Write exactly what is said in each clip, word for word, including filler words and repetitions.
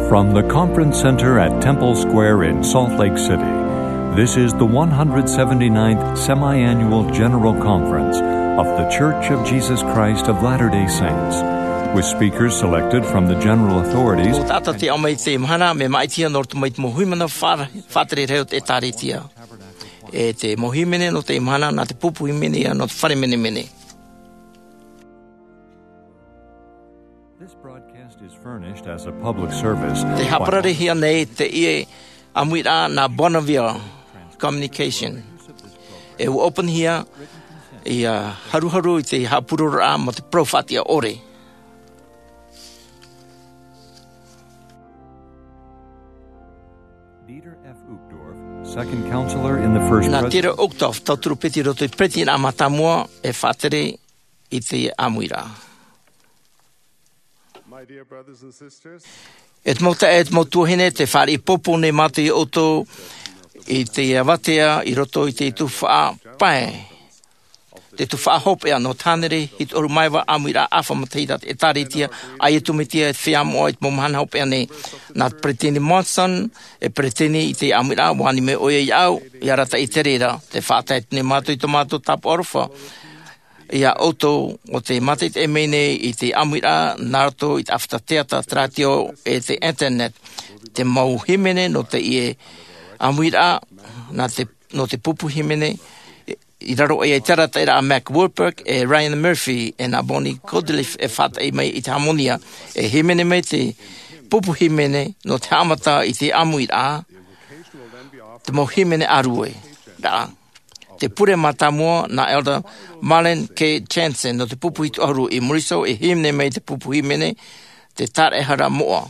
From the Conference Center at Temple Square in Salt Lake City, this is the one hundred seventy-ninth Semi-Annual General Conference of The Church of Jesus Christ of Latter-day Saints, with speakers selected from the general authorities. Tō tātou te ao mai i teie mahana, mea māʻitihia nō roto mai i te mau hīmene faʻa-, faʻatere rahi o te ʻĒtārētia, e te mau hīmene nō teie mahana, nā te pupu hīmene ia nō te fare menemene. This broadcast is furnished as a public service. Tē haʻapararehia nei teie ʻāmuiraʻa nā Bonneville Communication. E ʻua ʻōpuahia ia haruharu i te haʻapurororaʻa mā te parau faʻatiʻa ʻore. Dieter F. Uchtdorf, second counselor in the first Nā Dieter Uchtdorf, tauturu piti i roto i te peretitiraʻa mātāmua, e faʻatere i te ʻāmuiraʻa. My dear brothers and sisters, E te mau taeaʻe, e te mau tuahine, tē fāriʻi pōpō nei mātou ia ʻoutou i te avatea i roto i te tuhaʻa pae, te tuhaʻa hopeʻa nō te hānere hitu ʻahuru mā iva ʻāmuiraʻa ʻāfa mataʻitahi tā te ʻĒtārētia a Iesu Mesia e feiā moʻa i te mau mahana hopeʻa nei. Nā te peresideni Monson e peresideni i te ʻāmuiraʻa, ʻua ani mai ʻoia iāʻu, i arataʻi i te reira, tē faʻatae atu nei mātou i tō mātou tāpaʻo aroha ia ʻoutou ʻo tē mātaʻitaʻi mai nei i te ʻāmuiraʻa nā roto i te ʻāfata teata, te rātio, e te internet. Te mau hīmene nō teie ʻāmuiraʻa, nā te, nō te pupu hīmene, i raro aʻe i te arataʻiraʻa a Mac Wilberg, e Ryan Murphy, e nā Bonnie Godliff e faʻataʻi mai i te hāmonia, e hīmene mai te pupu hīmene nō te haʻamata i te ʻāmuiraʻa, te mau hīmene ʻāruʻe rā. Te pure mātāmua nā Elder Marlin K. Jensen nō te pupu hitu ʻahuru i muri iho, e hīmene mai te pupu hīmene, te tāraʻehara moʻa.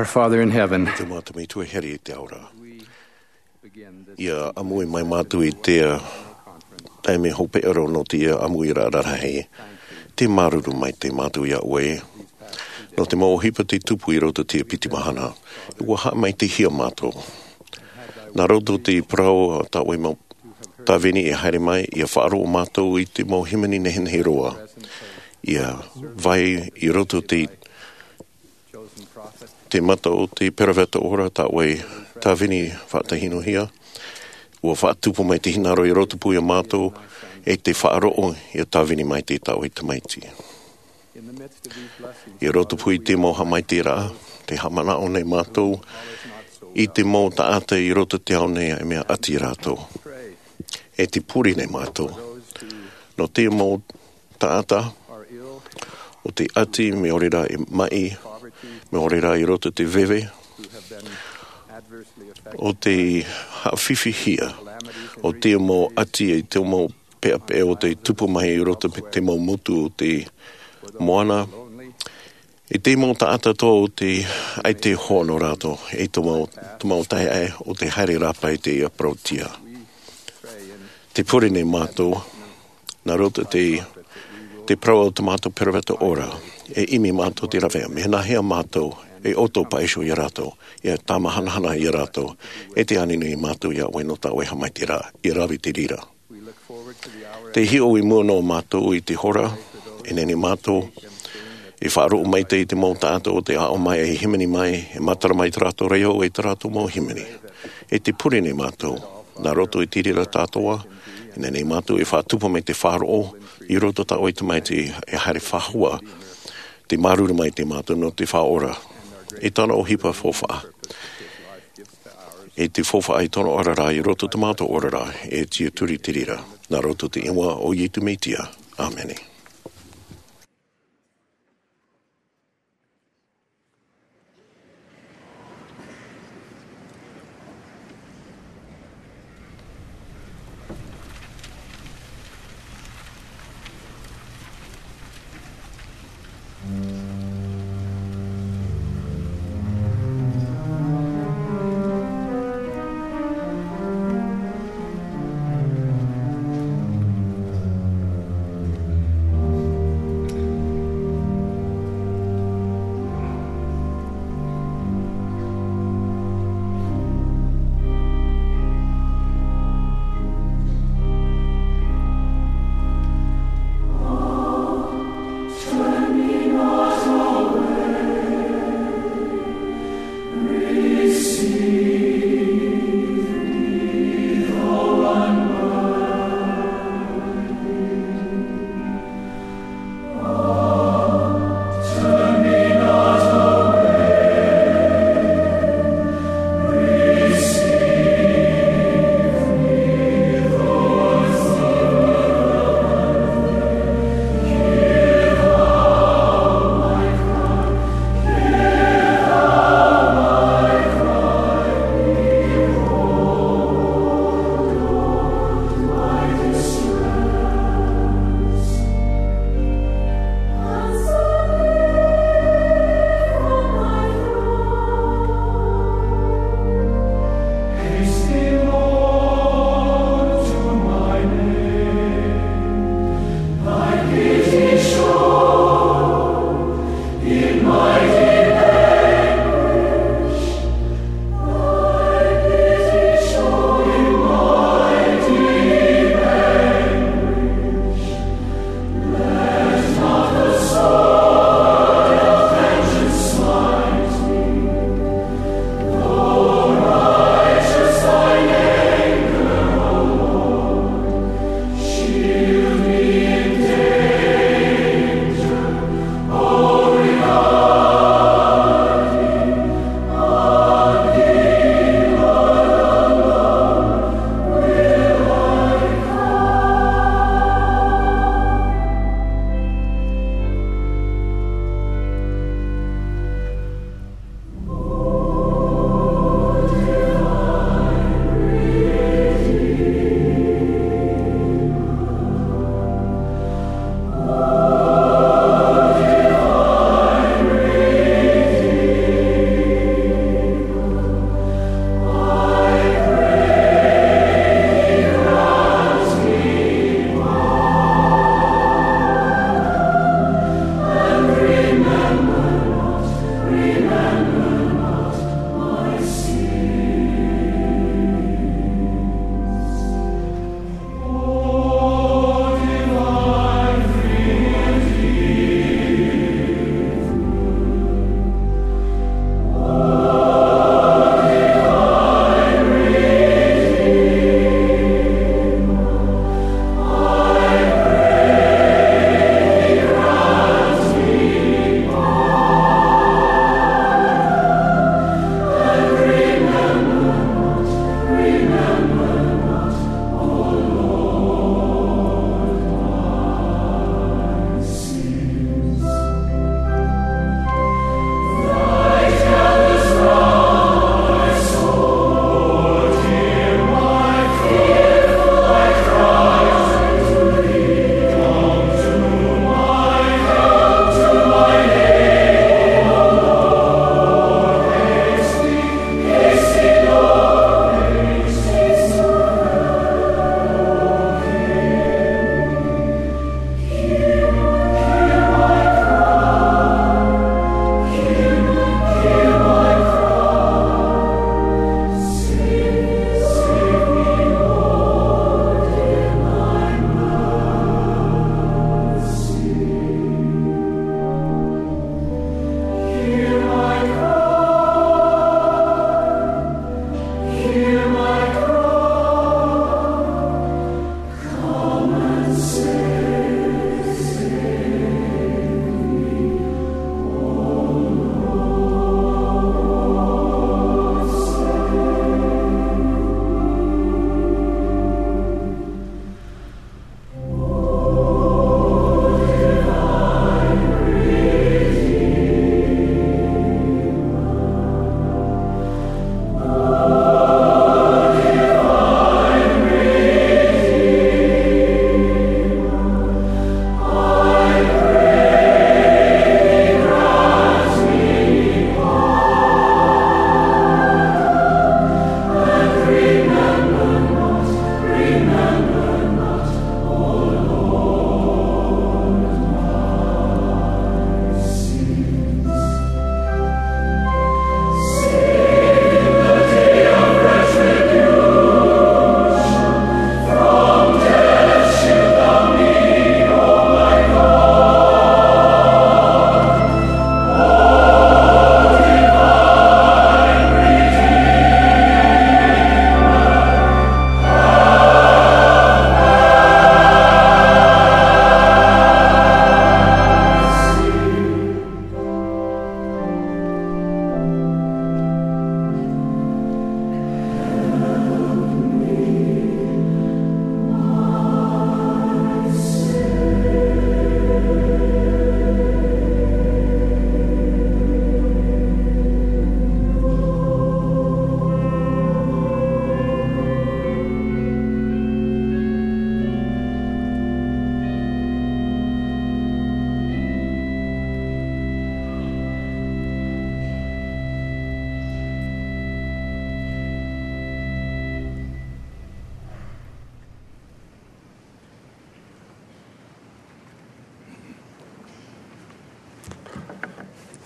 Father in heaven. Te Mātou Metua e here i te ao ra. Ia ʻāmui mai mātou i te, ā, taime hopeʻa roa nō te, ā, ʻāmuiraʻa rahi. Te māuruuru maitaʻi mātou iā ʻoe. Nō te mau ʻohipa tei tupu i roto i te piti mahana. ʻUa haʻamaitaʻihia mātou. Nā roto i te parau a tā ʻoe mau tāvini e haere mai, ia faʻaroʻo mātou i te mau hīmene nehenehe roa. Ia vai i roto i te te mata o te peroveta ora tā ʻoe tāvini faʻatahinuhia, ʻua faʻatupu mai te hinaʻaro i roto pū iā mātou, e te faʻaroʻo ia tāvini mai te tā ʻoe tamaiti. I roto pū i te mau haʻamaitaʻiraʻa, te haʻamanaʻo nei mātou, i te mau taʻata i roto i te ao nei e mea ʻati rātou. E te pure nei mātou. Nō te mau taʻata, ʻo te ʻati, mea ʻore rā e maʻi, mea ʻore rā i roto i te veve, ʻo te haʻafifihia, ʻo te mau ʻati, e te mau peʻapeʻa ʻo tei tupu mai i roto i te mau motu o te moana, e te mau taʻata atoʻa ʻo tei ʻaita e hoʻi nō rātou, e te mau, te mau taeaʻe ʻo tei haere rāpae i te parauʻtiʻa. Te pure nei mātou, nā roto i te, te parau o tā mātou peroveta ora, e ʻimi mātou i te rāveʻa, mea nāhea mātou, e ʻoto paʻi iho iā rātou, ia tāmahanahana iā rātou, e te ani nei mātou iā ʻoe nō tā ʻoe haʻamaitaʻiraʻa, ia rave i te reira. Tē hiʻo i mua noa mātou i te hora, e nehenehe mātou, e faʻaroʻo maitaʻi i te mau taʻata ʻo tei aʻo mai, e hīmene mai, e matara mai tā rātou reo, e tā rātou mau hīmene. E te pure nei mātou, nā roto i te reira atoʻa, e nehenehe mātou e faʻatupu mai te faʻaroʻo, i roto i tā ʻoe tamaiti e haere faʻahou, te māuruuru maitaʻi mātou nō te Faʻaora. E tāna ʻohipa faufaʻa. E te faufaʻa i tōna oraraʻa, i roto i tā mātou oraraʻa, e tiʻaturi i te reira. Nā roto i te iʻoa o Iesu Mesia. ʻĀmene.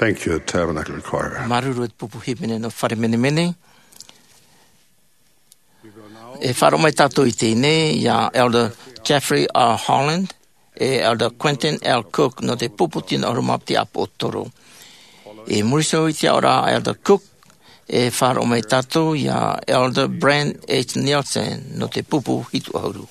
Thank you, Tabernacle Choir. Māuruuru e te pupu hīmene nō Fare Menemene. E faʻaroʻo mai tātou i teie nei iā Elder Jeffrey R. Holland e Elder Quentin L. Cook nō te pupu tino ʻahuru mā piti ʻāpōsetolo. I muri iho i te aʻoraʻa a Elder Cook, e faʻaroʻo mai tātou iā Elder Brent H. Nielsen nō te pupu hitu ʻahuru.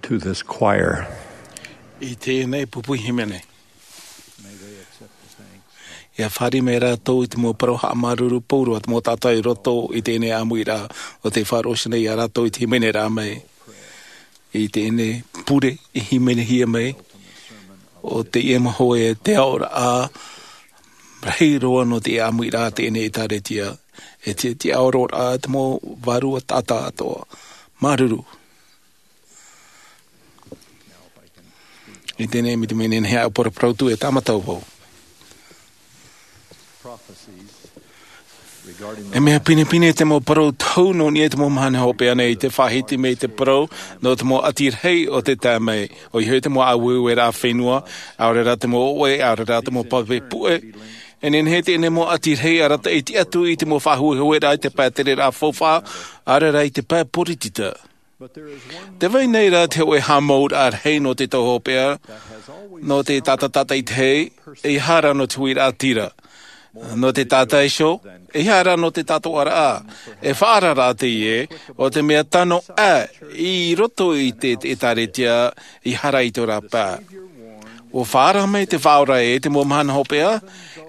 To this choir. I teie nei pupu hīmene. Ia fāriʻi mai rātou i te mau parau haʻamāuruuru pauroa a te mau taʻata i roto i teie nei ʻāmuiraʻa, ʻo tē faʻaroʻo nei iā rātou i te hīmeneraʻa mai. I teie nei pure i hīmenehia mai, ʻo teie mau hōʻē te aʻoraʻa rahi roa nō te ʻāmuiraʻa teie nei ʻĒtārētia, e te, te aroraʻa te mau vārua taʻata atoʻa. Māuruuru. I teie nei, mai te mea nehenehe aʻe e paraparau atu, e tāmata vau. E mea pinepine te mau parau tohu nō niʻa i te mau mahana hopeʻa nei, i te faʻahiti mai te parau nō te mau ʻati rahi o te tae mai, ʻoia hoʻi te mau ʻāueueraʻa fenua, ʻaore rā te mau ʻoʻe, ʻaore rā te mau pape puʻe. E nehenehe teie nei mau ʻati rahi e arataʻi atu i te mau faʻahuehueraʻa i te pae tereraʻa faufaʻa, ʻaore rā i te pae poritita. Tē vai nei rā te hōʻē haʻamauraʻa rahi nō te tau hopeʻa, nō te taʻata tamaitaʻi, ʻeiaha rā nō te huiraʻatira. Nō te taʻata iho, ʻeiaha rā nō te tātoʻaraʻa. E faʻaararaʻa teie, ʻo te mea tano aʻe i roto i te, te ʻĒtārētia, ʻeiaha rā i tō rāpae. ʻUa faʻaara mai te Faʻaora ē, te mau mahana hopeʻa,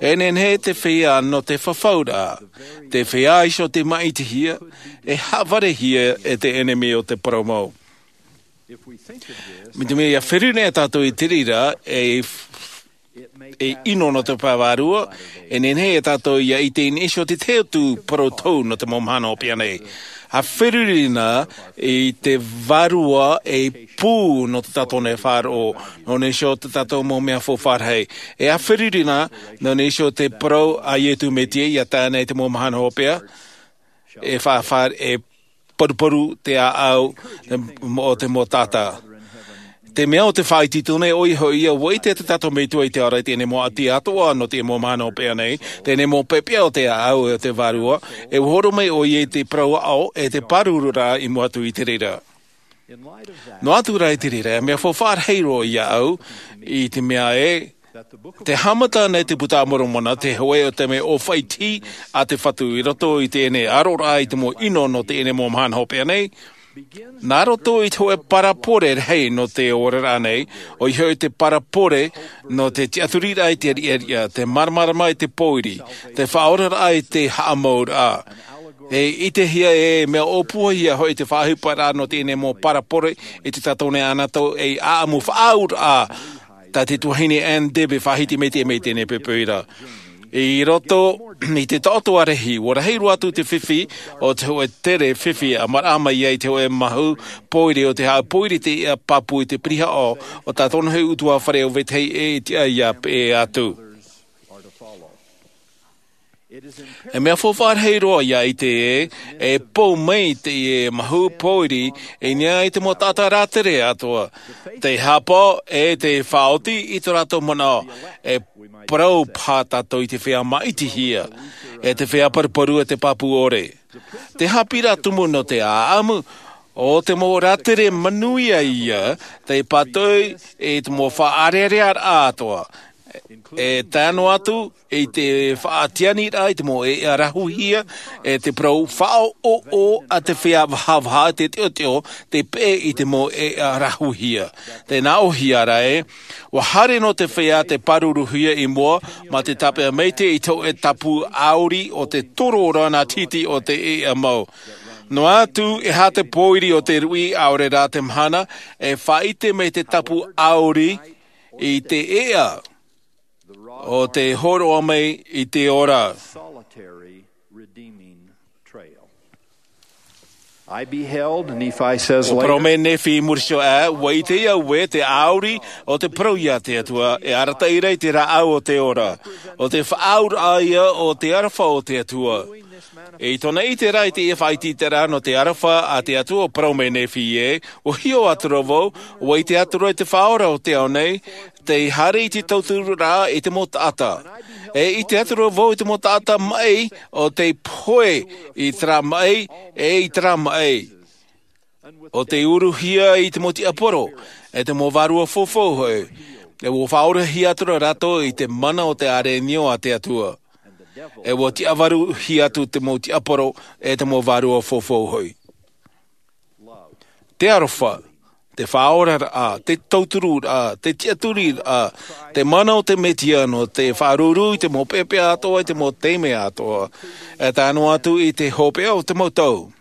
e nehenehe te feiā nō te fafauraʻa, te feiā iho tē maʻitihia, e haʻavarehia e te ʻenemi o te parau mau. Mai te mea ʻia feruri nei tātou i te reira, e, e ʻino nō te pae vārua, e nehenehe ia tātou ʻia ʻite i niʻa iho i te tahi atu parau tohu nō te mau mahana hopeʻa nei. ʻA feruri na i te Vārua e pū nō tā tātou nei faʻaroʻo, nō niʻa iho i tā tātou mau mea faufaʻa rahi. E ʻa feruri na, nō niʻa iho i te parau a Iesu Metia ʻia tae nei i te mau mahana hopeʻa, e faʻa-, faʻa-, e paruparu te ʻāʻau o te mau taʻata. Te mea ʻo tē faʻaitoito nei, ʻoia hoʻi ïa, ʻua ʻite te tātou Metua i te ora i teie nei mau ʻati atoʻa nō teie mau mahana hopeʻa nei, teie nei mau peʻapeʻa o te ʻāʻau e o te Vārua, e ʻua hōroʻa mai ʻoia i te parau aʻo, e te pāruru rā i mua atu i te reira. Noa atu rā i te reira, e mea faufaʻa rahi roa iāʻu, i te mea ē, tē haʻamata nei te Buka a Moromona, te hōʻē o te mea ʻōfaʻi a te Fatu i roto i teie nei aroraʻa i te mau ʻino nō teie nei mau mahana hopeʻa nei, nā roto i te hōʻē parabole rahi nō te oraraʻa nei, ʻoia hoʻi te parabole nō te tiʻaturiraʻa i te riʻariʻa, te māramarama i te pōiri, te faʻaoraraʻa i te haʻamauraʻa. E ʻitehia e mea ʻōpuahia hoʻi te faʻaʻohiparaʻa nō teie nei mau parabole i tā tātou nei anotau ei ʻāʻamu faʻaauraʻa, tā te tuahine Ann Dib e faʻahiti mai i teie nei poipoi ra. I roto i te taʻoto ʻārahi, ʻua rahi roa atu te fifi o te hōʻē tere fifi ʻa maraʻa mai ai te hōʻē mahu pōiri o te haʻapōiri i te iʻa pāpū i te pirihaʻo o tā tōna hōʻē ʻutuāfare ʻo Vetahi ʻē i te ʻai ʻia peʻe atu. E mea faufaʻa rahi roa ʻia ʻite ē, e pou mai teie mahu pōiri i niʻa i te mau taʻata rātere atoʻa. Te haʻapaʻo e te faʻaoti i tō rātou manaʻo, e parau paha tātou i te feiā maʻitihia, e te feiā paruparu e te pāpū ʻore. Te haʻapiʻiraʻa tumu nō te ʻāʻamu, ʻo te mau rātere manuia ïa, tei pātoʻi i te mau faʻaʻareʻareʻaraʻa atoʻa. E tae noa atu i te faʻatianiraʻa i te mau ʻēʻa rahuhia, e te parau faʻaʻoʻoʻo a te feiā vahavaha, te teʻoteʻo, tei peʻe i te mau ʻēʻa rahuhia. Tē nā ʻōhia ra ē, ʻua haere noa te feiā tei pāruruhia i mua, mā te tāpeʻa maitaʻi i te hōʻē tapu ʻauri o te toro ora nā titi o te ʻēʻa mau. Noa atu, e aha te pōiri o te ruʻi ʻaore rā te mahana, e faʻaʻite mai te tapu ʻauri i te ʻēʻa, ʻo tē hōroʻa mai i te ora. Solitary redeeming trail. I beheld, Nephi says later, parau mai Nephi i muri iho ā, ua ʻite au ē te ʻāuri o te parau a te Atua, e arataʻi ra i te rāʻau o te ora, o te faʻaauraʻa ia o te aroha o te Atua. E i tōna ʻite ra i te faʻaʻite ra nō te aroha a te Atua, parau mai Nephi ē, ua hiʻo atu ra vau, ua ʻite atu ra i te Faʻaora o te ao nei, tei haere i te tauturu ra i te mau taʻata. E ʻite atu ra vau i te mau taʻata maʻi, o tei pohe i terā maʻi, e i terā maʻi. O tei uruhia i te mau tiaporo, e te mau vārua faufaʻa hoʻi, e ua faʻaorahia atu ra rātou i te mana o te ʻārenio a te Atua. E ua tiavaruhia atu te mau tiaporo, e te mau vārua faufaʻa hoʻi. Te aroha, te faʻaoraraʻa, te tautururaʻa, te tiʻaturiraʻa, te mana o te Mesia nō te faʻaruru i te mau peʻapeʻa atoʻa, i te mau taime atoʻa, e tae noa atu i te hopeʻa o te mau tau.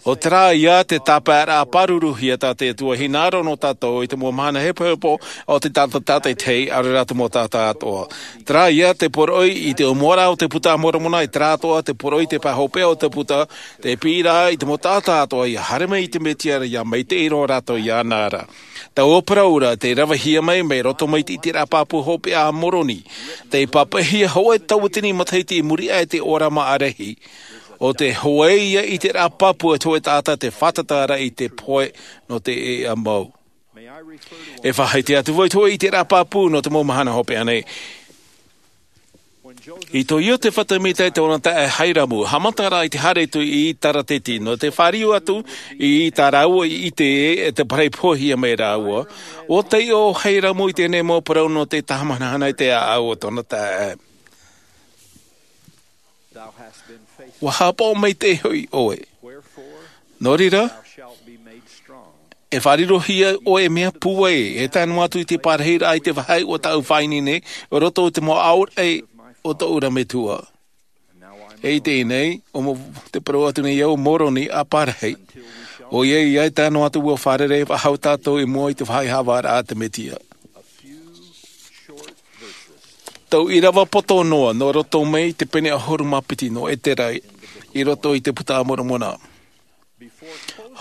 ʻO terā ia te tāpaeraʻa pāruruhia tā te Atua hinaʻaro nō tātou i te mau mahana hepohepo o te taʻata tātaʻitahi, ʻaore rā te mau taʻata atoʻa. Terā ia te poroʻi i te ʻōmuaraʻa o te Buka a Moromona, e terā atoʻa te poroʻi i te pae hopeʻa o te Buka, tei piʻi ra i te mau taʻata atoʻa ʻia haere mai i te Mesia, ʻia maitaʻi roa rātou iāna ra. Taua parau ra, tei ravehia mai, mai roto mai i te ʻiteraʻa pāpū hopeʻa a Moroni, tei pāpaʻihia hoʻi taua tini matahiti i muri aʻe i te ʻōrama ʻārahi. ʻO te hōʻē ia ʻiteraʻa pāpū a te hōʻē taʻata tei fātata ra i te pohe nō te ʻēʻa mau. E faʻaʻite atu vau i te hōʻē ʻiteraʻa pāpū nō te mau mahana hopeʻa nei. I tō Iosepha Semita e tōna taeaʻe Hairamu, haʻamata ra i te haere atu i Tarateti, nō te fāriu atu i tā rāua i ʻite e te parau i pohe mai rāua, ʻua taiʻo Hairamu i teie nei mau parau nō te tahi hanahana i te ʻāʻau o tōna taeaʻe. Ua haʻapaʻo maitaʻi hoʻi ʻoe. Nō reira, e faʻarirohia ʻoe e mea pūai, e tae noa atu i te parahiraʻa i te vāhi o tāʻu faʻaineine, i roto i te mau ʻaore o tōʻu ra metua. E i teie nei, ʻo mo-, te parau atu nei au Moroni ʻāparahi. ʻOia, e tae noa atu ʻua fārerei faʻahou tātou i mua i te vāhi haʻavāraʻa a te Mesia. Tau ʻīrava poto noa, nō roto mai i te pene ʻahuru mā piti nō Esera, i roto i te Buka a Moromona.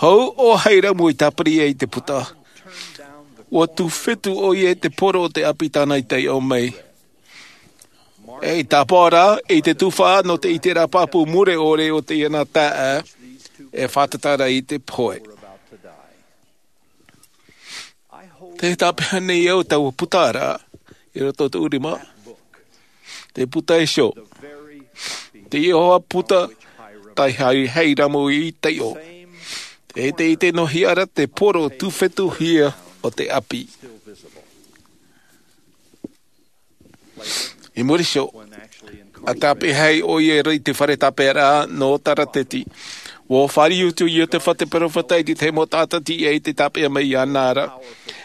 Hou ʻo Hairamu i tāpiri ai i te Buka, ʻua tūfetu ʻoia i te poro o te ʻapi tāna i taiʻo mai. E i tāpaʻo ra, i te tuhaʻa nō te ʻiteraʻa pāpū mure ʻore o teie nā taeaʻe, e fātata ra i te pohe. Tē tāpeʻa nei au taua buka ra, i roto i tōʻu rima. Te buka iho. Te iʻoa buka, tā Hai-, Hairamu i taiʻo. E te, i te nohia ra te poro tūfetuhia o te ʻapi. I muri iho, ʻa tāpeʻa ai ʻoia i te fare tāpeʻaraʻa nō Tarateti. ʻUa fāriu atu Iosepha te peropheta i te tahi mau taʻata tiʻa i te tāpeʻa mai iāna ra.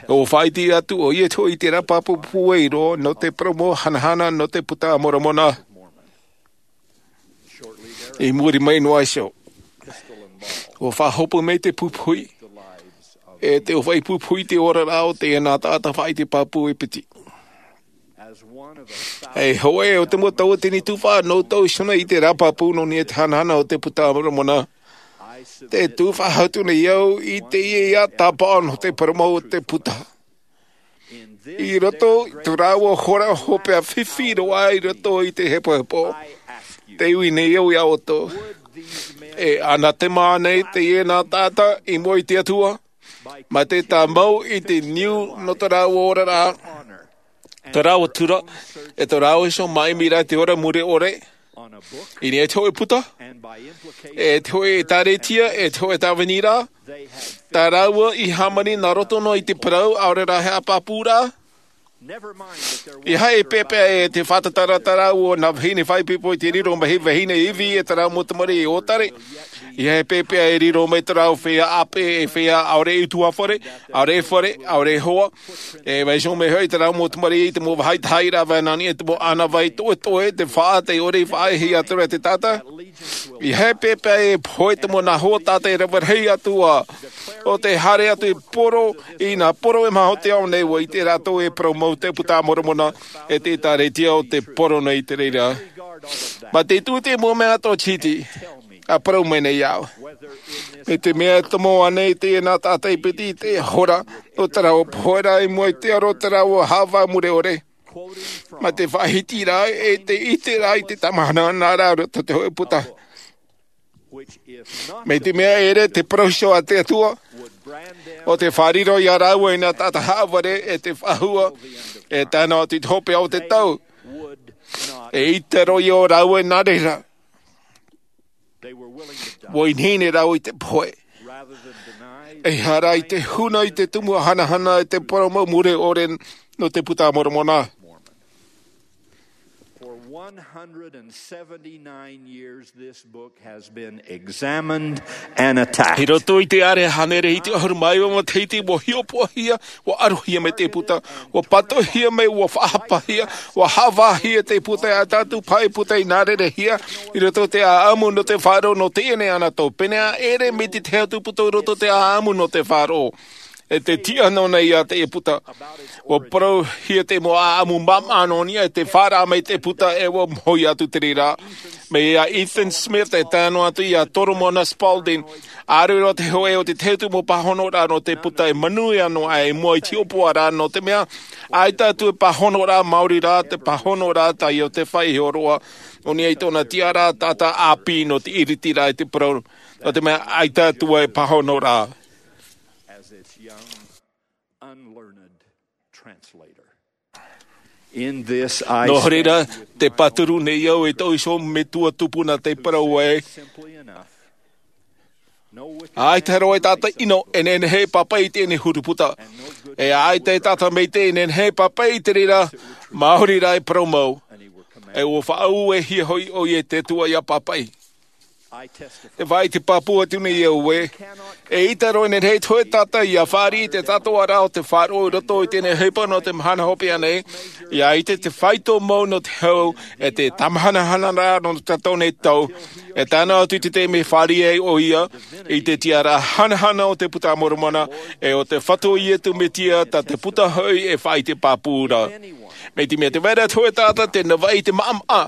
ʻUa faʻaʻite atu ʻoia i te hōʻē ʻiteraʻa pāpū pūai roa nō te parau mau hanahana nō te Buka a Moromona. I muri mai noa iho, ʻua faʻahope mai te pupuhi, e te ʻōfaʻi pupuhi i te oraraʻa o teie nā taʻata faʻaʻite pāpū e piti. E hōʻē o te mau tauatini tuhaʻa nō tōʻu iho nei ʻiteraʻa pāpū nō niʻa i te hanahana o te Buka a Moromona. Tē tufaʻa atu nei au i teie tāpaʻo nō te parau mau o te Buka. I roto i tō rāua hora hopeʻa fifi roa i roto i te hepohepo, tē ui nei au iā ʻoutou. E ʻanathema ānei teie nā taʻata i mua i te Atua, mai te tāmau i te niu nō tō rāua oraraʻa, tō rāua tura, e tō rāua iho māʻimiraʻa i te ora mure ʻore, i niʻa i te hōʻē buka, e te hōʻē ʻēkālesia, e te hōʻē tāvini ra, tā rāua i hāmani nā roto noa i te parau, ʻaore rā he ʻāpapūraʻa. ʻEiaha e pēpēʻa e te fātata ra tā rāua o nā vahine faʻaipoipo i te riro mai, vahine ivi e tā rāua mau tamariʻi ʻōtare. ʻEiaha e pēpēʻa e riro mai tā rāua feiā ʻāpeʻe, e feiā ʻaore e ʻutuāfare, ʻaore e fare, ʻaore e hoa. E vaiiho mai hoʻi tā rāua mau tamariʻi i te mau vāhi tahiraʻa, nā niʻa i te mau ʻānāvai toʻetoʻe, te faʻa, tē ʻore i faʻaʻēhia atu ra te taʻata. ʻEiaha e pēpēʻa e pohe te mau nā hoa taʻata e rave rahi atu ā, ʻo tē haere atu i poro, i nā poro e maha o te ao nei, ʻua ʻite rātou e parau mau te Buka a Moromona, e te ʻēkālesia o te poro nei i te reira. Mā te tuʻu i te mau mea atoʻa tītī. A parau mai nei au, mai te mea e tomo ānei teie nā tātou e piti i te hora o te rā ua pohe rā i mua i te aro o te rā ua hāvā mure ore, mai te faʻahiti rā e te ite rā i te tamahana nā rā roto te hoʻe puta. Mai te mea ere te parau iho a te Atua, o te fāriro i a rāua i nā tātou haʻavare e te faʻahua e tae noa atu i te hopeʻa o te tau, e ite roa i ō rāua i nā reira. Ua inihini rāua i te pohe, e hara i te huna i te tumu hanahana e te parau mau mure ore nō te puta a moromona. For one hundred and seventy-nine years this book has been examined and attacked. I roto i te ʻārea hānere hiti ʻahuru mā iva matahiti ua hiʻopoʻahia, ua arohia mai te puta, ua pātoʻihia mai, ua faʻahapahia, ua hāvāhia te puta e tātou pae puta i nā rerehia i roto i te ʻāʻamu nō te faʻaroʻo nō teie nei ana tō pēnei ʻere mai te tahi atu puta i roto i te ʻāʻamu nō te faʻaroʻo. E te tiʻa nō nei iā te puta, ua parauhia te mau ʻāʻamu māmā nō niʻa e te faʻaroʻo mai te puta e ua mohi atu te reira. Mai iā Ethan Smith e tae noa atu iā Toromona Spalding, ʻāreʻa te hoʻe o te tahi atu mau pāhonoraʻa nō te puta e manuia noa i mua i te hiʻopoʻaraʻa nō te mea ʻaita atu e pāhonoraʻa maori rā te pāhonoraʻa tā iotefa i hōroʻa nō niʻa i tōna tiʻaraʻa taʻata ʻāpī nō te iritiraʻa i te parau nō te mea ʻaita atu e pāhonoraʻa. As its young, unlearned translator. In this I nō reira, te pāturu nei au e tōʻu iho metua tupuna te parau ē, ʻaita roa e tātou ʻino e nehenehe e pāpaʻi i teie nei huru puta, e ʻaita e tātou maitaʻi e nehenehe e pāpaʻi i te reira maori rā e parau mau, e ua faʻaue hia hoʻi ʻoia e te Atua ia pāpaʻi. E faʻaʻite pāpū atu nei au ē, e ʻaita roa e nehenehe te hōʻē taʻata ia fāriʻi i te tātōʻaraʻa o te faʻaroʻo i roto i teie nei ʻohipa nō te mahana hopeʻa nei, ia ʻite te faito mau nō te hau e te tamahanahanaraʻa nō tātou nei tau, e tae noa atu i te taime e fāriʻi ai ʻoia i te tiʻaraʻa hanahana o te puta a moromona, e o te fatu o iesu mesia tā te puta hoʻi e faʻaʻite pāpū ra. Mai te mea te vai ra te hōʻē taʻata te navaʻi i te maʻamaʻa,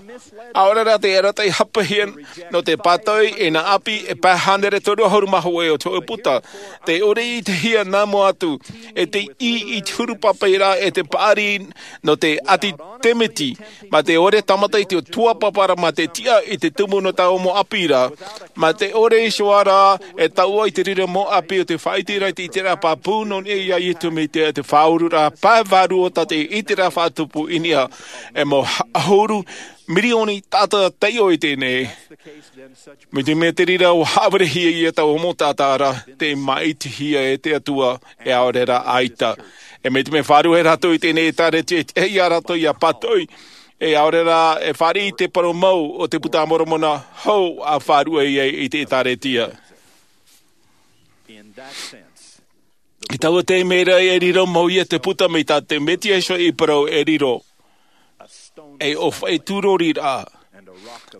ʻaore rā te arataʻi hapahia nō te pātoʻi e nā ʻāpī e pae hānere toru ʻahuru mā hōʻē o te hōʻē puta, te ʻore i te hia nā mua atu, e te ʻī i te huru pāpaʻiraʻa e te paʻari nō te ʻātitemiti, mā te ʻore tāmata i te tuatāpaparaʻa mā te tiʻa i te tumu nō taua mau ʻāpī ra, mā te ʻore iho ā rā e taʻua i te reira mau ʻāpī o te faʻaʻiteraʻa i te ʻiteraʻa pāpū nō niʻa iā iesu mesia e te faʻaururaʻa pae vārua tā te ʻiteraʻa faʻatupu i niʻa, e mau ʻahuru mirioni taʻata taiʻo i teie nei. Mai te mea te reira ua haʻaverehia ia taua mau taʻata ra, tē māʻitihia e te Atua e ʻaore rā ʻaita. E mai te mea e fārua rātou i teie nei ʻēkālesia e tiʻa ia rātou ia pātoʻi, e ʻaore rā e fāriʻi i te parau mau o te puta a moromona hou a fārua i ai i te ʻēkālesia. I taua taime ra e riro mau ia te puta mai tā te mesia iho i parau e riro, e ʻōfaʻi tūrori rā,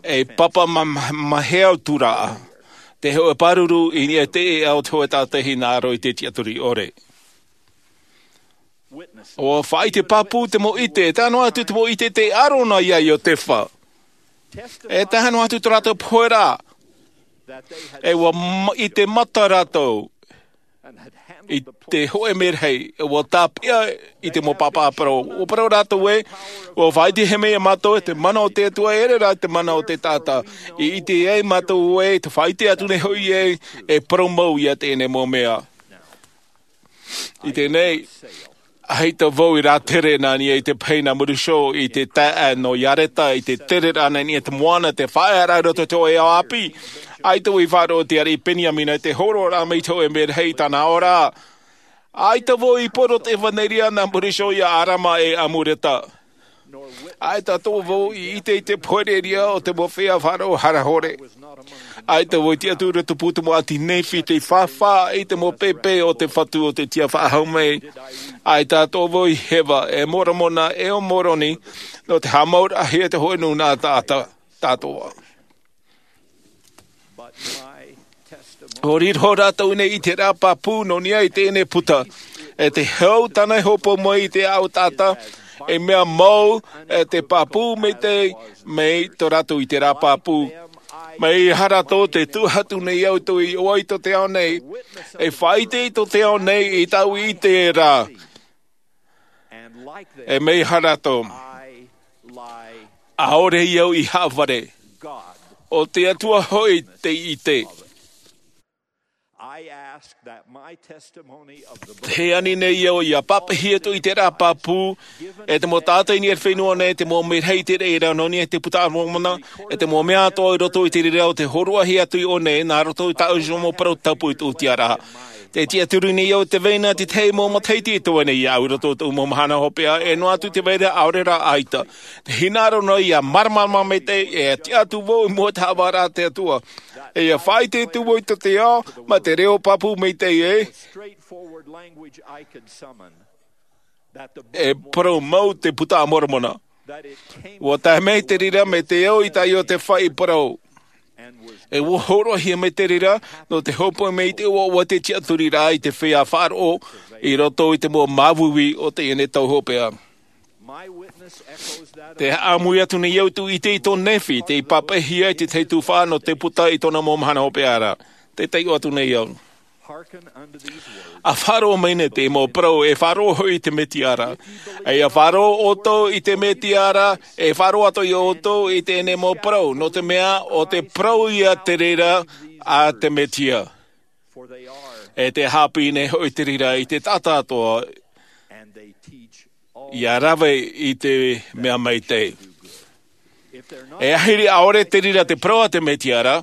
e papa ma- ma- mahea tūraʻa, te hōʻē pāruru i niʻa i te ʻēʻa o te hōʻē tātahi nā aro i te tiʻaturi ʻore. Ua faʻaʻite pāpū te mau ʻite e tae noa atu te mau ʻite tei ʻaro na iā iotefa, e tae noa atu tō rātou pohe ra, e ua ma- ʻite mata rātou i te hōʻē merahi ua tāpeʻa i te mau pāpā parau. Ua parau rātou ē, ua faʻaʻitehia mai iā mātou e te mana o te Atua e ʻere rā te mana o te taʻata. I ʻite ai mātou ē te faʻaʻite atu nei hoʻi ē, e parau mau iā teie nei mau mea. I teie nei, ʻaita vau i rātere nā niʻa i te pahi nā Muriso i te taeaʻe nō Iareta i te tereraʻa nā niʻa i te moana te faʻaearaʻa i roto i te hōʻē ao ʻāpī. ʻAita vau i faʻaroʻo i te ariʻi Peniamina i te hōroʻaraʻa mai i te hōʻē merahi i tāna ora. ʻAita vau i poro te ʻevanelia nā Muriso iā Arama e Amureta. ʻAita atoʻa vau i ʻite i te pohereʻareʻa o te mau feiā faʻaroʻo harahore. ʻAita vau i tiʻaturi tupu te mau ʻāti Nephi tei fāfā i te mau pēpē o te Fatu o te tiʻa faʻahou mai. ʻAita atoʻa vau i heva e Moromona e ʻo Moroni nō te haʻamauraʻahia te hōʻē nūnaʻa taʻata, tātou. ʻO riro rātou nei i te ʻiteraʻa pāpū nō niʻa i teie nei puta, e te hau tāna i hōpoi mai i te ʻāʻau taʻata, e mea mau e te pāpū maitaʻi mai tō rātou ʻiteraʻa pāpū. Mai hara tō te tuʻu atu nei au i tō i ʻoa i tō te ao nei, e faʻaʻite i tō te ao nei i tāʻu i te rā. E mai hara tō. ʻAore i au i haʻavare. ʻO te Atua hoʻi te ʻite. Te ani nei au ia pāpaʻihia tō i te rā pāpū, e te mau tātai nei e fenua nei, te mau merahi i te reira nō nei e te puta a Moromona, e te mau mea atoʻa i roto i te reira o te hōroʻahia atu i ʻō nei, nā roto i tāʻu iho mau parau tapu i tō tiʻaraʻa. Te tiʻaturi nei au te vai ra te tahi mau matahiti e toe nei au i roto i tō mau mahana hopeʻa, e noa atu te vai ra ʻaore rā ʻaita. Te hinaʻaro nei ia māramarama maitaʻi, e tiʻa atu vau i mua i te haʻavāraʻa a te Atua. E ia faʻaʻite atu vau i tō te ao, ma te reo pāpū maitaʻi e. E parau mau te puta a Moromona. Ua tae mai te reira mai te ao i taʻi o te faʻi parau. E ua hōroʻahia mai te reira, nō te hōpoi mai i te ʻoaʻoa te tiʻaturiraʻa i te feiā faʻaroʻo, i roto i te mau māuiui o teie nei tau hopeʻa. Te haʻamui atu nei au i tō ʻite i tō Nephi, tei pāpaʻihia i te tahi tuhaʻa nō te puta i tōna mau mahana hopeʻa ra. Te taiʻo atu nei au. A faʻaroʻo mai nei te mau parau, e faʻaroʻo hoʻi i te Mesia ra. E ia faʻaroʻo ʻoutou i te Mesia ra, e faʻaroʻo atoʻa ia ʻoutou i teie nei mau parau, nō te mea ʻo te parau ia te reira a te Mesia. E te haʻapiʻi nei hoʻi te reira i te taʻata atoʻa, ia rave i te mea maitaʻi. E ahiri ʻaore te reira te parau a te Mesia ra,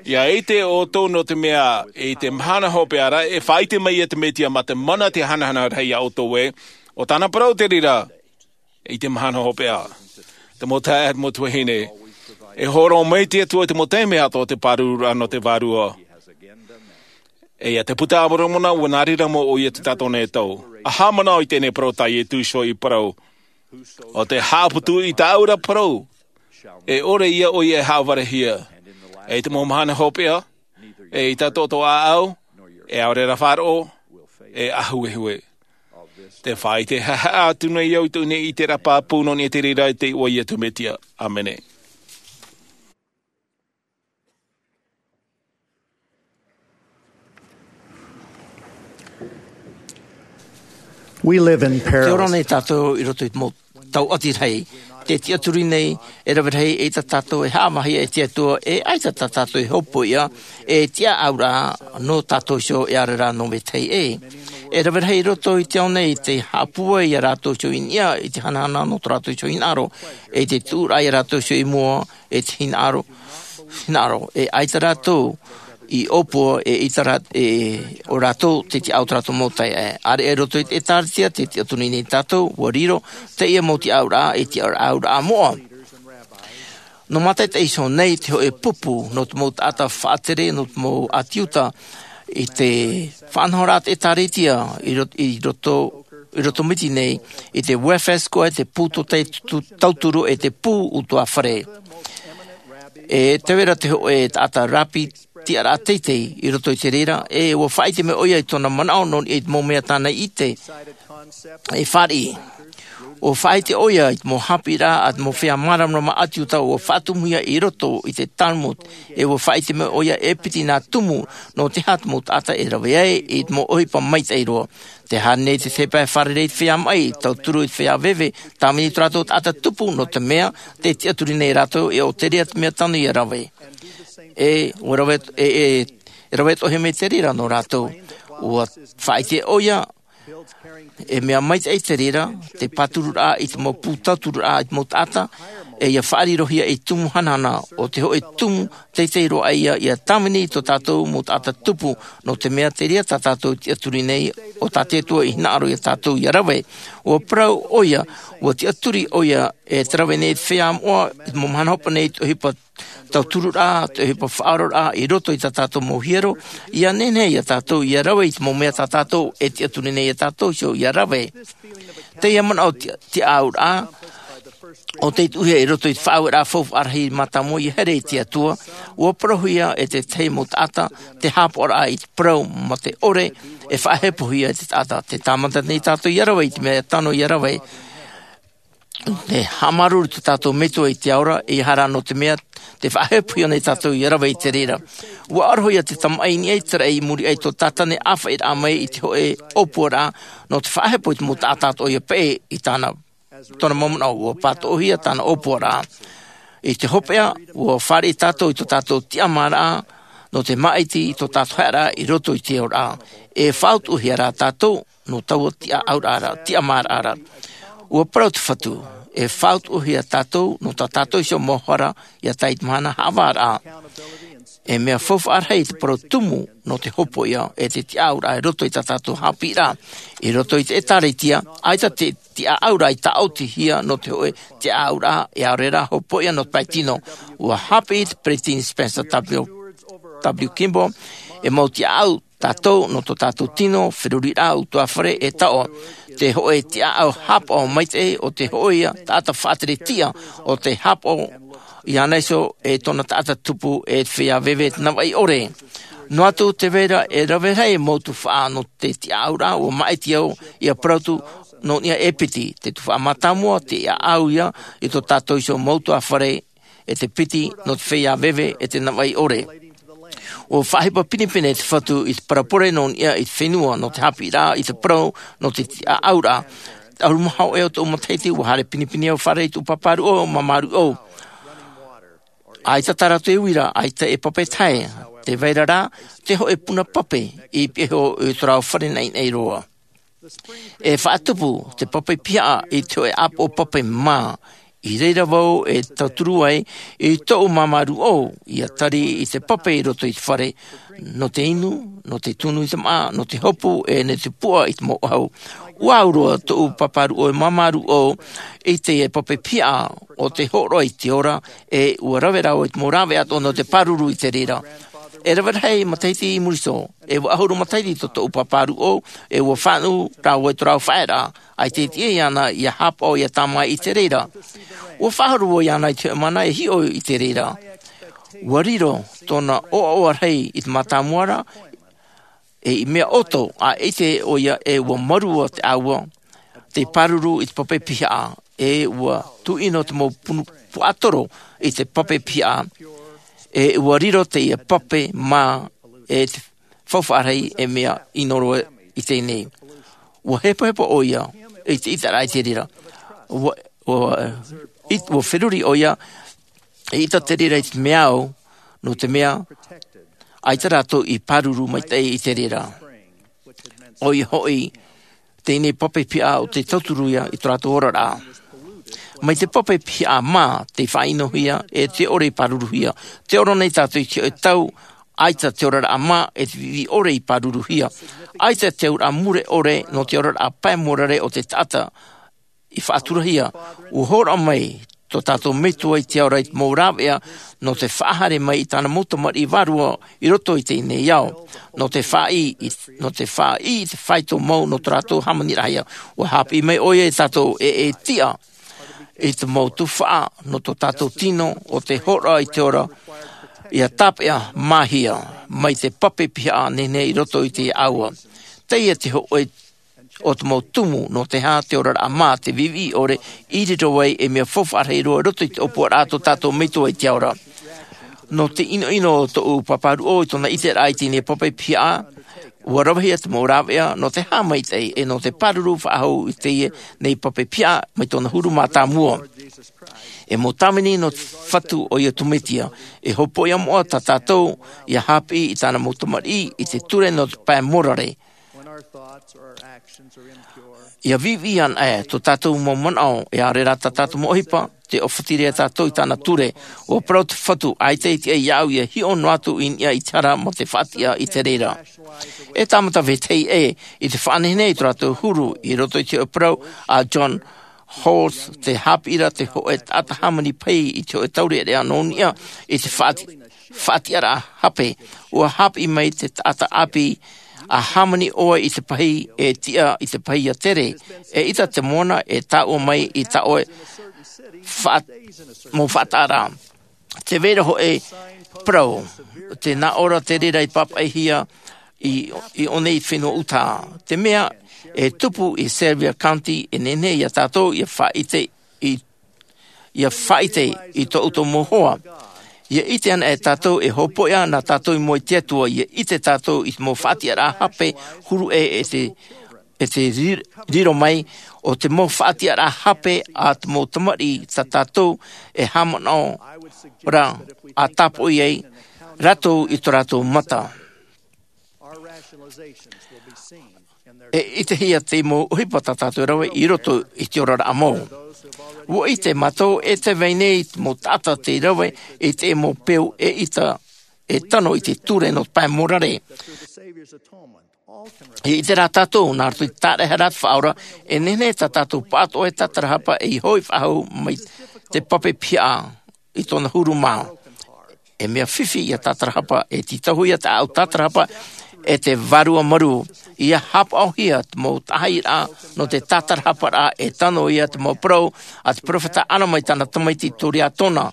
ia ʻite ʻoutou nō te mea i te mahana hopeʻa ra, e faʻaʻite mai ia te Mesia ma te mana te hanahana rahi ia ʻoutou ē, ʻo tāna parau te reira i te mahana hopeʻa. Te mau taeaʻe, mau tuahine, e hōroʻa mai te Atua i te mau taime atoʻa te pārururaʻa nō te vārua. E ia te puta a Moromona, ua nā reira mau ʻoia tō tātou nei tau. A haʻamanaʻo i teie nei parau tā Iesu i parau. ʻO tē haʻaputu i tāʻu ra parau, e ʻore ia ʻoia e haʻavarehia. E i te mau mahana hopeʻa, e i tā tō ʻāʻau, e ʻaore rā faʻaroʻo, e ʻāhuehue. Te faʻaʻite haʻehaʻa atu nei au i tō nei i te rā pāpū nō nei te reira i te iʻoa ia te Mesia. ʻĀmene. We live in perilous. Te ora nei tātou i roto i te mau tauʻati rahi. Te tiʻaturi nei, e rave rahi e ʻaita tātou e haʻamāhia e te Atua, e ʻaita tā tātou e hōpoiʻa, e tiʻa ʻauraʻa nō tātou iho e ʻaore rā nō vetahi ʻē. E rave rahi i roto i te ao nei te haʻapūai ia rātou iho i niʻa i te hanahana nō tō rātou iho hinaʻaro, e te tuʻuraʻa ia rātou iho i mua, e te hinaʻaro, hinaʻaro, e ʻaita rātou i ʻōpua, e ʻaita rā, e ʻo rātou te tiʻa o tō rātou mau taeaʻe. ʻĀreʻa i roto i te ʻĒtārētia, te tiʻaturi nei tātou, ʻua riro teie mau tiʻauraʻa, e tiʻauraʻa moʻa. Nō mātaʻitaʻi iho nei te hōʻē pupu, nō te mau taʻata faʻatere, nō te mau ʻāti Iuta, i te faʻanahoraʻa te ʻĒtārētia, i ro-, i roto, i roto mai nei, i te Welfare Square, te pū tō te tu-, tauturu, e te pū utuāfare. E tē vai ra te hōʻē taʻata rāpi tiʻaraʻa teitei i roto i te reira, e ʻua faʻaʻite mai ʻoia i tōna manaʻo nō niʻa i te mau mea tāna i ʻite e fāriʻi. ʻUa faʻaʻite ʻoia i te mau haʻapiʻiraʻa a te mau feiā māramarama ʻĀti Iuta ʻua faʻatumuhia i roto i te Talmud, e ʻua faʻaʻite mai ʻoia e piti nā tumu nō te aha te mau taʻata e rave ai i te mau ʻohipa maitaʻi roa. Tē haere nei te tahi pae fārerei i te feiā maʻi, tauturu i te feiā veve, tāvini tō rātou taʻata tupu, nō te mea, tē tiʻaturi nei rātou, e ʻo te reira te mea tano ia rave. E, ʻua rave, e, e, e rave atoʻa mai te reira nō rātou. ʻUa faʻaʻite ʻoia, e mea maitaʻi te reira, te pāturuʻraʻa i te mau pū tauturuʻraʻa i te mau taʻata, e ia faʻarirohia ei tumu hanahana, ʻo te hōʻē tumu teitei roa ïa, ia tāvini i tō tātou mau taʻata tupu, nō te mea te reira tā tātou tiʻaturi nei, ʻo tā te Atua i hinaʻaro ia tātou ia rave. ʻUa parau ʻoia, ʻua tiʻaturi ʻoia, e te rave nei te feiā moʻa, i te mau mahana hopeʻa nei, te ʻohipa tauturuʻraʻa, te ʻohipa faʻaoraraʻa, i roto i tā tātou mau hiero, ia nehenehe ia tātou ia rave i te mau mea tā tātou, e tiʻaturi nei ia tātou iho ia rave. Teie manaʻo ti-, tiʻauraʻa, ʻo tei tuʻuhia i roto i te faʻaueraʻa faufaʻa rahi mātāmua ia here i te Atua, ʻua parauhia e te tahi mau taʻata, te haʻapaʻoraʻa i te parau mā te ʻore, e faʻahepohia e te taʻata, tē tāmata nei tātou ia rave i te mea tano ia rave. Te haʻamāuruuru i tō tātou metua i te ao ra, ʻeiaha rā nō te mea te faʻahepohia nei tātou ia rave i te reira. Ua ʻaroha ia te tamaʻi i niʻa i te raʻi i muri aʻe i tō tātane ʻāfaʻiraʻa mai i te hoʻe ʻōpuaraʻa nō te faʻahepo i te mau taʻata atoʻa ia peʻe i tāna tōna mau manaʻo. Ua pātoʻohia tāna ʻōpuaraʻa. I te hopeʻa, ua fāriʻi tātou i tō tātou tiʻamāraʻa nō te māʻiti i tō tātou haʻeraʻa i roto i te aoraʻa. E faʻautuʻahia rā tātou nō taua tiʻaʻauraʻa ra, tiʻamāraʻa ra. Ua parau te Fatu, e faʻautuʻahia tātou nō tā tātou iho mau hara ia tae i te mahana haʻavāraʻa. E mea faufaʻa rahi te parau tumu nō te hopoiʻa e te tiʻaʻauraʻa i roto i tā tātou haʻapiʻiraʻa. I roto i te ʻĒtārētia, ʻaita te tiʻaʻauraʻa i tāʻotihia nō te hoʻe tiʻaʻauraʻa, e ʻaore rā hopoiʻa nō te pae tino. Ua haʻapiʻi te Peresideni Spencer W. W. Kimball, e mau tiʻaʻau tātou nō tō tātou tino, feruriraʻa, ʻutuāfare, e taoʻa. Te hoʻe tiʻaʻau haʻapaʻo maitaʻi o te hoʻoia taʻata faʻateretiʻa o te haʻapaʻo iāna iho e tōna taʻata tupu e te feiā veve e te navaʻi ʻore. Noa atu tē vai ra e rave rahi mau tuhaʻa nō te tiʻaʻauraʻa, ua māʻiti au ia parau atu nō niʻa e piti. Te tuhaʻa mātāmua, te tiʻaʻau ia i tō tātou iho mau ʻutuāfare, e te piti nō te feiā veve e te navaʻi ʻore. Ua faʻaʻohipa pinepine te Fatu i te parau pure nō niʻa i te fenua, nō te haʻapiʻiraʻa, i te parau nō te tiʻaʻauraʻa. ʻAhuru mā hōʻē o tōʻu matahiti, ua haere pinepine au i fārerei i tōʻu pāpā rūʻau, māmā rūʻau. ʻAita tā rātou e uira, ʻaita e pape tahi. Tē vai ra rā te hoʻe puna pape i pihaʻi iho i tō rāua fare naʻinaʻi roa. E faʻatupu te pape pihaʻa i te hoʻe ʻāpoʻo pape mā. I reira vau e tauturu ai i tōʻu māmā rūʻau ia tari i te pape i roto i te fare, nō te inu, nō te tunu i te māʻa, nō te hopu, e nō te puʻa i te mau ʻahu. Ua au roa tōʻu pāpā rūʻau e māmā rūʻau i te pape pihaʻa o te hōroʻa i te ora, e ua rave rāua i te mau rāveʻa atoʻa nō te pāruru i te reira. E rave rahi matahiti i muri iho, e ua ʻahuru matahiti tō tōʻu pāpā rūʻau, e ua fānaʻo rāua i tō rāua faʻaearaʻa, ʻaita e tiʻa iāna ia haʻapaʻo ia tāmā i te reira. Ua faʻahoro vau iāna i te hoʻe mana e hiʻo i te reira. Ua riro tōna ʻoaʻoa rahi i te mātāmua ra, e i mea ʻoto, ʻaita ʻoia e ua mārua te ʻāua, te pāruru i te pape pihaʻa, e ua tuʻino te mau punu puaʻatoro i te pape pihaʻa, e ua riro teie pape mā, e te faufaʻa rahi e mea ʻino roa i teie nei. Ua hepohepo ʻoia i te ʻiteraʻa i te reira. Ua, ua, it-, ua feruri ʻoia i ʻita te reira i te mea au, nō te mea, ʻaita rātou i pāruru maitaʻi i te reira. ʻOia hoʻi, teie pape pihaʻa ʻo tē tauturu ia i tō rātou oraraʻa. Mai te pape pihaʻa mā tei faʻaʻinohia e te ʻore i pāruruhia. Tē ora nei tātou i te hoʻe tau, ʻaita te oraraʻa mā e te viʻiviʻi ʻore i pāruruhia. ʻAita te auraʻa mure ʻore nō te oraraʻa pae mōrare o te taʻata i faʻaturahia. Ua hōroʻa mai tō tātou Metua i te ao ra i te mau rāveʻa nō te faʻahaere mai i tāna mau tamariʻi vārua i roto i teie nei ao. Nō te faʻaʻī, nō te faʻaʻī i te faito mau nō tō rātou hāmaniraʻahia. Ua haʻapiʻi mai ʻoia ia tātou e, e tiʻa i te mau tuhaʻa nō tō tātou tino ʻo te hōroʻa i te ora, ia tāpeʻa māhia mai te pape pihaʻa nehenehe i roto i te ʻāua. Teie te hoʻe o te mau tumu nō te aha te oraraʻa mā, te viʻiviʻi ʻore i riro ai e mea faufaʻa rahi roa i roto i te ʻōpuaraʻa a tō tātou Metua i te ao ra. Nō te ʻinoʻino o tōʻu pāpā rūʻau i tōna ʻiteraʻa i teie pape pihaʻa, ua ravehia te mau rāveʻa nō te haʻamaitaʻi e nō te pāruru faʻahou i teie nei pape pihaʻa mai tōna huru mātāmua. E mau tāvini nō te Fatu ʻoia tō Mesia, e hopoiʻa moʻa tā tātou ia haʻapiʻi i tāna mau tamariʻi i te ture nō te pae mōrare. Ia viʻiviʻi ana ʻē tō tātou mau manaʻo, e ʻaore rā tā tātou mau ʻohipa, tē ʻōfati ra tātou i tāna ture. Ua parau te Fatu, ʻaita e tiʻa iāʻu ia hiʻo noa atu i niʻa i te hara mā te faʻatiʻa i te reira. E tāmata vetahi ʻē i te faʻanehenehe i tō rātou huru i roto i te hoʻe parau a John Holtz, te haʻapiʻiraʻa te hoʻe taʻata hāmani pahi i te hoʻe taureʻareʻa nō niʻa i te faʻati-, faʻatiʻaraʻa hape. Ua haʻapiʻi mai te taʻata ʻāpī, ʻa hāmani ʻoe i te pahi, e tiʻa i te pahi ia tere. E ʻita te moana e tāʻua mai i tā ʻoe faʻa-, mau faʻataʻaraʻa. Tē vai ra hoʻi parau, tē nā ʻō ra te reira i pāpaʻihia i, i ʻō nei i te fenua Utah. Te mea e tupu i Sevier County, e nehenehe ia tātou ia faʻaʻite i ia faʻaʻite i tō ʻoutou mau hoa. Ia ʻite ana e tātou e hōpoiʻa nā tātou i mua i te Atua, ia ʻite tātou i te mau faʻatiʻaraʻa hape huru ʻē e te, e te ri-, riro mai, ʻo te mau faʻatiʻaraʻa hape a te mau tamariʻi tā tātou e haʻamanaʻo ra a tāpoʻi ai rātou i tō rātou mata. E ʻitehia te mau ʻohipa tā tātou e rave i roto i te oraraʻa mau. ʻUa ʻite mātou e te vai nei te mau taʻata tei rave i te mau peu e ʻita e tano i te ture nō te pae mōrare. E ʻite rā tātou, nā roto i te tāraʻehara a te Faʻaora, e nehenehe tā tātou pāʻatoʻa e tātarahapa ei hoʻi faʻahou mai te pape pihaʻa i tōna huru mā. E mea fifi ia tātarahapa, e tītauhia te ʻāʻau tātarahapa e te Vārua Marū. Ia haʻapaʻohia te mau taʻahiraʻa nō te tātarahaparaʻa e tano ia te mau parau a te peropheta Alama i tāna tamaiti Koriatona.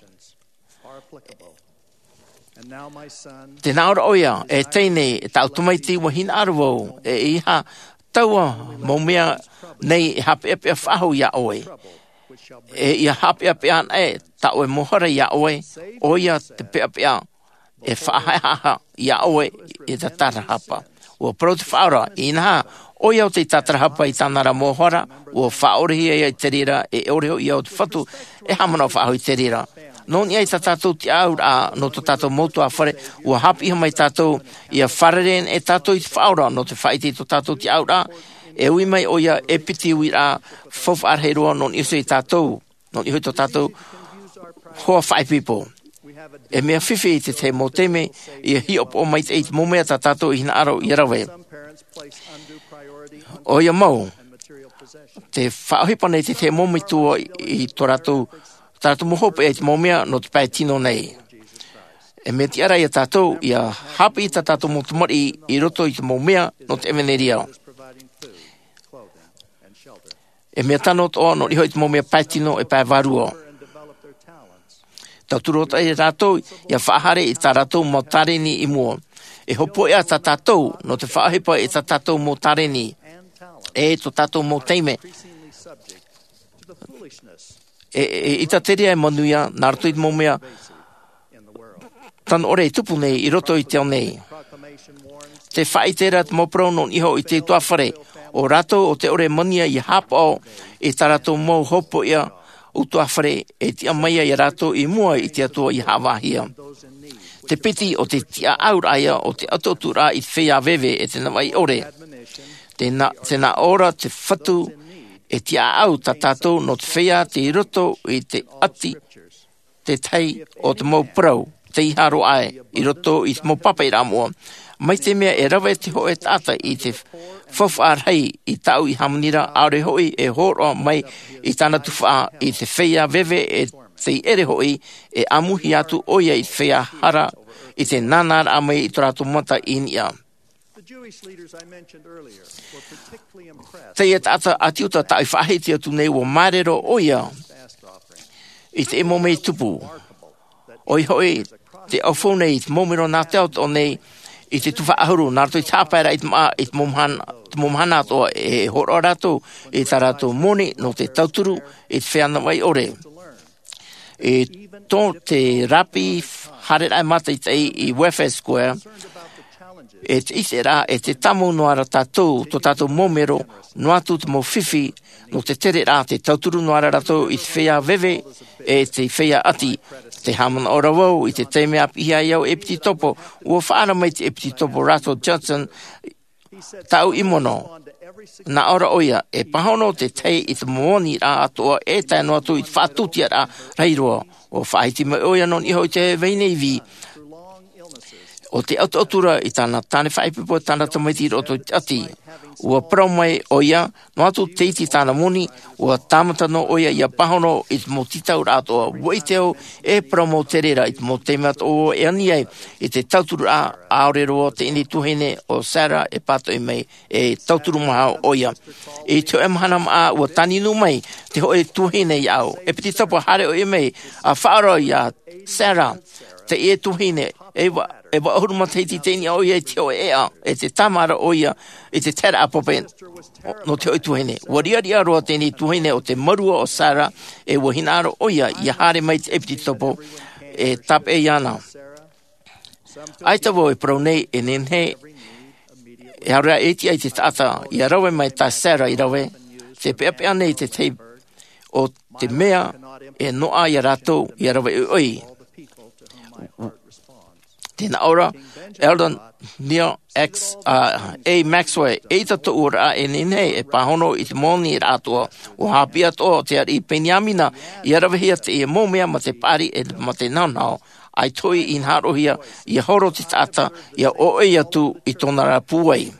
Tē nā ʻō ra ʻoia, e teie nei, e tāʻu tamaiti, ʻua hinaʻaro vau, e ʻeiaha taua mau mea nei e haʻapeʻapeʻa faʻahou iā ʻoe. E ia haʻapeʻapeʻa ana e tā ʻoe mau hara iā ʻoe, ʻoia te peʻapeʻa e faʻahaʻehaʻa iā ʻoe i te tātarahapa. ʻUa parau te Faʻaora, inaha, ʻoia ʻo tei tātarahapa i tāna ra mau hara, ʻua faʻaʻorehia ia i te reira, e ʻore hoʻi ia o te Fatu e haʻamanaʻo faʻahou i te reira. Nō niʻa i tā tātou tiʻaʻauraʻa nō tō tātou mau ʻutuāfare, ʻua haʻapiʻihia mai tātou, ia fārerei e tātou i te Faʻaora nō te faʻaʻite i tō tātou tiʻaʻauraʻa, e ui mai ʻoia e piti uiraʻa faufaʻa rahi roa nō niʻa iho i tātou, nō niʻa iho i tō tātou hoa faʻaipoipo. E mea fifi i te tahi mau taime, ia hiʻopoʻa maitaʻi i te mau mea tā tātou e hinaʻaro ia rave. ʻOia mau, tē faʻaʻohipa nei te tahi mau metua i tō rātou, tā rātou mau hopeʻa i te mau mea nō te pae tino nei. E mea tiʻa ra ia tātou, ia haʻapiʻi tā tātou mau tamariʻi i roto i te mau mea nō te ʻevaneria. E mea tano atoʻa nō niʻa iho i te mau mea pae tino e pae vārua. Tauturu atoʻa ia rātou ia faʻahaere i tā rātou mau tāreni i mua. E hōpoiʻa tā tātou nō te faʻaʻohipa i tā tātou mau tāreni, e tō tātou mau taime. E, e, e ʻita te reira e manuia, nā roto i te mau mea tano ʻore e tupu nei i roto i te ao nei. Tē faʻaʻite ra te mau parau nō niʻa iho i te ʻutuāfare, ʻo rātou ʻo tē ʻore e manuia ia haʻapaʻo i tā rātou mau hopoiʻa ʻutuāfare e tiʻa mai ai ia rātou i mua i te Atua ia haʻavāhia. Te piti ʻo te tiʻaʻauraʻa ia ʻo te ʻatuʻaturaʻa i te feiā veve e te navaʻi ʻore. Tē nā, tē nā ʻō ra te Fatu e tiʻaʻau tā tātou nō te feiā tei roto i te ʻati, te tahi o te mau parau, tei haro ai i roto i te mau pāpaʻiraʻa moʻa. Mai te mea e rave te hōʻē taʻata i te faufaʻa rahi i tāʻu i hāmani ra, ʻaore hoʻi e hōroʻa mai i tāna tuhaʻa i te feiā veve e tei ʻere hoʻi e ʻāmuihia atu ʻoia i te feiā hara i te nānāraʻa mai i tō rātou mata i niʻa. Teie taʻata ʻāti Iuta tāʻu i faʻahiti atu nei, ʻua māuruuru ʻoia i te mau mea i tupu. ʻOia hoʻi, te ʻaufau nei i te mau mero nā te ao nei i te tuhaʻa ʻahuru, nā roto i te haʻapaeraʻa i te māʻa, i te mau mahana, te mau mahana atoʻa, e hōroʻa rātou i tā rātou moni nō te tauturu i te feiā navaʻi ʻore. I tō te rāpiʻi haereraʻa mātaʻitaʻi i Warfare Square, e te ʻiteraʻa, e te tāmau noa ra tātou, tō tātou mau mero, noa atu te mau fifi, nō te tereraʻa, te tauturu noa ra rātou i te feiā veve, e te feiā ʻati. Tē haʻamanaʻo ra vau, i te taime a piʻihia ai au ʻepitopo, ʻua faʻaara mai te ʻepitopo Russell Johnson, tāʻu i mono. Nā ʻō ra ʻoia, e pāhono te tahi i te mau aniraʻa atoʻa e tae noa atu i te faʻatūtiaraʻa rahi roa. ʻUa faʻahiti mai ʻoia nō niʻa iho i te vai nei vī. ʻO te ʻatuʻatura i tāna tāne faʻaipoipo, tāna tamaiti i roto i te ʻati. ʻUa parau mai ʻoia, noa atu te iti i tāna moni, ʻua tāmata noa ʻoia ia pāhono i te mau tītauraʻa atoʻa. ʻUa ʻite au, e parau mau te reira i te mau taime atoʻa e ani ai i te tauturu ra, ʻaore roa teie tuahine ʻo Sarah e pātoʻi mai e tauturu maha ʻoia. I te hōʻē mahana māʻa ʻua tāninu mai te hōʻē tuahine iāʻu. ʻEpitopo, haere ʻoe mai, ʻa faʻaroʻo iā Sarah, teie tuahine, e ʻua E vaʻu ʻahuru matahiti i teie nei ʻoia i te hoʻi ʻeʻa, e te tāmāʻa ʻoia i te taeraʻa pape nō te hoʻi tuahine. Ua riʻariʻa roa teie tuahine ʻo te mārua ʻo Sarah, e ua hinaʻaro ʻoia ia haere mai te ʻepitopo e tāpeʻa iāna. ʻAita vau e parau nei e nehenehe e haere e tiʻa i te taʻata ia rave mai tā Sarah i rave, te peʻapeʻa nei te tahi o te mea e noaʻa iā rātou ia rave ʻoiʻoi. Tē nā ʻō ra Elder Neal X, a, A. Maxwell, eʻita tōʻu oraraʻa e nehenehe e pāhono i te moni rā atoʻa, ua haʻapiʻi atoʻa te ariʻi Peniamina ia ravehia teie mau mea mā te paʻari e mā te nahonaho, ʻaita hoʻi i hinaʻarohia ia horo te taʻata ia ʻoaʻoa atu i tōna ra pūai.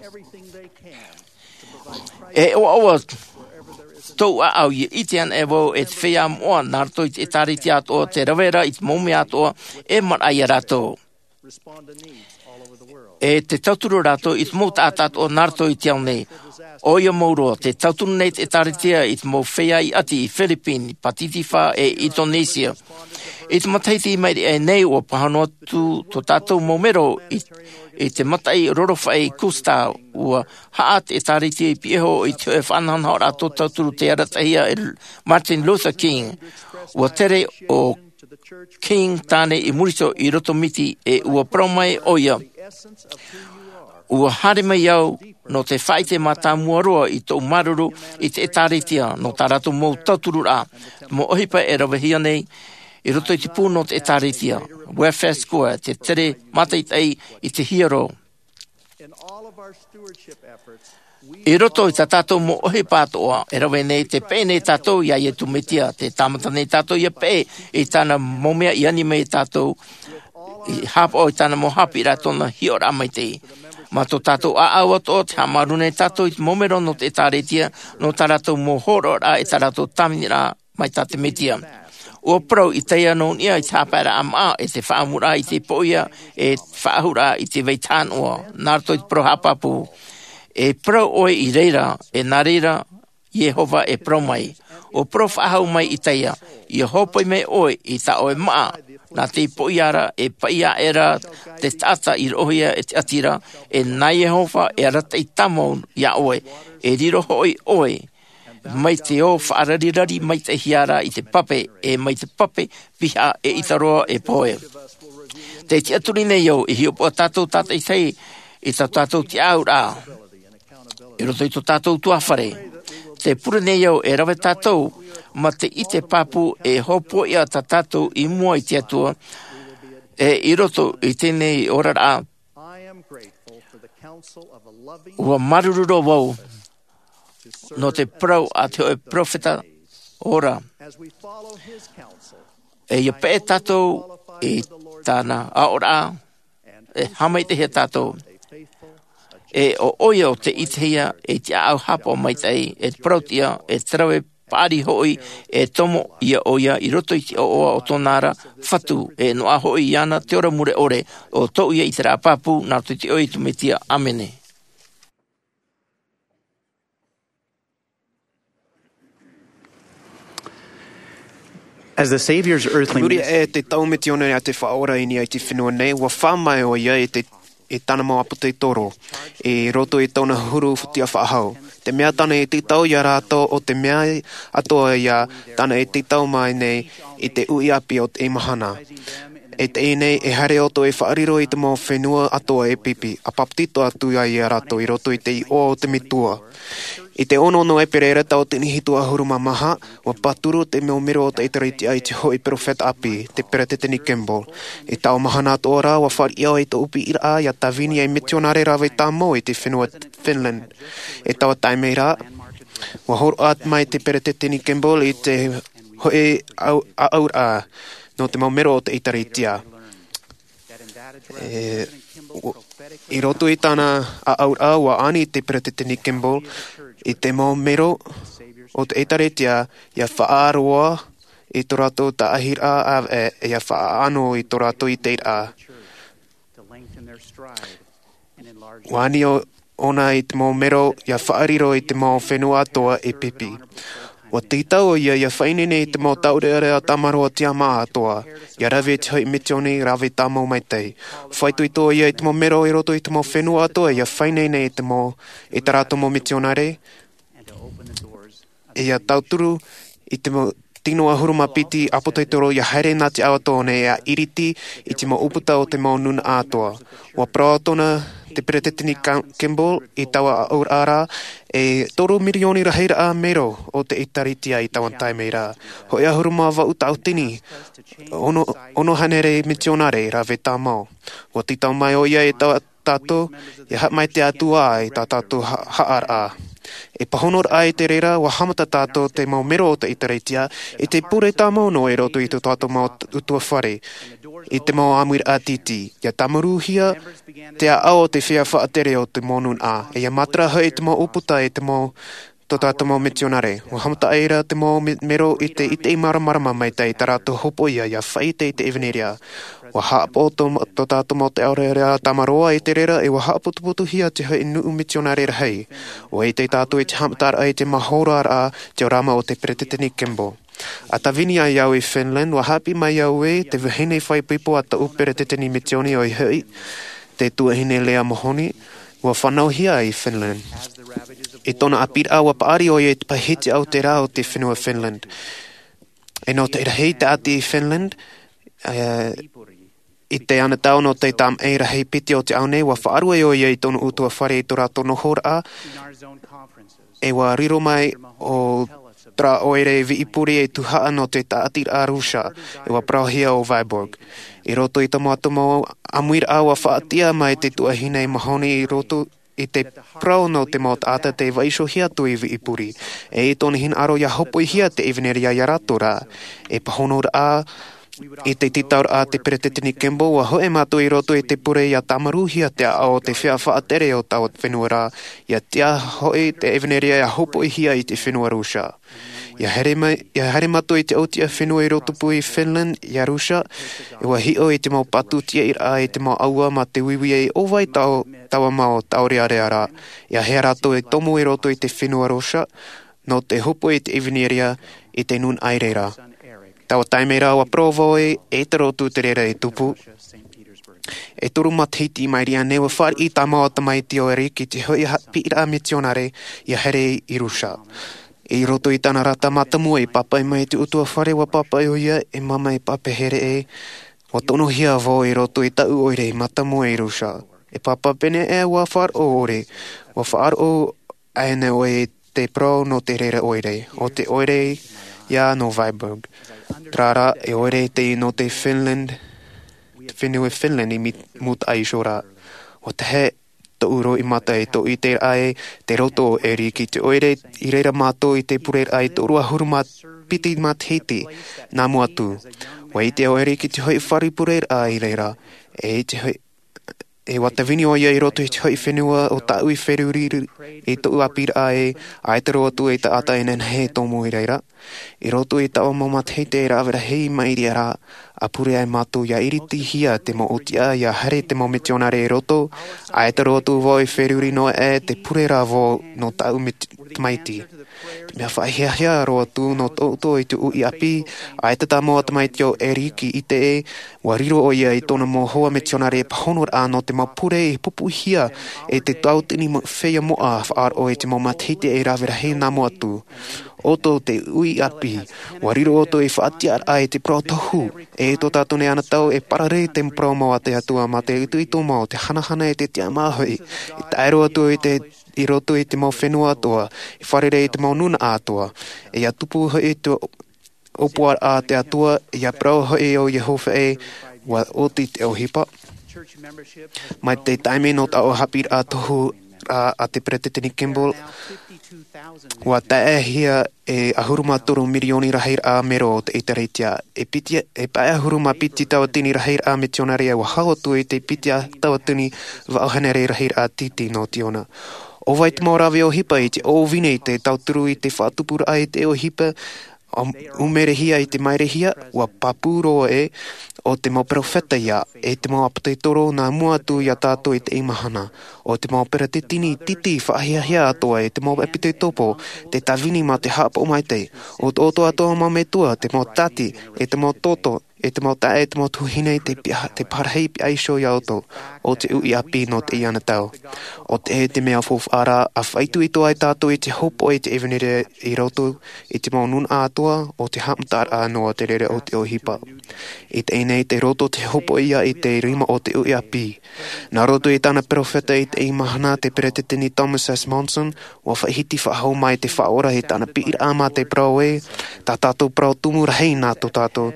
E ʻoaʻoa tōʻu ʻāʻau ia ʻite ana e vau e te feiā moʻa nā roto i te ʻēkālesia atoʻa te rave ra i te mau mea atoʻa e maraʻa iā rātou. E te tauturu rātou i te mau taʻata atoʻa nā roto i te ao nei. ʻOia mau roa, te tauturu nei te ʻēkālesia i te mau feiā i ʻati i Philippines, Pacific e Indonesia. I te matahiti i maʻiri aʻe nei ua pāhono atu tō tātou mau mero i, i te mataʻi rorofaʻi Cusco, ua haʻa te ʻēkālesia i pihaʻi i te hoʻi faʻanahonahoraʻa tō tauturu tei arataʻihia e Martin Luther King. Ua tere ʻo King tāne i muri iho i roto miti e ua parau mai ʻoia. Ua haere mai au nō te faʻaʻite mātāmua roa i tōʻu māuruuru i te ʻēkālesia nō tā rātou mau tautururaʻa, mau ʻohipa e ravehia nei i roto i te pū nō te ʻēkālesia, Welfare Square, te tere mātaʻitaʻi i te hiero. I roto i tā tātou mau ʻohipa atoʻa, e rave nei te peʻe nei tātou iā Iesu Mesia, tē tāmata nei tātou ia peʻe i tāna mau mea i ani mai iā tātou, i haʻapaʻo i tāna mau haʻapiʻiraʻa tōna hiʻoraʻa maitaʻi. Mā tō tātou ʻāʻau atoʻa, tē haʻamāuruuru nei tātou i te mau mero nō te ʻēkālesia, nō tā rātou mau hōroʻaraʻa e tā rātou tāviniraʻa, mai tā te Mesia. ʻUa parau i teie nei niʻa i te haʻapaeraʻa māʻa e te faʻaʻamuraʻa i te poʻia e te faʻaʻahuraʻa i te vai tānoʻa, nā roto i te parau haʻapāpū. E parau ʻoe i reira, e nā reira, Iehova e parau mai. ʻUa parau faʻahou mai i teie, ia hōpoi mai ʻoe i tā ʻoe māʻa, nā te poʻia ra e paʻi aʻera te taʻata i roʻohia e te ʻati ra, e nā Iehova e arataʻi tāmau iā ʻoe, e riro hoʻi ʻoe, mai te ō faʻararirari maitaʻihia ra i te pape, e mai te pape, piha e ʻita roa e pohe. Tē tiʻaturi nei au, e hiʻopoʻa tātou tātaʻitahi i tā tātou tiʻaʻauraʻa. I roto i tō tātou tuahine. Tē pure nei au, e rave tātou, mā te ʻite pāpū e hōpoiʻa tā tātou i mua i te Atua, e i roto i teie nei oraraʻa, ʻua māuruuru roa vau, nō te parau a te hōʻē peropheta ora. E ia peʻe tātou i tāna aʻoraʻa, e haʻamaitaʻihia tātou. E ʻo ʻoia ʻo tē ʻitehia i te ʻāʻau haʻapaʻo maitaʻi, e te parauʻtiʻa, e te rave paʻari hoʻi, e tomo ia ʻoia i roto i te ʻoaʻoa o tōna ra Fatu, e noaʻa hoʻi iāna te ora mure ʻore, ʻo tōʻu ia ʻiteraʻa pāpū, nā roto i te iʻoa o Iesu Mesia. ʻĀmene. As the Savior's earthly Muri ministry aʻe te tau misiōnare a te Faʻaora i niʻa i te fenua nei, ua fā mai ʻoia i te, i tāna mau ʻāpōsetolo, i roto i tōna huru tiʻafaʻahou. Te mea tāna i tītau iā rātou ʻo te mea atoʻa ia tāna i tītau mai nei i te uʻi ʻāpī o te mahana. E teie nei, e haere ʻoutou e faʻariro i te mau fenua atoʻa e pipi, ʻa papetito atu ai ia rātou i roto i te iʻoa o te Metua. I te ono o ʻEperēra tauatini hitu ʻahuru mā maha, ua pāturu te mau mero o te ʻĒtārētia i te hōʻē peropheta ʻāpī, te Peresideni Kimball. I taua mahana atoʻa ra, ua fāriʻi au i tōʻu piʻiraʻa ia tāvini ei misiōnare rave tāmau i te fenua Finland. I taua taime ra, ua hōroʻa mai te Peresideni Kimball i te hōʻē ʻāʻau, ʻāʻauraʻa nō te mau mero o te ʻĒtārētia. E, u-, i roto i tāna ʻāʻauraʻa, ua ani te Peresideni Kimball i te mau mero o te ʻĒtārētia ia faʻaroʻo i tō rātou taʻahiraʻa ʻāvaʻe, e ia faʻaʻano i tō rātou ʻiteraʻa. Ua ani ʻo-, ʻōna i te mau mero ia faʻariro i te mau fenua atoʻa e pipi. Ua tītau ʻoia ia faʻaineine i te mau taurearea tamaroa tiʻamā atoa, ia rave i te hoʻi misioni rave tāmau maitaʻi. Faʻaitoito ʻoia i te mau mero i roto i te mau fenua atoa ia faʻaineine i te mau, i tā rātou mau misionare, ia tauturu i te mau tino ʻahuru mā piti ʻāpōsetolo ia haere nā te ao atoa nei, ia iriti i te mau ʻūputa o te mau nūnaʻa atoa. Ua parau atoʻa te Peresideni Ka-, Kimball i taua aʻoraʻa ra, e toru mirioni rahiraʻa mero o te ʻĒkālesia i taua taime ra. Hoʻi ʻahuru mā vaʻu tauatini, ono, ono hānere misionare rave tāmau. Ua tītau mai ʻoia i tā tātou, ia haʻamaitaʻi atu ā i tā tātou ha-, haʻaraʻa. E pāhonoraʻa i te reira, ua haʻamata tātou te mau mero o te ʻĒkālesia, i te pure tāmau noa i roto i tō tātou mau t-, ʻutuāfare, i te mau ʻāmuiraʻa tītī. Ia tāmaruhia te ʻāʻau o te feiā faʻatere o te mau nūnaʻa, e ia matara hoʻi te mau ʻūputa i te mau, tō tātou mau misionare. Ua haʻamata ʻoia i te mau me-, mero i te, i te māramarama maitaʻi i tā rātou hopoiʻa, ia faʻaʻite i te ʻevanelia. Ua haʻapaʻo tō, tō tātou mau taurearea tamaroa i te reira, e ua haʻaputuputuhia te hoʻi nuʻu misionare rahi. Ua ʻite tātou i te haʻamataraʻa i te mau hōroaraʻa teorama o te Peresideni Kimball. A tāvini ai au i Finland, ua haʻapiʻi mai au ē te vahine faʻaipoipo a tōʻu peresideni misioni ʻoia hoʻi, te tuahine Leah Mahoney, ua fānauhia i Finland. I tōna ʻāpīraʻa ua paʻari ʻoia i te pae hitiʻa o te rā o te fenua Finland. E nō te rahi tāʻati i Finland, e, i te anotau nō te tamaʻi rahi piti o te ao nei, ua faʻaruʻe ʻoia i tōna ʻutuāfare i tō rātou nohoraʻa, e ua riro mai ʻo terā ʻoire viipuri e tuhaʻa nō te tāʻatiraʻa Rūsia, e ua parauhia ʻo Vyborg. I roto i te mau ʻāmuiraʻa ua faʻatiʻa mai te tuahine Mahoney i roto i te parau nō te mau taʻata tē vaiihohia atu i viipuri. E i tōna hinaʻaro ia hopoihia te ʻevanelia ia rātou ra. E pāhonoraʻa i te tītauraʻa a te Peresideni Kimball, ua hoʻi mātou i roto i te pure ia tāmaruhia te ʻāʻau o te feiā faʻatere o taua fenua ra, ia tiʻa hoʻi te ʻevanelia ia hopoihia i te fenua Rūsia. Ia haere mai, ia haere mātou i te ʻōtiʻa fenua i rotopū i Finland, ia Rūsia, e ua hiʻo i te mau patu tiʻairaʻa i te mau ʻāua mā te uiui e ʻo vai tau, taua mau taurearea ra. Ia haere rātou e tomo i roto i te fenua Rūsia, nō te hopoi i te ʻevanelia i te nūnaʻa i reira. Taua taime ra ua parau vau ē, e te rotu te reira e tupu. E toru matahiti i maʻiri aʻe nei ua fāriʻi tāmau ā tamaiti ʻo Eric i te hoʻi haʻapiʻiraʻa misionare ia haere i Rūsia. I roto i tāna rata mātāmua i pāpaʻi mai i te ʻutuāfare, ua pāpaʻi ʻoia, e māmā, e pāpaʻi here ē, ua tonohia vau i roto i taʻu ʻoire mātāmua i Rūsia. E pāpā, pēneiaʻe ua faʻaroʻo ʻoe, ua faʻaroʻo ānei ʻoe i te parau nō te reira ʻoire, ʻo te ʻoire ia nō Vyborg. Terā rā, e ʻoire teie nō te Finland, te fenua Finland i mi-, mūtaʻa iho ra. Ua tahe tōʻu roimata e tōʻu ʻiteraʻa e te roto o Eric i te ʻoire i reira mātou i te pureraʻa i te toru ʻahuru mā piti matahiti nā mua atu. Ua ʻite ʻo Eric i te hoʻi fare pureraʻa i reira, e i te hoʻi, e ua tāvini ʻoia i roto i te hoʻi fenua ʻo tāʻu i feruri i tōʻu ʻāpīraʻa ē, ʻaita roa atu e taʻata e nehenehe e tomo i reira. I roto i taua mau matahiti e rave rahi i maʻiri aʻe ra, ʻa pure ai mātou ia iritihia te mau ʻōtiʻa, ia haere te mau mitionare i roto, ʻaita roa atu vau i feruri noa aʻe, tē pure ra vau nō tāʻu mit-, tamaiti. Te mea faʻahiahia roa atu nō tōʻu ʻoto i te uʻi ʻāpī, ʻaita tāmau ā tamaiti ʻo Eric i ʻite ē, ua riro ʻoia i tōna mau hoa mitionare e pāhonoraʻa nō te mau pure i pupuhia e te tauatini mo-, feiā moʻa faʻaroʻo i te mau matahiti e rave rahi nā mua atu. ʻOutou te uʻi ʻāpī, ua riro ʻoutou i faʻatiʻaraʻa i te parau tohu, e i tō tātou nei anotau e parare te parau mau a te Atua mā te itoito mau, te hanahana e te tiʻamā hoʻi, e tae roa atu i te, i roto i te mau fenua atoa, e fārerei i te mau nūnaʻa atoa, e ia tupu hoʻi te ʻōpuaraʻa a te Atua, ia parau hoʻi ʻo Iehova ē, ua oti te ʻohipa. Mai te taime nō taua haʻapiʻiraʻa tohu ra a te Peresideni Kimball, ua taeaʻehia e ʻahuru mā toru mirioni rahiraʻa mero o te ʻĒkālesia, e piti, e pae ʻahuru mā piti tauatini rahiraʻa mitionare, ua hau atu i te piti tauatini vaʻu hānere rahiraʻa tītī nō Tiona. ʻO vai te mau rave ʻohipa i te ʻōvini i te tauturu i te faʻatupuraʻa i te ʻohipa, ʻUmerehia i te mairehia, ʻua pāpū roa ē, ʻo te mau peropheta ia, e te mau ʻāpōsetolo nā mua atu ia tātou i teie mahana, ʻo te mau peresideni titi faʻahiahia atoʻa, e te mau ʻāpōsetolo, te tāvini mā te haʻapaʻo maitaʻi, ʻo te ʻoto atoʻa mau metua, te mau tati, e te mau toto, e te mau taeaʻe, e te mau tuahine, te piha-, te parahi piha iho ia ʻoutou, ʻo te uʻi ʻāpī nō teie tau. ʻO te, e te mea faufaʻa ra, ʻa faʻaitoito ai tātou i te hopoʻa i te ʻevanelia i roto i te mau nūnaʻa atoʻa, ʻo te haʻamataraʻa noa te reira o te ʻohipa. I teie nei, tei roto te hopoʻa ia i te rima o te uʻi ʻāpī. Nā roto i tāna peropheta i teie mahana, te Peresideni Thomas S. Monson, ʻua faʻahiti faʻahou mai te Faʻaora i tāna piʻiraʻa mā te parau ē, tā tātou parau tumu rahi nā tō tātou,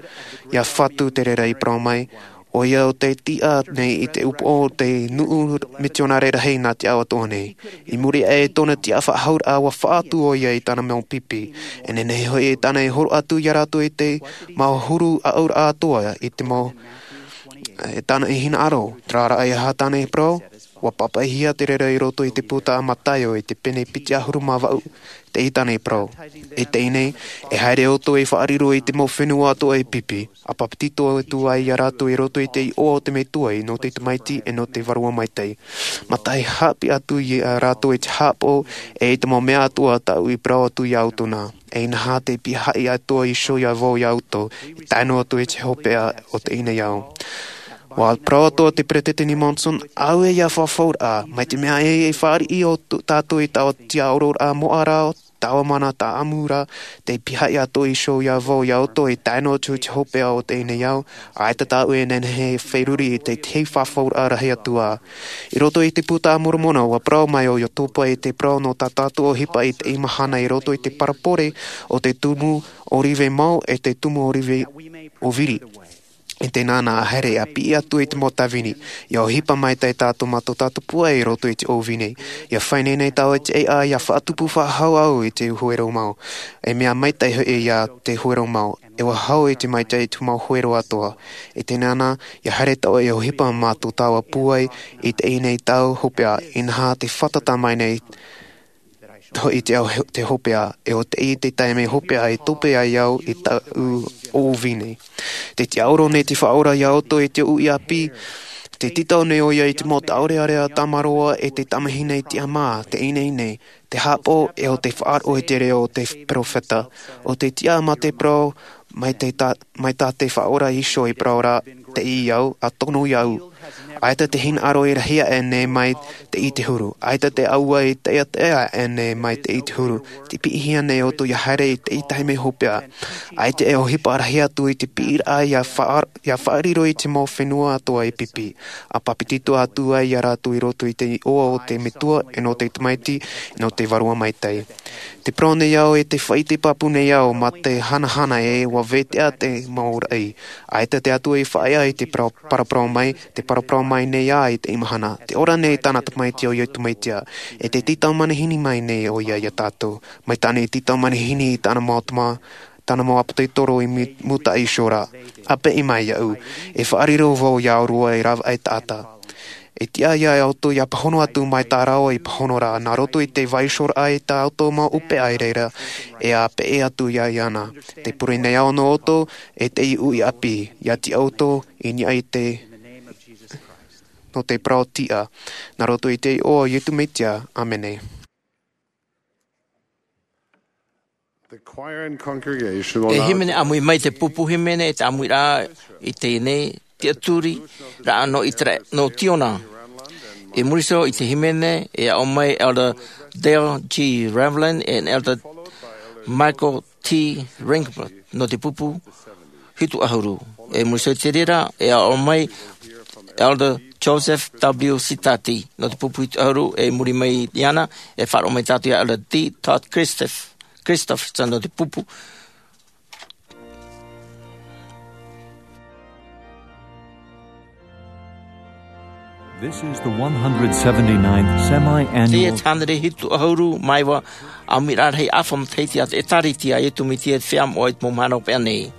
ʻia Fatu te reira i parau mai, ʻoia ʻo tei tiʻa nei i te upoʻo o te nuʻu mitionare rahi nā te ao atoʻa nei. I muri aʻe i tōna tiʻafaʻahouraʻa, ʻua faʻaatu ʻoia i tāna mau pipi. E nehenehe hoʻi e tāna e horo atu ia rātou i te mau huru ʻaʻauraʻa atoʻa i te mau, e tāna i hinaʻaro, terā rā e aha tāna e parau, ʻua pāpaʻihia te reira i roto i te puta a Mataio i te pene piti ʻahuru mā vaʻu, teie tāna e parau. I teie nei, e haere ʻoutou e faʻariro i te mau fenua atoʻa e pipi, ʻa papetito atu ai ia rātou i roto i te iʻoa o te Metua, nō te Tamaiti, e nō te Vārua Maitaʻi. Mā taʻu haʻapiʻi atu ia rātou i te haʻapaʻo, e i te mau mea atoʻa tāʻu i parau atu ia ʻoutou nā. E inaha tei pihaʻi atoʻa iho ia vau ia ʻoutou, e tae noa atu i te hopeʻa o teie nei ao. ʻUa parau atoʻa te Peresideni Monson, ʻaore ia fafauraʻa, mai te mea e, e fāriʻi ʻo tō tātou i taua tiʻaororaʻa moʻa ra, taua mana tāʻamu ra, tei pihaʻi atoʻa iho ia vau ia ʻoutou, e tae noa atu i te hopeʻa o teie nei ao, ʻaita tāʻu e nehenehe e feruri i te, te fafauraʻa rahi atu ā. I roto i te Puta a Moromona, ʻua parau mai ʻo Iosua i te parau nō tā tātou ʻohipa i teie mahana i roto i te parabole o te tumu ʻōrive mau e te tumu ʻōrive ʻōviri. E tēnā nā haere ʻa piʻi atu i te mau tāvini, ʻia ʻohipa maitaʻi tātou mā tō tātou pūai i roto i te ʻōvini. ʻIa fai nei nei tāua i te ʻēʻa, ʻia faʻatupu faʻahou au i te huero mau. E mea maitaʻi hoʻi ia te huero mau. E ʻua hau i te maitaʻi i te mau huero atoʻa. E tēnā nā, ʻia haere tāua e ʻohipa mā tō tāua pūai i teie nei tau hopeʻa, inaha tē fātata mai nei hoʻi te ao, te hopeʻa, e ʻo teie te taime hopeʻa e tope ai au i tāʻu ʻōvini. Tē tiʻaoro nei te Faʻaora ia ʻoutou i te uʻi ʻāpī, tē tītau nei ʻoia i te mau tāʻōrearea tamaroa e te tamahine i tiʻamā, te ineine, te haʻapaʻo, e ʻo te faʻaroʻo i te reo o te peropheta, ʻo te tiʻa mā te parau, mai te ta-, mai tā te Faʻaora iho i parau ra, teie au, ʻa tono ia au. ʻAita te hinaʻaro e rahi aʻe nei mai teie te huru. ʻAita te ʻāua e taʻeaʻe aʻe nei mai teie te huru. Tē piʻihia nei ʻoutou ʻia haere i teie taime hopeʻa. ʻAita e ʻohipa rahi atu i te piʻiraʻa ʻia faʻa-, ʻia faʻariro i te mau fenua atoʻa e pipi. ʻA papetito atu ai ia rātou i roto i te iʻoa o te Metua, e nō te Tamaiti, e nō te Vārua Maitaʻi. Tē parau nei au, e tē faʻaʻite pāpū nei au, mā te hanahana ē, ʻua veteʻa te mau raʻi. ʻAita te Atua i faʻaea i te parau, paraparau mai, tē paraparau mai nei ā i teie mahana. Tē ora nei tāna Tamaiti ʻo Iesu Mesia. E tē tītau manihini mai nei ʻoia ia tātou. Mai tāna i tītau manihini i tāna mau tama-, tāna mau ʻāpōsetolo i mu-, mūtaʻa iho ra. ʻA piʻi mai iāʻu. E faʻariro vau ia ʻōrua e rave aʻe taʻata. E tiʻa ia ʻoutou ʻia pāhono atu mai tā rāua i pāhono ra, nā roto i te vaiihoraʻa i tā ʻoutou mau ʻohipa i reira, e ʻa peʻe atu ia iāna. Tē pure nei au nō ʻoutou, e te uʻi ʻāpī, ʻia tiʻa ʻoutou i niʻa i te, nō te parau tiʻa, nā roto i te iʻoa o Iesu Mesia, ʻāmene. The choir and congregation will E now hīmene ʻāmui mai te pupu hīmene e te ʻāmuiraʻa i teie nei tiʻaturi raʻa nō Itera-, nō Tiona. I muri iho i te hīmene, e aʻo mai Elder Dale G. Revlin and Elder Michael T. Ringler nō te pupu hitu ʻahuru. I muri iho i te reira, e aʻo mai Elder Joseph W. Sitati nō te pupu hitu ʻahuru, i muri mai iāna, e faʻaroʻo mai tātou ia Elder D. Todd Christoph-, Christopherson nō te pupu. This is the one hundred seventy-ninth semi-annual. Teie te hānere hitu ʻahuru mā iva ʻāmuiraʻa rahi ʻāfa matahiti a te ʻĒtārētia a Iesu Mesia i te feiā moʻa i te mau mahana hopeʻa nei.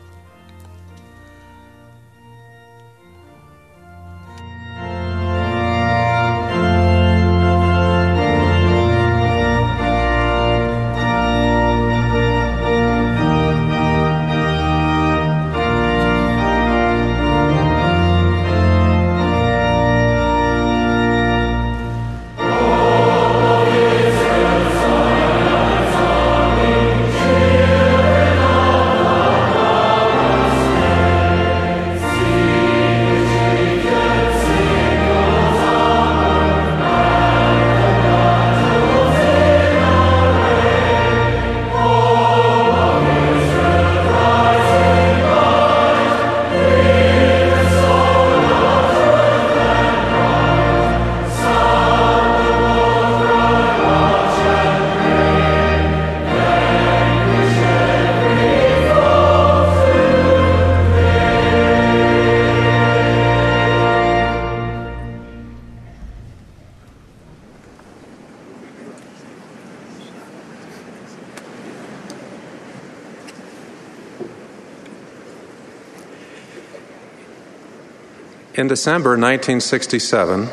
In December nineteen sixty-seven,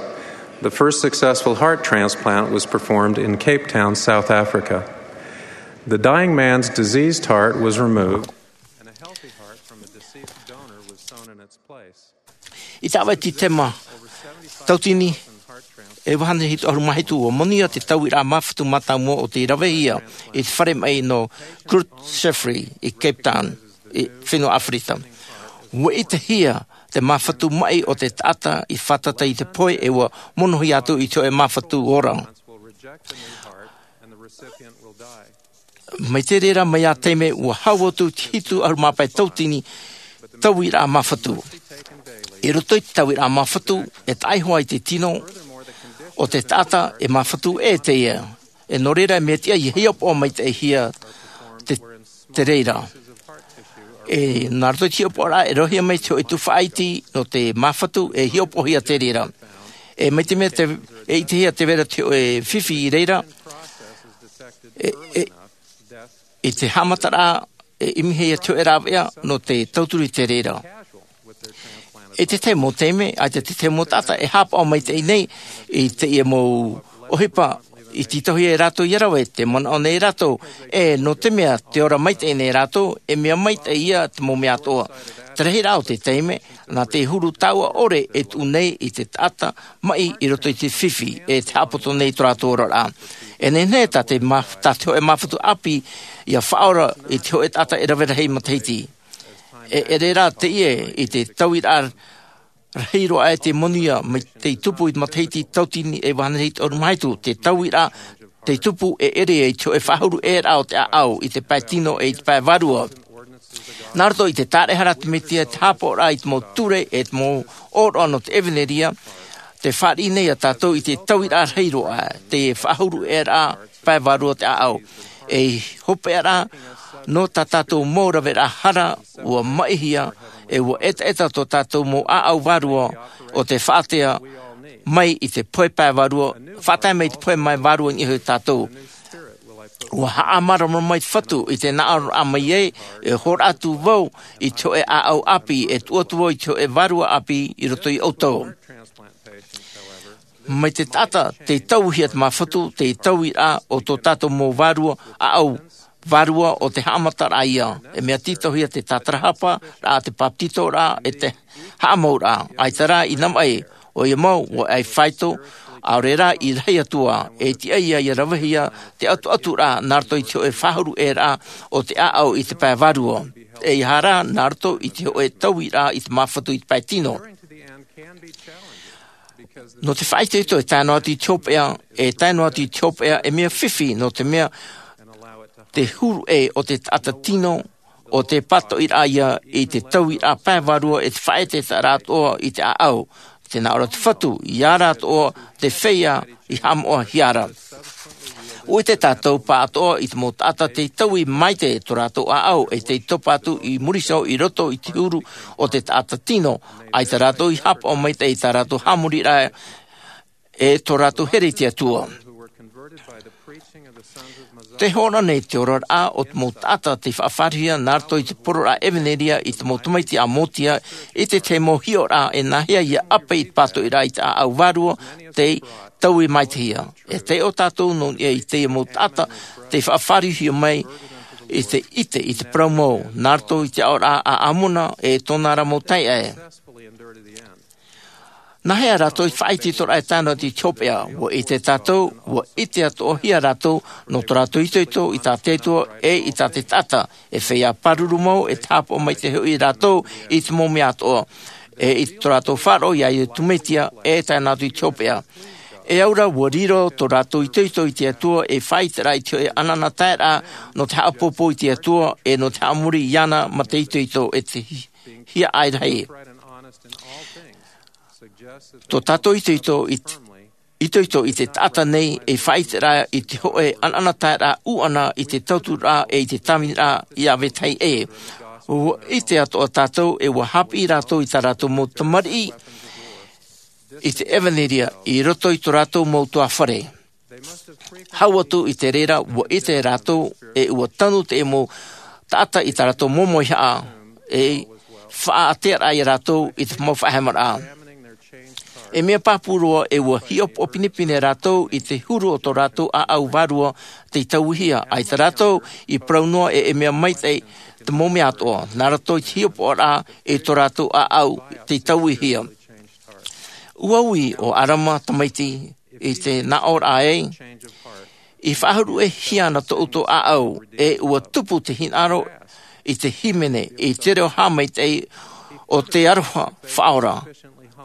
the first successful heart transplant was performed in Cape Town, South Africa. The dying man's diseased heart was removed, and a healthy heart from a deceased donor was sewn in its place. I te ʻāvaʻe Tītema, tauatini e vaha hānere hitu ʻahuru mā hitu, ua monū te tauiraʻa māfatu mātāmua o tei ravehia i te fare maʻi nō Groote Schuur i Cape Town, i fenua ʻĀfirika. Ua ʻitehia te māfatu maʻi o te taʻata i fātata i te pohe, e ua monohia atu i te hōʻē māfatu ora. Mai te reira mai ia taime, ua hau atu te hitu ʻahuru mā pae tauatini tauiraʻa māfatu. I roto i te tauiraʻa māfatu, e taʻa iho ā i te tino o te taʻata e māfatu ʻē teie. E nō reira, e mea tiʻa ia hiʻopoʻa maitaʻihia te, te reira. E nā roto i te hiʻopoʻaraʻa, e ravehia mai te hōʻē tuhaʻa iti nō te māfatu, e hiʻopoʻahia te reira. E mai te mea te, e ʻitehia te reira te hōʻē fifi i reira, e, e, i te haʻamataraʻa, e ʻimihia te hōʻē rāveʻa nō te tauturu i te reira. I te tahi mau taime, ʻaita te tahi mau taʻata e haʻapaʻo maitaʻi nei i teie mau ʻohipa i tītauhia e rātou ia rave, tē manaʻo nei rātou, e nō te mea tē ora maitaʻi nei rātou, e mea maitaʻi ia te mau mea atoʻa. Te rahiraʻa o te taime, nā te huru taua ʻore e tuʻu nei i te taʻata maʻi i roto i te fifi, e te haʻapoto nei tō rātou oraraʻa. E nehenehe tā te mā-, tā te hōʻē māfatu ʻāpī ia faʻaora i te hōʻē taʻata e rave rahi matahiti. E, e ʻere rā teie i te tauiraʻa rahi roa aʻe tei monū mai tei tupu i te matahiti tauatini e vaha hānere hitu ʻahuru mā hitu, te tauiraʻa tei tupu e ʻere i te hōʻē faʻahuru ʻē raʻa o te ʻāʻau i te pae tino e i te pae vārua. Nā roto i te tāraʻehara a te Mesia, te haʻapaʻoraʻa i te mau ture e te mau ʻōroʻa nō te ʻevanelia, tē fāriʻi nei ia tātou i te tauiraʻa rahi roa aʻe, te faʻahuru ʻē raʻa pae vārua o te ʻāʻau. Ei hopeʻa rā, nō tā tātou mau raveraʻa hara, ua maʻihia, e ua ʻetaʻeta tō tātou mau ʻāʻau vārua o te faʻatae mai i te pohe pae vārua, faʻatae mai i te pohe mai vārua i niʻa iho ia tātou. Ua haʻamāramarama mai te Fatu i te nā ʻōroʻa mai ai, e hōroʻa atu vau i te hōʻē ʻāʻau ʻāpī, e tuʻu atu vau i te hōʻē vārua ʻāpī i roto ia ʻoutou. Mai te taʻata tei tauihia te māfatu, te tauiraʻa o tō tātou mau vārua, ʻāʻau vārua o te haʻamataraʻa ia. E mea tītauhia te tātarahapa, rā te papetitoraʻa, e te haʻamauraʻa. ʻAita rā, inā maʻi, ʻoia mau, ua ʻai faito, ʻaore rā i rahi atu ā, e tiʻa ia, ia ravehia te ʻatuʻaturaʻa, nā roto i te hōʻē faʻahuru ʻē raʻa o te ʻāʻau i te pae vārua. E ʻeiaha rā, nā roto i te hōʻē tauiraʻa i te māfatu i te pae tino. Nō te faʻaitoito e tae noa atu i te hopeʻa, e tae noa atu i te hopeʻa, e mea fifi, nō te mea te huru ʻē o te taʻata tino, ʻo te pātoʻiraʻa ia i te tauiraʻa pae vārua e te faʻaʻetaʻeta atoʻa i te ʻāʻau. Tē nā ʻō ra te Fatu, ia rātou atoʻa te feiā i haʻamoʻahia ra. ʻUa ʻite tātou pāʻatoʻa i te mau taʻata tei taui maite tō rātou ʻāʻau, e tei topa atu i muri iho i roto i te huru o te taʻata tino, ʻaita rātou i haʻapaʻo maitaʻi i tā rātou haʻamoriraʻa e tō rātou here i te Atua. Tē hōroʻa nei te oraraʻa o te mau taʻata tei faʻafaʻarohia nā roto i te poroʻraʻa ʻevanelia i te mau tamaiti a Motia, i te tahi mau hiʻoraʻa e nāhea ia ʻape i te pātoʻiraʻa i te ʻāʻau vārua tei taui maitehia. E taiʻo tātou nō niʻa i teie mau taʻata tei faʻafaʻarohia mai i te ʻite i te parau mau, nā roto i te aʻoraʻa a Amona e tōna ra mau taeaʻe. Nāhea rātou i faʻaitoitoraʻa e tae noa atu i te hopeʻa? ʻUa ʻite tātou, ua ʻite atoʻahia rātou nō tō rātou itoito i tā te Atua e i tā te taʻata, e feiā pāruru mau, e te haʻapaʻo maitaʻi hoʻi rātou i te mau mea atoʻa, e i tō rātou faʻaroʻo ia Iesu Mesia, e tae noa atu i te hopeʻa. E au ra, ua riro tō rātou itoito i te Atua, e faʻaʻiteraʻa i te hōʻē ʻanaʻanataeraʻa nō te haʻapoupou i te Atua, e nō te haʻamori iāna ma te itoito e te hi-, hiaʻai rahi. Tō tātou itoito i te, itoito i te taʻata nei e faʻaʻiteraʻa i te hōʻē ʻanaʻanataeraʻa ʻūʻana i te tauturu ra e i te tāviniraʻa ia vetahi ʻē. ʻUa ʻite atoʻa tātou e ʻua haʻapiʻi rātou i tā rātou mau tamariʻi i te ʻevanelia i roto i tō rātou mau ʻutuāfare. Hau atu i te reira, ʻua ʻite rātou e ʻua tanu te mau taʻata i tā rātou mau mauhaʻa, e faʻaʻātearaʻa ia rātou i te mau faʻahemaraʻa. E mea pāpū roa, e ua hiʻopoʻa pinepine rātou i te huru o tō rātou ʻāʻau vārua tei tauihia, ʻaita rātou i parau noa e, e mea maitaʻi te mau mea atoʻa, nā roto i te hiʻopoʻaraʻa i tō rātou ʻāʻau tei tauihia. Ua ui ʻo ʻArama tamaiti i te naʻo ra ē, i faʻaruʻehia ana tō ʻoutou ʻāʻau, e ua tupu te hinaʻaro i te hīmene, i te reo haʻamaitaʻi o te aroha faʻaora.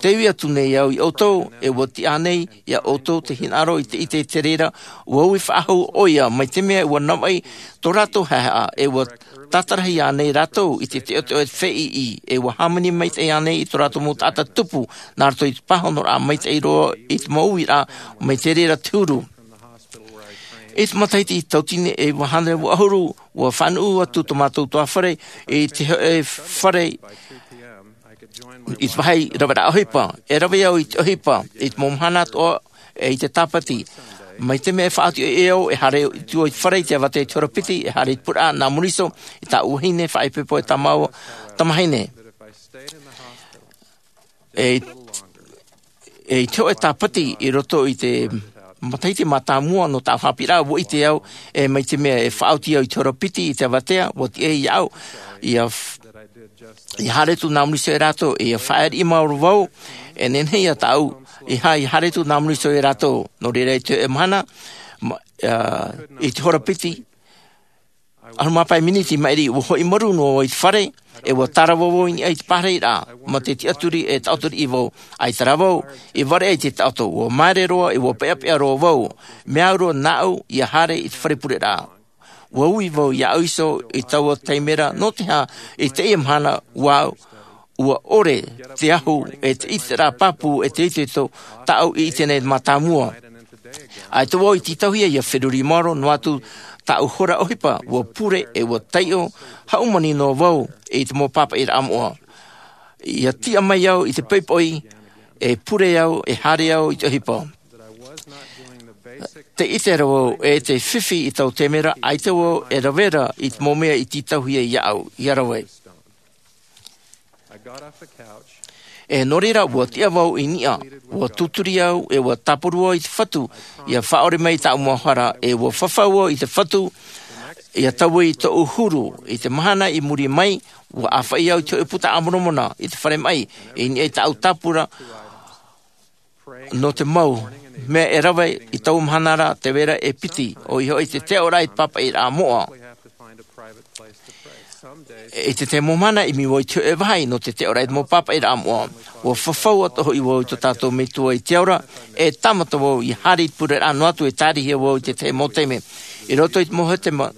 Te ui atu nei au iā ʻoutou, e ua tiʻa nei iā ʻoutou te hinaʻaro i te ʻite i te reira, ua ui faʻahou ʻoia, mai te mea ua navaʻi tō rātou haehaʻa, e ua tātarahia nei rātou i te teʻoteʻo e te feiʻi, e ua hāmani maitaʻi nei i tō rātou mau taʻata tupu, nā roto i te pāhonoraʻa maitaʻi roa i te mau uiraʻa, mai te reira te huru. I te matahiti tautini e iva hānere vaʻu ʻahuru, ua faʻanuʻu atu tō mātou tuāfare i te hōʻē fare i te vāhi raveraʻa ʻohipa. E rave au i te ʻohipa i te mau mahana atoʻa, e i te Tāpati. Mai te mea e faʻaoti ʻoe e au, e haere atu au i te fare i te avatea i te hora piti, e haere i te pureʻa nā Mōriso, i tāʻu vahine faʻaipoipo e tāmau tamahine. E, e i te hōʻē Tāpati i roto i te matahiti mātāmua nō tāʻu haʻapiʻiraʻa, ua ʻite au, e mai te mea e faʻaoti au i te hora piti i te avatea, ua tiʻa iāʻu, ʻia f-, ʻia haere atu nā Mōriso iā rātou, ʻia faʻaʻite mau ra vau, e nehenehe ia tāʻu, ʻeiaha, ʻia haere atu nā Mōriso iā rātou. Nō reira i te hōʻē mahana, ma-, ā, i te hora piti, ʻahuru mā pae miniti maʻiri, ua hoʻi marū noa au i te fare, e ua tārava vau i niʻa i te pārahiraʻa, mā te tiʻaturi e taʻoto riʻi vau, ʻaita rā vau i vāriʻi i te taʻoto, ua māere roa, e ua peʻapeʻa roa vau, mea au roa nāʻu ʻia haere i te fare pureraʻa. Ua ui vau iāʻu iho i taua taime ra, nō te aha i teie mahana, ua, ua ʻore te ahu, e te ʻiteraʻa pāpū, e te itoito tāʻu i ʻite nei mātāmua. ʻAita vau i tītauhia ʻia feruri maoro, noa atu tāʻu hora ʻohipa, ua pure, e ua taiʻo hāmani noa vau i te mau pāpaʻiraʻa moʻa. ʻIa tiʻa mai au i te poʻipoʻi, e pure au, e haere au i te ʻohipa. Tē ʻite ra vau, e te fifi i taua taime ra, ʻaita vau e rave ra i te mau mea i tītauhia iāʻu ʻia rave. E nō reira, ua tiʻa vau i niʻa, ua tūturi au, e ua tāparu au i te Fatu, ʻia faʻaʻore mai i tāʻu mau hara, e ua fafau au i te Fatu, ʻia taui tōʻu huru. I te mahana i muri mai, ua ʻāfaʻi au i te hōʻē puta a Moromona, i te fare maʻi, i niʻa i tāʻu tāpura, nō te mau mea e rave i taua mahana ra, tē vai ra e piti, ʻoia hoʻi te teʻoraʻa i te pāpaʻiraʻa moʻa. I te tahi mau mahana, ʻimi vau i te hōʻē vāhi nō te teʻoraʻa i te mau pāpaʻiraʻa moʻa. Ua fafau atoʻa hoʻi vau i tō tātou Metua i te ao ra, e tāmata vau ʻia haere i te pureraʻa, noa atu e tārihia vau i te tahi mau taime. I roto i te mau hepetoma,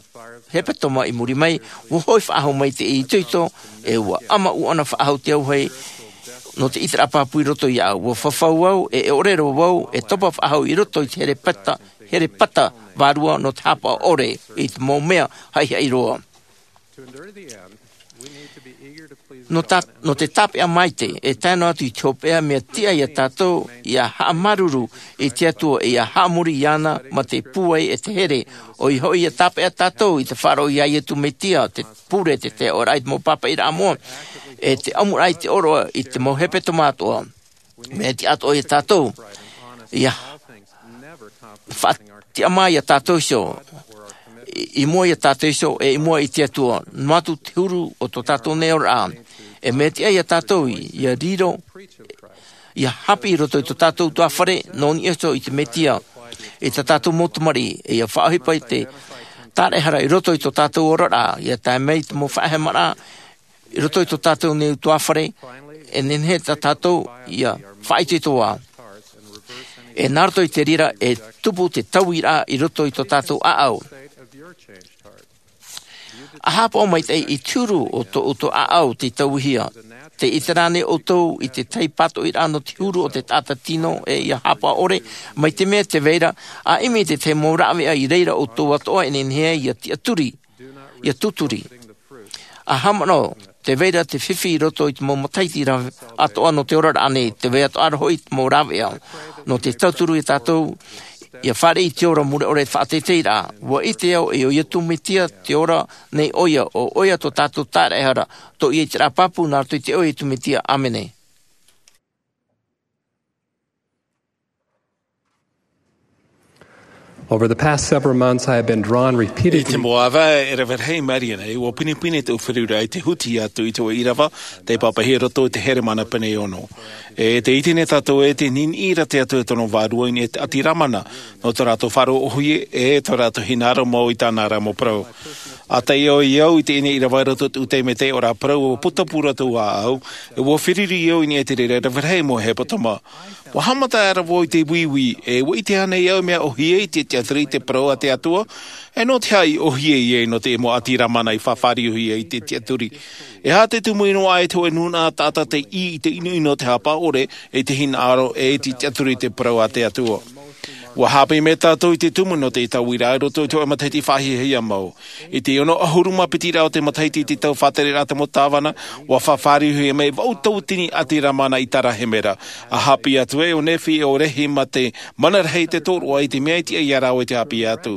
hepetoma i muri mai, ua hoʻi faʻahou mai te itoito, e ua ʻama ʻuʻana faʻahou te auahi nō te ʻiteraʻa pāpū i roto iāʻu. Ua fafau au, e ʻore roa vau, e topa faʻahou i roto i te herepeta, herepeta vārua nō te hāpaʻo ʻore i te mau mea haʻihaʻi roa. Nō tā-, nō te tāpeʻa maitaʻi, e tae noa atu i te hopeʻa, mea tiʻa ia tātou ʻia haʻamāuruuru i te Atua, ʻia haʻamori iāna mā te pūai e te here, ʻoia hoʻi ʻia tāpeʻa tātou i te faʻaroʻo iā Iesu Mesia, te pure, te teʻoraʻa i te mau pāpaʻiraʻa moʻa, e te ʻamuraʻa i te ʻōroʻa i te mau hepetoma atoʻa. Mea tiʻa atoʻa ia tātou ʻia faʻatiʻamā ia tātou iho, i, i mua ia tātou iho, e i mua i te Atua, noa atu te huru o tō tātou nei oraraʻa. E mea tiʻa ia tātou ʻia riro, ʻia haʻapiʻi i roto i tō tātou tuāfare, nō niʻa iho i te Mesia, i tā tātou mau tamariʻi, e ʻia faʻaʻohipa i te tāraʻehara i roto i tō tātou oraraʻa, ʻia tae mai i te mau faʻahemaraʻa, i roto i tō tātou nei tuāfare, e nehenehe tā tātou ʻia faʻaitoito ā. E nā roto i te reira, e tupu te tauiraʻa i roto i tō tātou ʻāʻau. ʻA haʻapaʻo maitaʻi i te huru o tō ʻoutou ʻāʻau tei tauihia. Tē ʻite ra ānei ʻoutou i te tahi pātoʻiraʻa nō te huru o te taʻata tino, e ʻia haʻapaʻo ʻore, mai te mea tē vai ra, ʻa ʻimi i te tahi mau rāveʻa i reira ʻoutou atoʻa e nehenehe ʻia tiʻaturi, ʻia tūturi. ʻA haʻamanaʻo, tē vai ra te fifi i roto i te mau matahiti ra atoʻa nō te oraraʻa nei, tē vai atoʻa ra hoʻi te mau rāveʻa. Nō te tauturu ia tātou, ʻia fāriʻi i te ora mure ʻore faʻateiteiraʻa. Ua ʻite au, e ʻo Iesu Mesia te ora nei ʻoia, ʻo ʻoia tō tātou tāraʻehara, tō ʻoia ʻiteraʻa pāpū nā roto i te iʻoa o Iesu Mesia. ʻĀmene. Over the past several months, I have been drawn repeatedly. I te mau ʻāvae e rave rahi mai nei, ʻua pinepine tōʻu feruriraʻa i te huti atu i te hōʻē ʻīrava, tei pāpaʻihia i roto i te here mana pene e ono. E tē ʻite nei tātou ē tē niniʻi ra te Atua i tōna vārua i niʻa i te ʻati Ramana, nō tō rātou faʻaroʻo ʻōhie, e tō rātou hinaʻaro mau i tāna ra mau parau. ʻA tae au i teie nei ʻīrava i roto i te taime tei ʻō ra parau, ʻua putapū rātou ʻāʻau, e ʻua feruri au i niʻa i te reira e rave rahi mau hepetoma. ʻUa haʻamata aʻera vau i te uiui, e ʻua ʻite ānei au mea ʻōhie i te tiʻaturi i te parau a te Atua? E nō te aha i ʻōhie ai nō te mau ʻati Ramana i faʻafāriuhia i te tiʻaturi? E aha te tumu i noaʻa i te hōʻē nūnaʻa taʻata tei ʻī i te ʻinoʻino o te haʻapaʻo ʻore, i te hinaʻaro, e i te tiʻaturi i te parau a te Atua? ʻUa haʻapiʻi mai tātou i te tumu nō te tauiraʻa i roto i te hōʻē matahiti faʻahiahia mau. I te ono ʻahuru mā piti rā o te matahiti i te tau faʻatereraʻa a te mau tāvana, ʻua faʻafāriuhia mai vaʻu tauatini ʻati Ramana i Tarahemera. ʻA haʻapiʻi atu ē ʻo Nephi e ʻo Lehi mā te mana rahi i te tōroʻa i te mea i tiʻa ia rāua i te haʻapiʻi atu.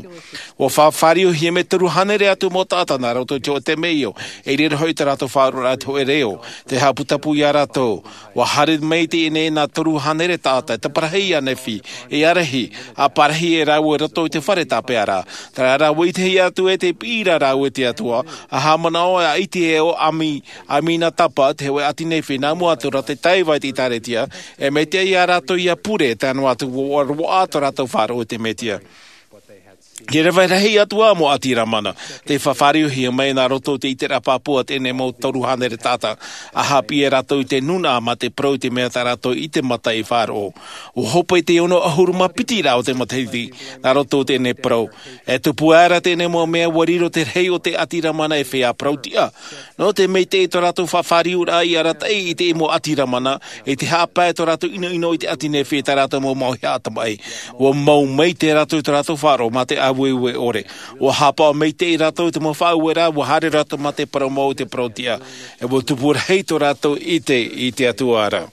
ʻUa faʻafāriuhia mai toru hānere atu mau taʻata nā roto i te hōʻē temeio, e ʻere hoʻi tā rātou faʻaroʻoraʻa i te hōʻē reo, tei haʻaputapū ia rātou. ʻUa haere mai i teie nei nā toru hānere taʻata, e taparahi ia Nephi, e ia Lehi, ʻa parahi e rāua i roto i te fare tāpeʻa ra. Terā rā ʻua ʻitehia atu ē tē piʻi ra rāua i te Atua, ʻa haʻamanaʻo ʻa ʻItieo Ami-, Aminatapa, te hōʻē ʻati Nephi, nā mua atu ra tei taiva i te ʻĒtārētia, e mea tiʻa ia rātou ʻia pure, tae noa atu ʻua roaʻa tō rātou faʻaroʻo i te Mesia. E rave rahi atu ā mau ʻati Ramana, tei faʻafāriuhia mai nā roto i te ʻiteraʻa pāpū a teie nei mau toru hānere taʻata, ʻa haʻapiʻi ia rātou i te nūnaʻa mā te parau i te mea tā rātou i te mata i faʻaroʻo. ʻUa hope i te ono ʻahuru mā piti rā o te matahiti, nā roto i teie nei parau. E tupu aʻera teie nei mau mea ʻua riro te rahi o te ʻati Ramana e feiā parau tiʻa. Nō te maitaʻi i tō rātou faʻafāriuraʻa i arataʻi i te mau ʻati Ramana, i te haʻapae tō rātou ʻinoʻino i te ʻati Nephi e tā rātou mau mauhaʻa tamaʻi. ʻUa mau maitaʻi rātou i tō rātou faʻaroʻo mā te ʻāueue ʻore. ʻUa haʻapaʻo maitaʻi rātou i te mau faʻaueraʻa, ʻua haere rātou mā te parau mau i te parau tiʻa. E ʻua tupu rahi tō rātou ʻite i te Atua ra.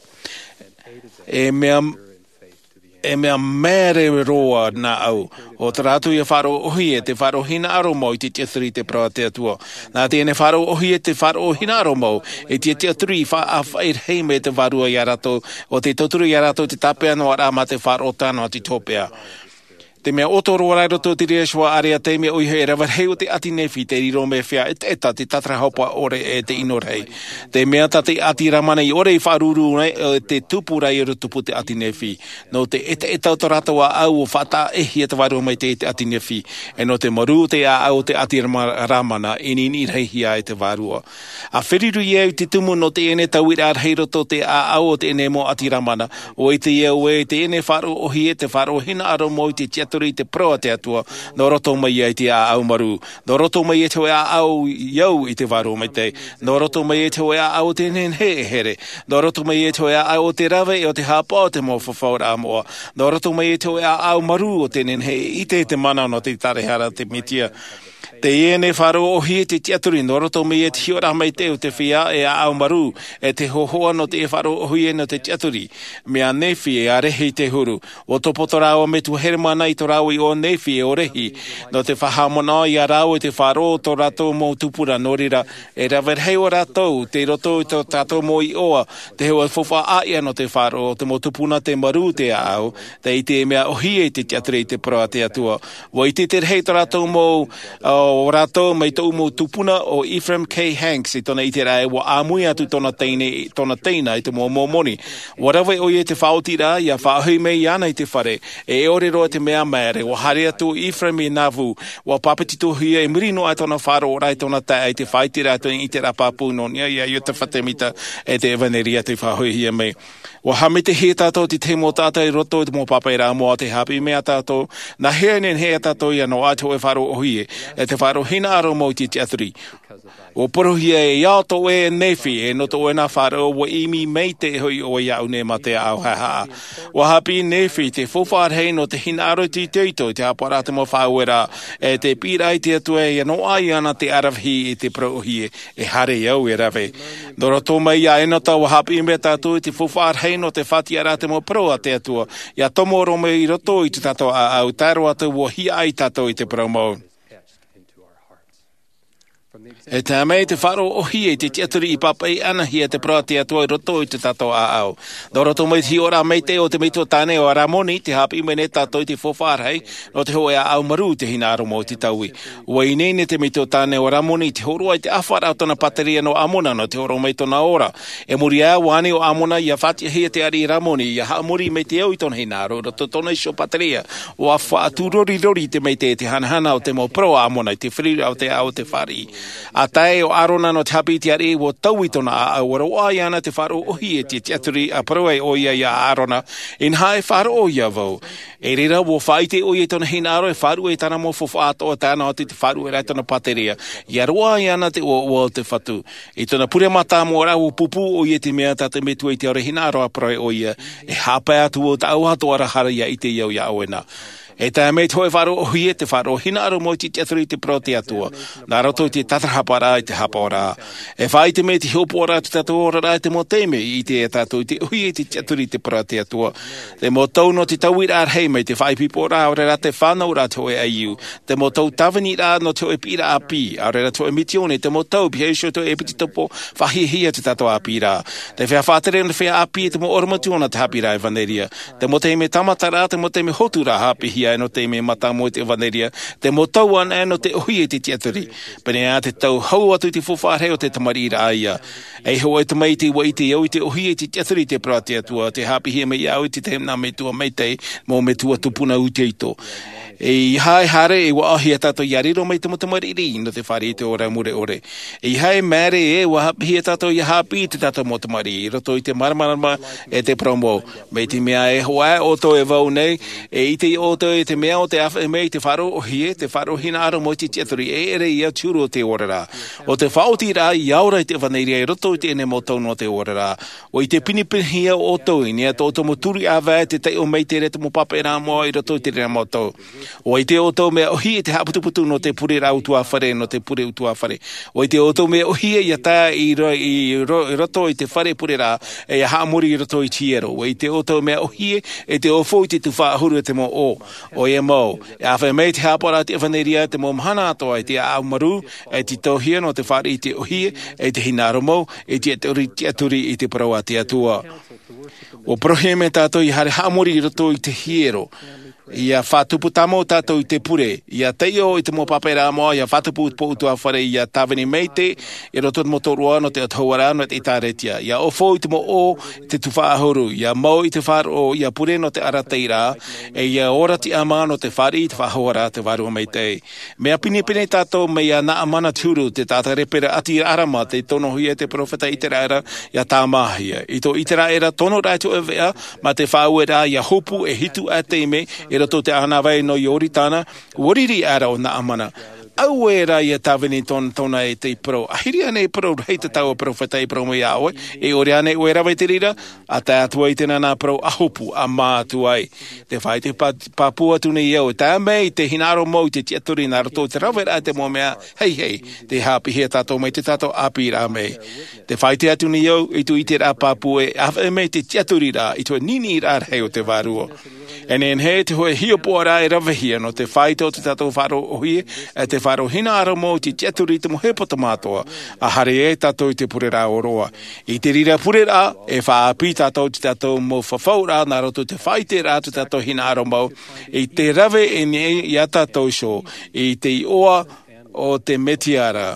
E mea, e mea māere roa nā ʻau, ʻo tā rātou ʻia faʻaroʻo ʻōhie, te faʻaroʻo hinaʻaro mau i te tiʻaturi i te parau a te Atua. Nā teie nei faʻaroʻo ʻōhie, te faʻaroʻo hinaʻaro mau, i te tiʻaturi i faʻaʻāfaʻi rahi mai te Vārua ia rātou, ʻo tē tauturu ia rātou i te tāpeʻa noa ra mā te faʻaroʻo tae noa atu i te hopeʻa. Te mea ʻoto roa ra i roto i te reira ʻāreʻa, te mea ʻoia e rave rahi o te ʻati Nephi, tei riro mai e feiā ʻetaʻeta te tātarahapa ʻore e te ʻino rahi. Te mea tā te ʻati Ramana i ʻore i faʻaruru nei, ʻo te tupu ra i ʻore tupu te ʻati Nephi. Nō te ʻetaʻeta o tō rātou ʻāʻau ʻua faʻataʻehia te Vārua Maitaʻi i te ʻati Nephi. E nō te marū o te ʻāʻau o te ʻati Rama-, Ramana, i niniʻi rahi ai te Vārua. ʻA feruri au i te tumu nō teie nei tauiraʻa rahi i roto i te ʻāʻau o teie nei mau ʻati Ramana, ʻua ʻite au ē teie nei faʻaroʻo ʻōhie, te faʻaroʻo hinaʻaro mau i te tiʻaturi i te parau a te Atua, nō roto mai ai te ʻāʻau marū, nō roto mai ai te hōʻē ʻāʻau i au i te Vārua Maitaʻi, nō roto mai ai te hōʻē ʻāʻau o te nehenehe e here, nō roto mai ai te hōʻē ʻāʻau o te rave e o te haʻapaʻo o te mau fafauraʻa moʻa, nō roto mai ai te hōʻē ʻāʻau marū o te nehenehe e ʻite i te mana nō te ʻĒtārētia ra te Mesia. Teie nei faʻaroʻo ʻōhie te tiʻaturi, nō roto mai ai te hiʻoraʻa maitaʻi o te feiā e ʻāʻau marū, e te hōhoʻa nō te faʻaroʻo ʻōhie nō te tiʻaturi. Mai ia Nephi e ia Lehi te huru. ʻUa topoto rāua mai tuahine mana i tō rāua iʻoa Nephi e ʻo Lehi, nō te faʻahaʻamanaʻo ia rāua i te faʻaroʻo o tō rātou mau tupuna, nō reira, e rave rahi ʻo rātou, tei roto i tō tātou mau iʻoa, te hōʻē faufaʻa ʻāʻia nō te faʻaroʻo, te mau tupuna tei marū te ʻāʻau, tei ʻite mea ʻōhie i te tiʻaturi i te parau a te Atua. ʻUa ʻite te rahi tō rātou mau, ā, ʻo rātou mai tōʻu mau tupuna ʻo Ephraim K. Hanks i tōna ʻiteraʻa ē ʻua ʻāmui atu tōna teine, tōna teina i te mau Mōmoni. ʻUa rave ʻoia i te faʻaotiraʻa, ʻia faʻahoʻi mai iāna i te fare, e ʻore roa te mea māere, ʻua haere atu ʻo Ephraim i Nauvoo, ʻua pāpetitohia i muri noa i tōna faʻaroʻoraʻa i tōna taeaʻe i te faʻaiteraʻa i tōna ʻiteraʻa pāpū nō niʻa iā Iosepha Semita e te ʻevanelia tei faʻahoʻihia mai. ʻUa haʻamaitaʻihia tātou i te tahi mau taʻata i roto i te mau pāpaʻiraʻa moʻa, tē haʻapiʻi mai ia tātou, nā hea e nehenehe ia tātou ʻia noaʻa te hōʻē faʻaroʻo ʻōhie, e te faʻaroʻo hinaʻaro mau i te tiʻaturi. ʻUa parauhia ē, ʻia ʻoto ʻoe e Nephi, e nō tō ʻoe nā faʻaroʻo, ʻua ʻimi maitaʻi hoʻi ʻoe iāʻu nei mā te ʻāʻau haʻehaʻa. ʻUa haʻapiʻi Nephi i te faufaʻa rahi nō te hinaʻaro i te itoito i te haʻapaʻoraʻa a te mau faʻaueraʻa, e te piʻiraʻa i te Atua ʻia noaʻa iāna te ʻaravihi i te parau ʻōhie, e haere au e rave. Nō roto mai ia Enota ʻua haʻapiʻi mai tātou i te faufaʻa rahi nō te faʻatiʻaraʻa a te mau parau a te Atua, ʻia tomo roa mai i roto i tō tātou ʻāʻau, tae roa atu ʻua hiaʻai tātou i te parau mau. E tae mai te faʻaroʻo ʻohie i te tiʻaturi i pāpaʻi ʻanahia te parau a te Atua i roto i tō tātou ʻāʻau. Nō roto mai te hiʻoraʻa maitaʻi o te metua tāne o Aramoni, tē haʻapiʻi mai nei tātou i te faufaʻa rahi nō te hōʻē ʻāʻau marū, te hinaʻaro mau i te taui. ʻUa ineine te metua tāne o Aramoni i te hōroʻa i te ʻāfaʻaraʻa o tōna pāteria nō Amona nō te hōroʻa mai i tōna ora. E muri aʻe, ʻua ani ʻo Amona ʻia faʻatiʻahia te ariʻi Aramoni, ʻia haʻamori mai te au i tōna hinaʻaro i roto i tōna iho pāteria. ʻUa faʻatūrorirori te maitaʻi i te hanahana o te mau parau a Amona i te feruriraʻa o te ao o te fāriʻi. ʻA tae ʻo Arona nō te haʻapiʻi i te ariʻi, ʻua taui tōna ʻāʻau, ʻua roaʻa iāna te faʻaroʻo ʻohie i te tiʻaturi, ʻa parau ai ʻoia ia Arona, Inaha, e faʻaroʻo ia vau. I reira ʻua faʻaʻite ʻoia i tōna hinaʻaro e faʻaruʻe i tāna mau faufaʻa atoʻa, tae noa atu i te faʻaruʻeraʻa i tōna pāteria, ʻia roaʻa iāna te ʻoaʻoa o te Fatu. I tōna pure mātāmua ra, ʻua pūpū ʻoia i te mea tā te Metua i te Atua e hinaʻaro, ʻa parau ai ʻoia, E haʻapae atu vau tāʻu atoʻa ra, hara ʻia ʻite au iā ʻoe na. E tae mai te hōʻē faʻaroʻo ʻohie, te faʻaroʻo hinaʻaro mau i te tiʻaturi i te parau a te Atua. Nā roto i te tātarahaparaʻa i te haʻapaʻoraʻa. E faʻaʻite mai te hiʻopoʻaraʻa o tō tātou oraraʻa, te mau taime i ʻite ai tātou i te ʻohie i te tiʻaturi i te parau a te Atua. Te mau tau nō te tauiraʻa rahi mai te faʻaipoiporaʻa, ʻaore rā te fānauraʻa te hōʻē ʻaiū. Te mau tau tāviniraʻa nō te hōʻē piʻiraʻa ʻāpī, ʻaore rā te hōʻē mitiōni, te mau tau pihaʻi iho te hōʻē ʻepitopo faʻahiahia te tātou ʻāpīraʻa. Te feiā faʻatere nō te feiā ʻāpī, te mau ʻorometua nō te haʻapiʻiraʻa ʻevanelia. Te mau taime tāmataraʻa, te mau taime hoturaʻa haʻapiʻihia ai nō te taime mātāmua i te ʻevanelia. Te mau tau anaʻe nō te ʻohie i te tiʻaturi. Pēneiaʻe te tau hau atu i te faufaʻa rahi o te tamariʻiraʻa ia. E hōʻē tamaiti, ʻua ʻite au i te ʻohie i te tiʻaturi i te parau a te Atua, tē haʻapiʻihia mai iāʻu i te tahi nā metua maitaʻi, mau metua tupuna ʻuteʻuto. ʻEiaha e haere, e ʻua ʻaʻohia tātou ʻia riro mai te mau tamariʻi nō te fāriʻi i te ora mure ʻore. ʻEiaha e māere ē, ʻua haʻapiʻihia tātou ʻia haʻapiʻi i tō tātou mau tamariʻi i roto i te māramarama e te parau mau. Mai te mea e hoʻi ʻoutou e vau nei, e ʻite ʻoutou i te mea ʻo tē ʻāfaʻi mai i te faʻaroʻo ʻohie, te faʻaroʻo hinaʻaro mau i te tiʻaturi, e ʻere ia te huru o te oraraʻa. ʻO te faʻaotiraʻa ʻia ora i te ʻevanelia i roto i teie nei mau tau nō te oraraʻa. ʻUa ʻite pinepinehia ʻoutou i niʻa i tō ʻoutou mau turi ʻāvae, te taiʻo maitaʻi ra, te mau pāpaʻiraʻa moʻa i roto i terā mau tau. ʻUa ʻite ʻoutou mea ʻohie i te haʻaputuputu nō te pureraʻa ʻutuāfare, nō te pure ʻutuāfare. ʻUa ʻite ʻoutou mea ʻohie ʻia tae i ro-, i ro-, i roto i te fare pureraʻa, e ʻia haʻamori i roto i te hiero. ʻUa ʻite ʻoutou mea ʻohie i te ʻōfou i te tuhaʻa ʻahuru e te mau ʻō. ʻOia mau, e ʻāfaʻi mai te haʻapaʻoraʻa o te ʻevanelia i te mau mahana atoʻa, i te ʻāʻau marū, e tītauhia nō te fāriʻi i te ʻohie, i te hinaʻaro mau, i te tiʻaturi, tiʻaturi i te parau a te Atua. ʻUa parauhia mai tātou ʻia haere haʻamori i roto i te hiero, ʻia faʻatupu tāmau tātou i te pure, ʻia taiʻo i te mau pāpaʻiraʻa moʻa, ʻia faʻatupu i te pō ʻutuāfare, ʻia tāvini maitaʻi i roto i te mau tōroʻa nō te autahuʻaraʻa nō te ʻĒtārētia, ʻia ʻōfou i te mau ʻō, i te tuhaʻa ʻahuru, ʻia mau i te faʻaroʻo, ʻia pure nō te arataʻiraʻa, e ʻia ora tiʻamā nō te fāriʻi i te faʻahouraʻa a te Vārua Maitaʻi. Mea pinepine tātou mai iā Naamana te huru, te taʻata lepera ʻāti Arama, tei tonohia e te peropheta Iseraela, ʻia tāmāhia. I tō Iseraela tonoraʻa i te hōʻē veʻa, mā te faʻaueraʻa ʻia hopu e hitu ā taime, i roto i te ʻānāvai nō Ioritana, ʻua riri aʻera ʻo Naamana. Auē rā ʻia tāvini tōna, tōna e tei parau, ʻAhiri ānei e parau rahi tā tāua peropheta i parau mai iā ʻoe, e ʻore ānei ʻoe e rave i te reira? ʻA tae atu ai i teie nā parau, ʻA hopu, ʻa mā atu ai. Te faʻaʻite pā-, pāpū atu nei au, e tae mai te hinaʻaro mau i te tiʻaturi nā roto i te raveraʻa i te mau mea heihei, tē haʻapiʻihia tātou mai i tō tātou ʻāpīraʻa mai. Te faʻaʻite atu nei au i tō ʻiteraʻa pāpū, e ʻāfaʻi mai te tiʻaturiraʻa i te hōʻē niniʻiraʻa rahi o te Vārua. E nehenehe te hōʻē hiʻopoʻaraʻa e ravehia nō te faʻaʻite o tō tātou faʻaroʻo ʻohie, e te faʻaroʻo hinaʻaro mau i te tiʻaturi i te mau hepetoma atoʻa, ʻa haere ai tātou i te pureraʻa ʻōroʻa. I te reira pureraʻa, e faʻaʻāpī tātou i tō tātou mau fafauraʻa nā roto i te faʻaʻiteraʻa i tō tātou hinaʻaro mau, i te rave i niʻa iā tātou iho, i te iʻoa o te Mesia ra.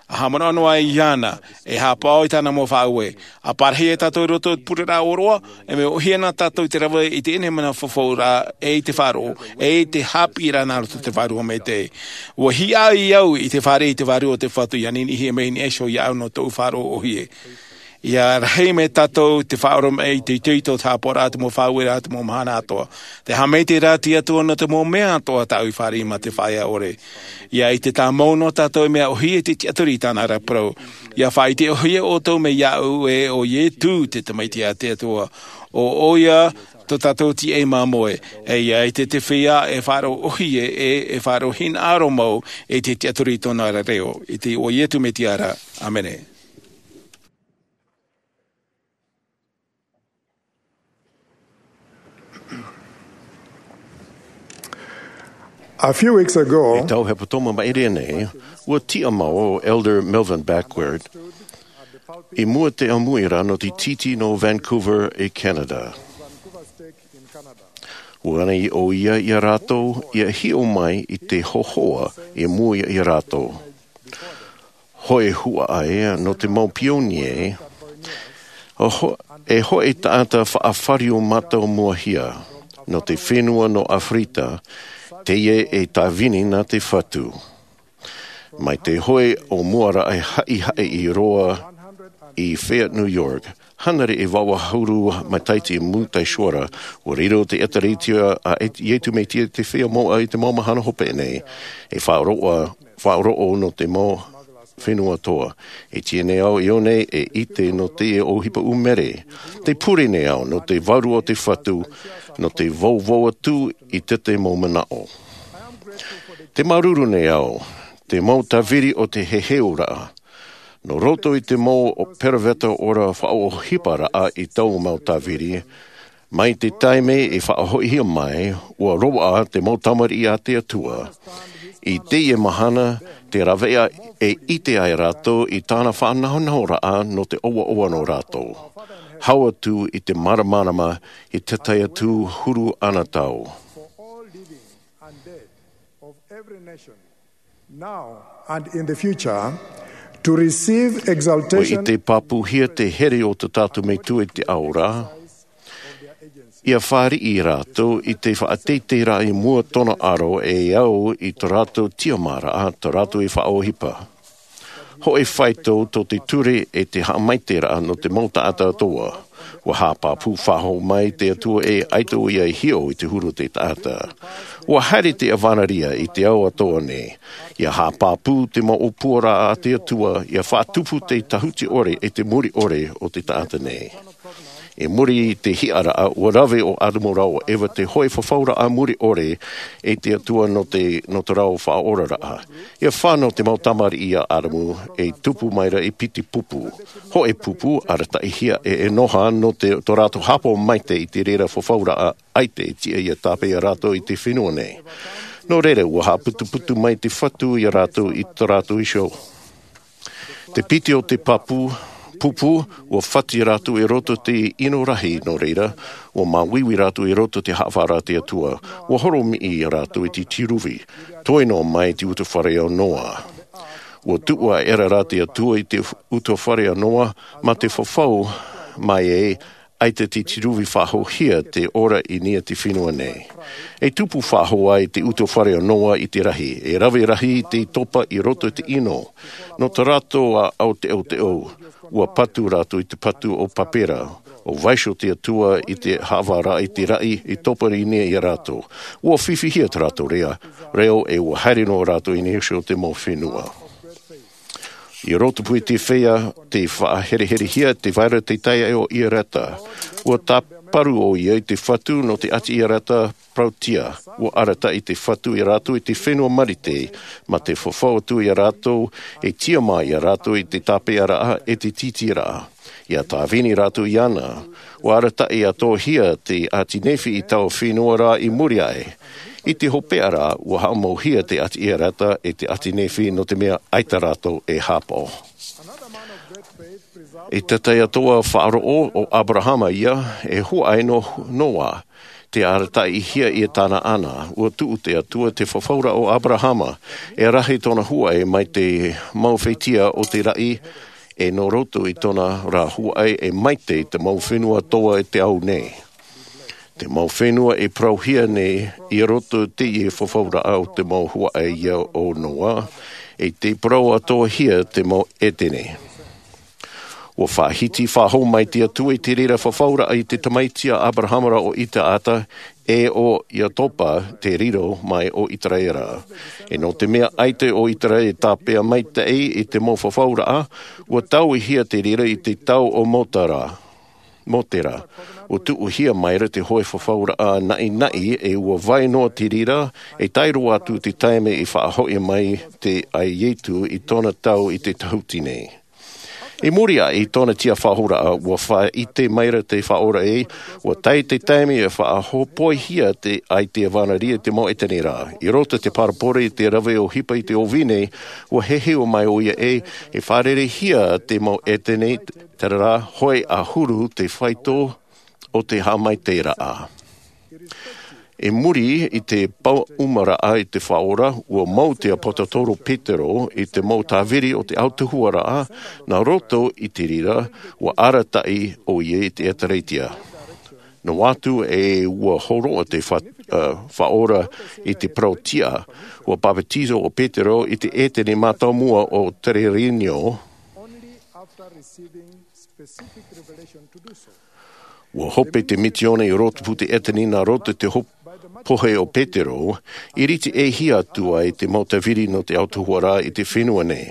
ʻA haʻamanaʻo noa iāna, e haʻapaʻo i tāna mau faʻaue. ʻA parahi e tātou i roto i te pureraʻa ʻōroʻa, e mea ʻohie na tātou i te rave i teie nei mana fafauraʻa, e i te faʻaroʻo, e i te haʻapiʻiraʻa nā roto i te Vārua Maitaʻi. ʻUa hiaʻai au i te fāriʻi i te Vārua o te Fatu, ʻia niniʻihia mai i niʻa iho iāʻu nō tōʻu faʻaroʻo ʻohie. ʻIa rahi mai tātou i te faʻaoromaʻi i te itoito o te haʻapaʻoraʻa, te mau faʻaueraʻa, te mau mahana atoʻa. Tē haʻamaitaʻi ra te Atua nō te mau mea atoʻa tāʻu i fāriʻi mā te faʻaea ʻore. ʻIa ʻite tāmau noa tātou e mea ʻohie te tiʻaturi i tāna ra parau. ʻIa faʻaʻite ʻohie ʻoutou mai iāʻu ē ʻo Iesu te Tamaiti a te Atua. ʻO ʻoia tō tātou tīaʻi māmoe. E ʻia ʻite te feiā e faʻaroʻo ʻohie, e, e faʻaroʻo hinaʻaro mau i te tiʻaturi i tōna ra reo. I te iʻoa o Iesu Mesia ra. ʻĀmene. A few weeks ago, e tau hepetoma maʻiri nei, ua tiʻamau ʻo Elder Melvin Backward i mua te ʻāmuiraʻa nō te tītī nō Vancouver i Canada. Ua ani ʻoia ia rātou ia hiʻo mai i te hōhoʻa i mua ia rātou. Hōʻē huaʻai nō te mau pionie, e hō-, e hōʻē taʻata faʻafāriu mātāmuahia nō te fenua nō Aferika, teie e tāvini nā te Fatu. Mai te hōʻē ʻōmuaraʻa haʻihaʻi i roa i Fayette, New York, hānere e vaʻu ʻahuru matahiti i mua i te Atua ra, ua riro te ʻĒtārētia a Iesu Mesia te feiā moʻa i te mau mahana hopeʻa nei, e faʻaroʻo, faʻaroʻo nō te mau fenua atoʻa. E tiʻa nei au i ʻō nei e ʻite nō te ʻohipa ʻūmere. Tē pure nei au nō te vārua o te Fatu, nō te vauvau atu i te mau manaʻo. Tē māuruuru nei au, te mau tāviri o te heheuraʻa. Nō roto i te mau peropheta ora faʻaʻohiparaʻa i taua mau tāviri, mai te taime i faʻahoʻihia mai, ua roaʻa te mau tamariʻi a te Atua. I teie mahana, tē rave ai e ʻite ai rātou i tāna faʻanahonahoraʻa nō te ʻoaʻoa nō rātou. Hau atu i te māramarama i te tahi atu huru ʻana tau. Now and in the future, to receive exaltation. ʻUa ʻite pāpūhia te here o tō tātou Metua i te ao ra. ʻIa fāriʻi rātou i te faʻateiteiraʻa i mua tōna aro e au i tō rātou tiʻamāraʻa, tō rātou e faʻaʻohipa. Hōʻē faito tō te ture e te haʻamaitaʻiraʻa nō te mau taʻata atoʻa. ʻUa haʻapāpū faʻahou mai te Atua e ʻaita ʻoia i hiʻo i te huru o te taʻata. ʻUa haere te ʻavaneria i te ao atoʻa nei. ʻIa haʻapāpū te mau ʻōpuaraʻa a te Atua, ʻia faʻatupu te tahuti ʻore e te muri ʻore o te taʻata nei. I muri i te hiʻaraʻa, ʻua rave ʻo ʻĀdamu rā ʻo Eva te hōʻē fafauraʻa muri ʻore e te Atua nō te, nō te reo faʻaoraraʻa. ʻIa fānau te mau tamariʻi a ʻĀdamu, e tupu mai ra e piti pupu. Hōʻē pupu, arataʻihia e ʻEnoha nō te, tō rātou haʻapaʻo maitaʻi i te reira fafauraʻa ʻaita e tiʻa ʻia tāpeʻa rātou i te fenua nei. Nō reira, ʻua haʻaputuputu mai te Fatu ia rātou i tō rātou iho. Te piti o te pāpū, pupu, ʻua fati rātou i roto i te ʻino rahi, nō reira, ʻua māuiui rātou i roto i te haʻavāraʻa a te Atua, ʻua horomiʻi rātou i te tīruvi, toe noa mai te ʻutuāfare o Noa. ʻUa tuʻu aʻera rā te Atua i te ʻutuāfare o Noa, mā te fafau mai ē, ʻaita te tīruvi faʻahouhia te ora i niʻa i te fenua nei. E tupu faʻahou ai te ʻutuāfare o Noa i te rahi, e rave rahi te topa i roto i te ʻino. Nō tā rātou ʻāʻau teʻoteʻo, ʻua patu rātou i te patu o Pāpera, ʻua vaiiho te Atua i te haʻavāraʻa i te raʻi i topa i niʻa ia rātou. ʻUa fifihia tā rātou reo, reo e ʻua haere noa rātou i niʻa iho i te mau fenua. I roto pū i te feiā, tē faʻahereherehia te vai ra te taiaʻe o Ierata. ʻUa tāparu ʻoia i te Fatu nō te ʻāti Ierata parautia. ʻUa arataʻi te Fatu ia rātou i te fenua Marite, mā te fafau atu ia rātou, e tiʻamā ia rātou i te tāpeʻaraʻa e te tītīraʻa. ʻIa tāvini rātou iāna. ʻUa arataʻi atoʻahia te ʻāti Nephi i taua fenua ra i muri aʻe. I te hopeʻa ra, ʻua haʻamauhia te ʻāti Ierata e te ʻāti Nephi nō te mea ʻaita rātou e haʻapaʻo. I te tahi atu faʻaroʻo, ʻo Aberahama ia, e huaʻai nō Noa, tē arataʻihia ia tāna ʻana, ʻua tuʻu te Atua te fafauraʻa o Aberahama, e rahi tōna huaʻai mai te mau fētia o te raʻi, e nō roto i tōna rā huaʻai e maitaʻi te mau fenua atoʻa i te ao nei. Te mau fenua e parauhia nei i roto i te fafauraʻa o te mau huaʻai ia o Noa, e tē parau atoʻahia te mau ʻētene. ʻUa faʻahiti faʻahou mai te Atua i te reira fafauraʻa i te tamaiti a Aberahama ra ʻo Isaaka, e ʻo Iakoba te riro mai o Iseraela. E nō te mea ʻaita ʻo Iseraela e tāpeʻa maitaʻi i te mau fafauraʻa, ʻua tauihia te reira i te tau o Mōtera. Mōtera. ʻUa tuʻuhia mai ra te hōʻē fafauraʻa naʻinaʻi e ʻua vai noa te reira, e tae roa atu te taime i faʻahoʻi mai te, a Iesu i tōna tau i te tahuti nei. I muri aʻe i tōna tiafaʻahouraʻa, ua faʻaʻite maira te Faʻaora ē, ua tae te taime e faʻahopoihia te, ai te ʻevanelia i te mau ʻētene ra. I roto i te parabole i te rave ʻohipa i te ʻōvine, ua heheu mai ʻoia ē, e fārereihia te mau ʻētene, terā rā, hōʻē ʻahuru te faito o te haʻamaitaʻiraʻa. I muri i te pāʻumaraʻa i te Faʻaora, ua mau te ʻāpōsetolo Petero i te mau tāviri o te autahuʻaraʻa, nā roto i te reira, ua arataʻi ʻoia i te ʻĒtārētia. Noa atu ē ua hōroʻa te fa-, ā, Faʻaora i te parau tiʻa, ua papetizo ʻo Petero i te ʻētene mātāmua o Tererenio. Ua hope te misiōni i roto i te ʻētene nā roto i te hop-, pohe o Petero, i rite ʻē hia atu ai te mau tāviri nō te autahuʻaraʻa i te fenua nei,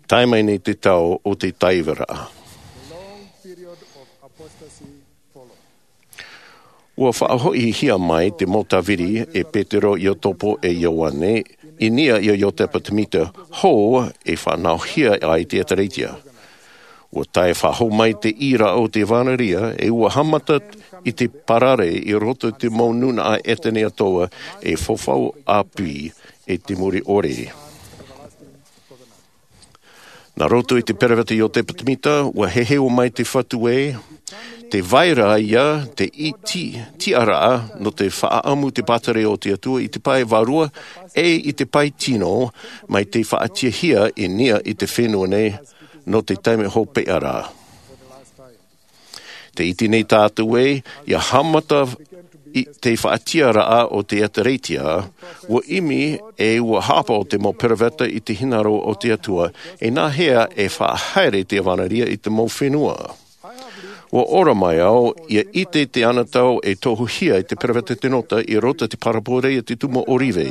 tae mai nei te tau o te tāivaraʻa. Ua faʻahoʻihia mai te mau tāviri e Petero, Iakobo e Ioane, i niʻa iā Iotepa Temita, hou e fānauhia ai te ʻĒtārētia. Ua tae faʻahou mai te ʻīraʻa o te ʻevanelia, e ua haʻamata i te parare i roto i te mau nūnaʻa ʻētene atoʻa e fafau ʻāpī i te mure ʻore. Nā roto i te peroveta Iotepa Temita, ua heheu mai te Fatu ē, tē vai ra ïa te iti-, tiʻaraʻa nō te faʻaʻamu te pātireia o te Atua i te pae vārua, ʻe i te pae tino, mai te faʻatiʻahia i niʻa i te fenua nei nō te taime hopeʻa ra. Tē ʻite nei tātou ē, ʻia haʻamata i te faʻatiʻaraʻa o te ʻĒtārētia, ua ʻimi e ua haʻapaʻo te mau peroveta i te hinaʻaro o te Atua, e nā hea e faʻahaere te ʻevanelia i te mau fenua. Ua ora mai au, ʻia ʻite te anotau e tohuhia e te peroveta Tenota i roto i te parabole a te tumu ʻōrive.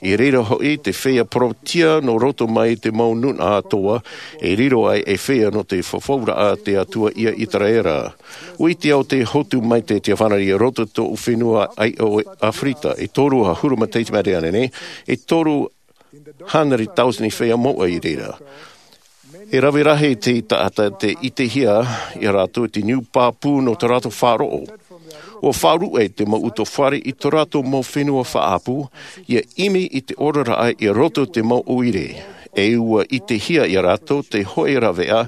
I reira hoʻi te feiā parauʻtiʻa nō roto mai i te mau nūnaʻa atoʻa, e riro ai e feiā nō te fafauraʻa a te Atua iā ʻĪteraʻera. ʻUa ʻite au tē hotu maitaʻi te ʻevanelia i roto i tōʻu fenua ʻāiʻo ʻAfirika, e toru ʻahuru matahiti mai te reira nei, e toru hānere tauatini feiā moʻa i reira. E rave rahi te taʻata tē ʻitehia iā rātou i te niu pāpū nō tō rātou faʻaroʻo. ʻUa faʻaruʻe te mau ʻutuāfare i tō rātou mau fenua faʻaʻapu, ʻia ʻimi i te oraraʻa i roto i te mau ʻoire. E ʻua ʻitehia iā rātou te hōʻē rāveʻa,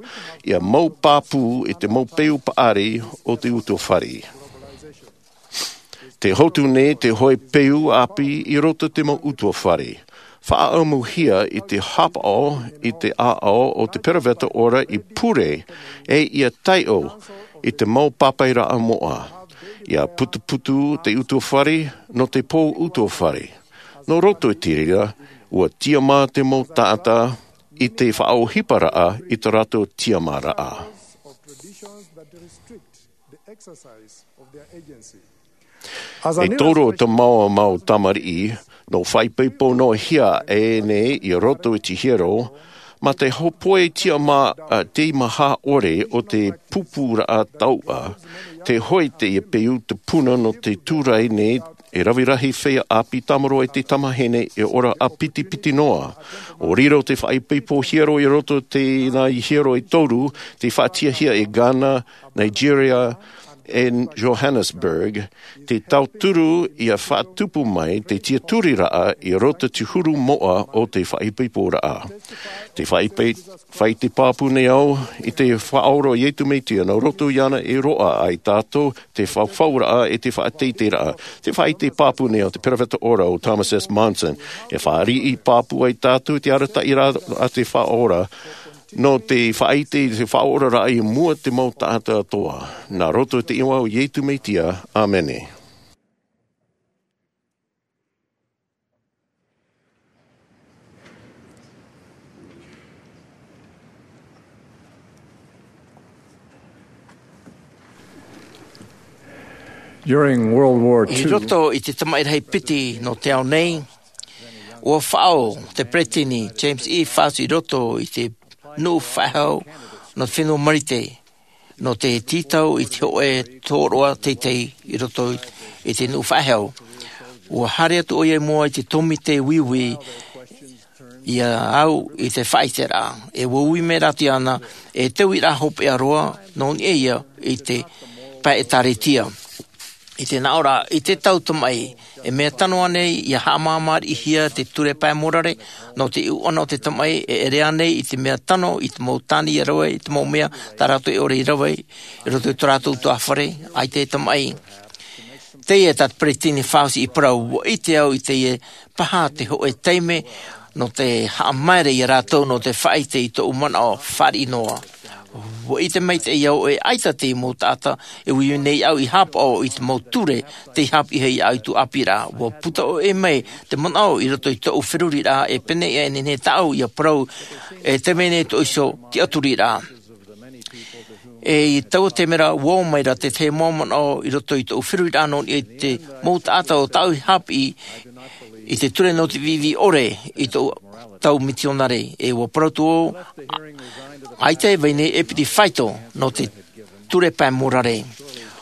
ʻia mau pāpū i te mau peu paʻari o te ʻutuāfare. Tē hotu nei te hōʻē peu ʻāpī i roto i te mau ʻutuāfare. Faʻaʻamuhia i te haʻapaʻo i te ʻāʻau o te peroveta ora i pure, ʻe ʻia taiʻo i te mau pāpaʻiraʻa moʻa. ʻIa putuputu te ʻutuāfare nō te pō ʻutuāfare. Nō roto i te reira, ʻua tiʻamā te mau taʻata i te faʻaʻohiparaʻa i tō rātou tiʻamāraʻa. E toru o te mau, mau tamariʻi, nō faʻaipoipo noa hia aʻe nei i roto i te hiero, mā te hōpoi tiʻamā, ā, teimaha ʻore o te pūpūraʻa tauʻa, tē hoʻi teie peu te puna nō te tūraʻi nei, e rave rahi feiā ʻāpī tāmarō e te tamahine e ora ʻāpitipiti noa. ʻO riro te faʻaipoipo hiero i roto i teie nei hiero e toru, tē faʻatiʻahia i Ghana, Nigeria, ʻe Johannesburg, te tauturu ʻia faʻatupu mai te tiaturiraʻa i roto i te huru moʻa o te faʻaipoiporaʻa. Tē faʻaipoipo, faʻaʻite pāpū nei au i te Faʻaora o Iesu Mesia, nō roto iāna e roaʻa ai tātou te fafauraʻa ʻe te faʻateiteiraʻa. Tē faʻaʻite pāpū nei au i te peroveta ora o Thomas S. Monson, e fāriʻi pāpū ai tātou i te arataʻiraʻa a te Faʻaora, nō te faʻaʻite i te faʻaoraraʻa i mua i te mau taʻata atoʻa. Nā roto i te iʻoa o Iesu Mesia, ʻāmene. During World War I two, roto i te tamaʻi rahi piti nō te ao nei, ʻua faʻaō te peresideni James E. Faust i roto i te nuʻu faʻehau nō te fenua Marite, nō te tītau i te hōʻē tōroʻa teitei i roto i te nuʻu faʻehau. ʻUa haere atu ʻoia i mua i te tōmite uiui Ia au i te faʻaiteraʻa e ua ui mai rātou iāna, e te uiraʻa hopeʻa roa nō niʻa ia i te pae ʻēkālesia. I te naʻoraʻa i te tau tamaʻi, e mea tano ānei ia haʻamāmāriʻihia te ture pae morare nō te ʻuʻana o te tamaʻi? E ʻere ānei i te mea tano i te mau tāne ia rave i te mau mea tā rātou e ʻore i rave i roto i tō rātou tuaʻāfare? ʻAita e tamaʻi. Teie tā te peresideni Faust i parau, ua ʻite au i teie paha te hoʻe taime nō te haʻamaere ia rātou nō te faʻaʻite i tōʻu manaʻo fāriʻi noa. Ua ʻite maitaʻi au e ʻaita te mau taʻata e ui nei au i hāpaʻo i te mau ture tei haʻapiʻihia iāʻu i tōʻu ʻāpīraʻa. Ua puta ʻoʻe mai te manaʻo i roto i tōʻu feruriraʻa e pēneiaʻe nei tāʻu ia parau, e te mea nei tōʻu iho tiʻaturiraʻa. E i taua taime ra ua ō mai ra te tahi mau manaʻo i roto i tōʻu feruriraʻa nō niʻa i te mau taʻata o tāʻu i haʻapiʻi i te ture nō te viivii ʻore i tōʻu tau mitionare. E ua parau atu au, ʻaita e vai nei e piti faito nō te ture pae morare.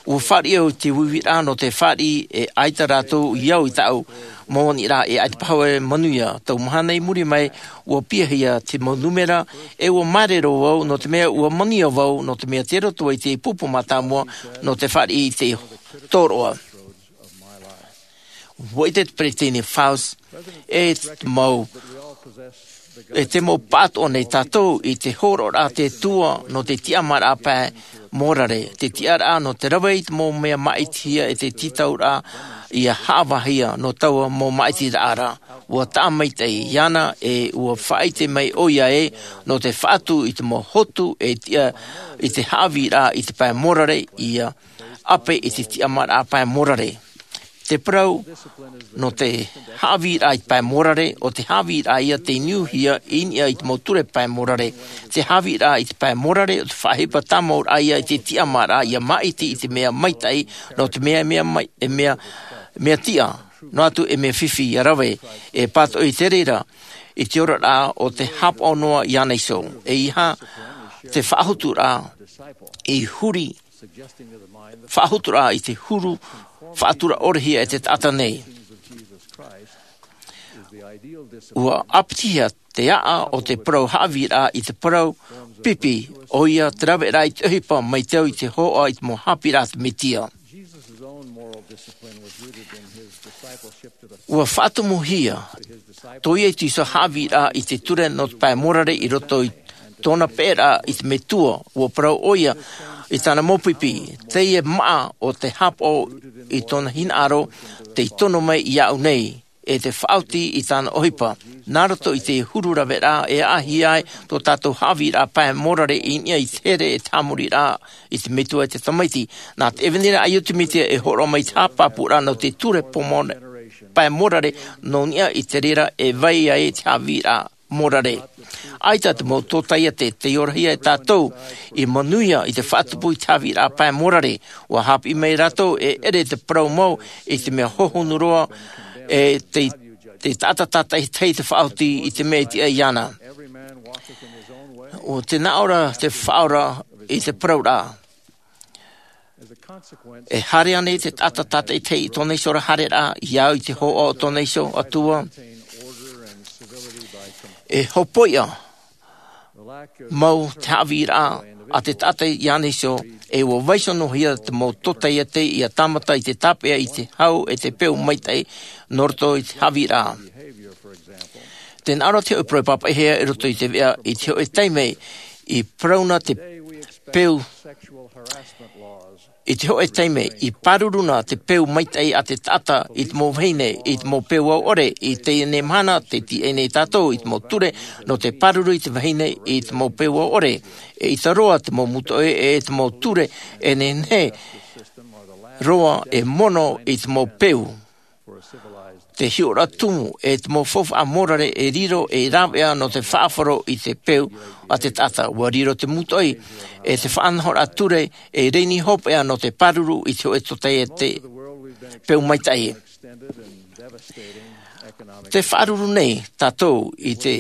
Ua fāriʻi au i te uiuiraʻa nō te fāriʻi e ʻaita rātou i au i tāʻu mau aniraʻa e ʻaita paha e manuia. Tau mahana i muri mai ua piʻihia te mau nūmera e ua māere roa vau nō te mea ua manuia vau nō te mea tei roto ai te pupu mātāmua nō te fāriʻi i te tōroʻa. Ua ʻite te peresideni Faust e te mau e te mau pātoʻa nei tātou i te hōroʻaraʻa a te Atua nō te tiʻamāraʻa pae morare, te tiʻaraʻa nō te rave i te mau mea māʻitihia e te tītauraʻa ia haʻavāhia nō taua mau māʻitiraʻa ra. Ua taʻa maitaʻi iāna e ua faʻaʻite mai ʻoia ē nō te faʻatū i te mau hotu e tiʻa i te haʻavīraʻa i te pae morare ia ʻape i te tiʻamāraʻa pae morare. Te parau nō te haʻavīraʻa i te pae morare, ʻo te haʻavīraʻa ia tei niuhia i niʻa i te mau ture pae morare. Te haʻavīraʻa i te pae morare ʻo te faʻaʻohipa tāmauraʻa ia i te tiʻamāraʻa ia māʻiti i te mea maitaʻi nō te mea e mea mai e mea mea tiʻa noa atu e mea fifi ia rave. E pātoʻi te reira i te oraraʻa o te hāpaʻo noa iāna iho. E ʻeiaha te faʻahuturaʻa i huri faʻahuturaʻa i te huru faʻatura ʻorehia e te taʻata nei. Ua ʻāpitihia te aʻa o te parau haʻavīraʻa i te parau pipi, ʻoia te raveraʻa i te ʻohipa mai te au i te hōʻē i te mau haʻapiʻiraʻa a te Mesia. Ua faʻatumuhia tō Iesu Kristo haʻavīraʻa i te ture nō te pae morare i roto i tōna peʻeraʻa i te Metua. Ua parau ʻoia i tāna mau pipi, teie māʻa o te hāpaʻo i tōna hinaʻaro tei tono mai iāʻu nei e te faʻaoti i tāna ʻohipa. Nā roto i te huru raveraʻa e ʻāʻāhia ai tō tātou haʻavīraʻa pae morare i niʻa i te here e te haʻamoriraʻa i te Metua e te Tamaiti. Nā te ʻevanelia a Iesu Mesia e hōroʻa mai te haʻapāpūraʻa nō te ture pae morare nō niʻa i te reira e vai ai te haʻavīraʻa morare. ʻAita te mau tōtaiete tei orahia e tātou i manuia i te faʻatupu i te haʻavīraʻa pae morare. Ua haʻapiʻi mai rātou e ʻere te parau mau i te mea hohonu roa e te te taʻata tātaʻitahi te faʻaoti i te mea e tiʻa iāna. ʻO te nāʻō ra te faʻaora i te parauraʻa. E haere ānei te taʻata tātaʻitahi i tōna iho ra haereraʻa i au i te hōʻē o tōna iho Atua? E hopoiʻa mau te haʻavīraʻa a te taʻata iāna iho, e ua vaiiho noa hia te mau tōtaiete ia tāmata i te tāpeʻa i te hau e te peu maitaʻi nō roto i te haʻavīraʻa. Te nāʻō ra te hoʻe parau e pāpaʻihia i roto i te veʻa i te hoʻe taime i parau na te peu i te hoʻe taime i pāruru na te peu maitaʻi a te taʻata i te mau vahine i te mau peu ʻaore. I teie nei mahana te tiʻa nei tātou i te mau ture nō te pāruru i te vahine i te mau peu ʻaore. E ʻaita roa te mau mūtoʻi e te mau ture e nehenehe roa e mono i te mau peu. Te hiʻoraʻa tumu e te mau faufaʻa morare e riro e rāveʻa nō te faʻafaro i te peu a te taʻata. Ua riro te mūtoʻi e te faʻanahoraʻa ture e reni hopeʻa nō te pāruru i te hoʻe tōtaiete peu maitaʻi. Te faʻaruru nei tātou i te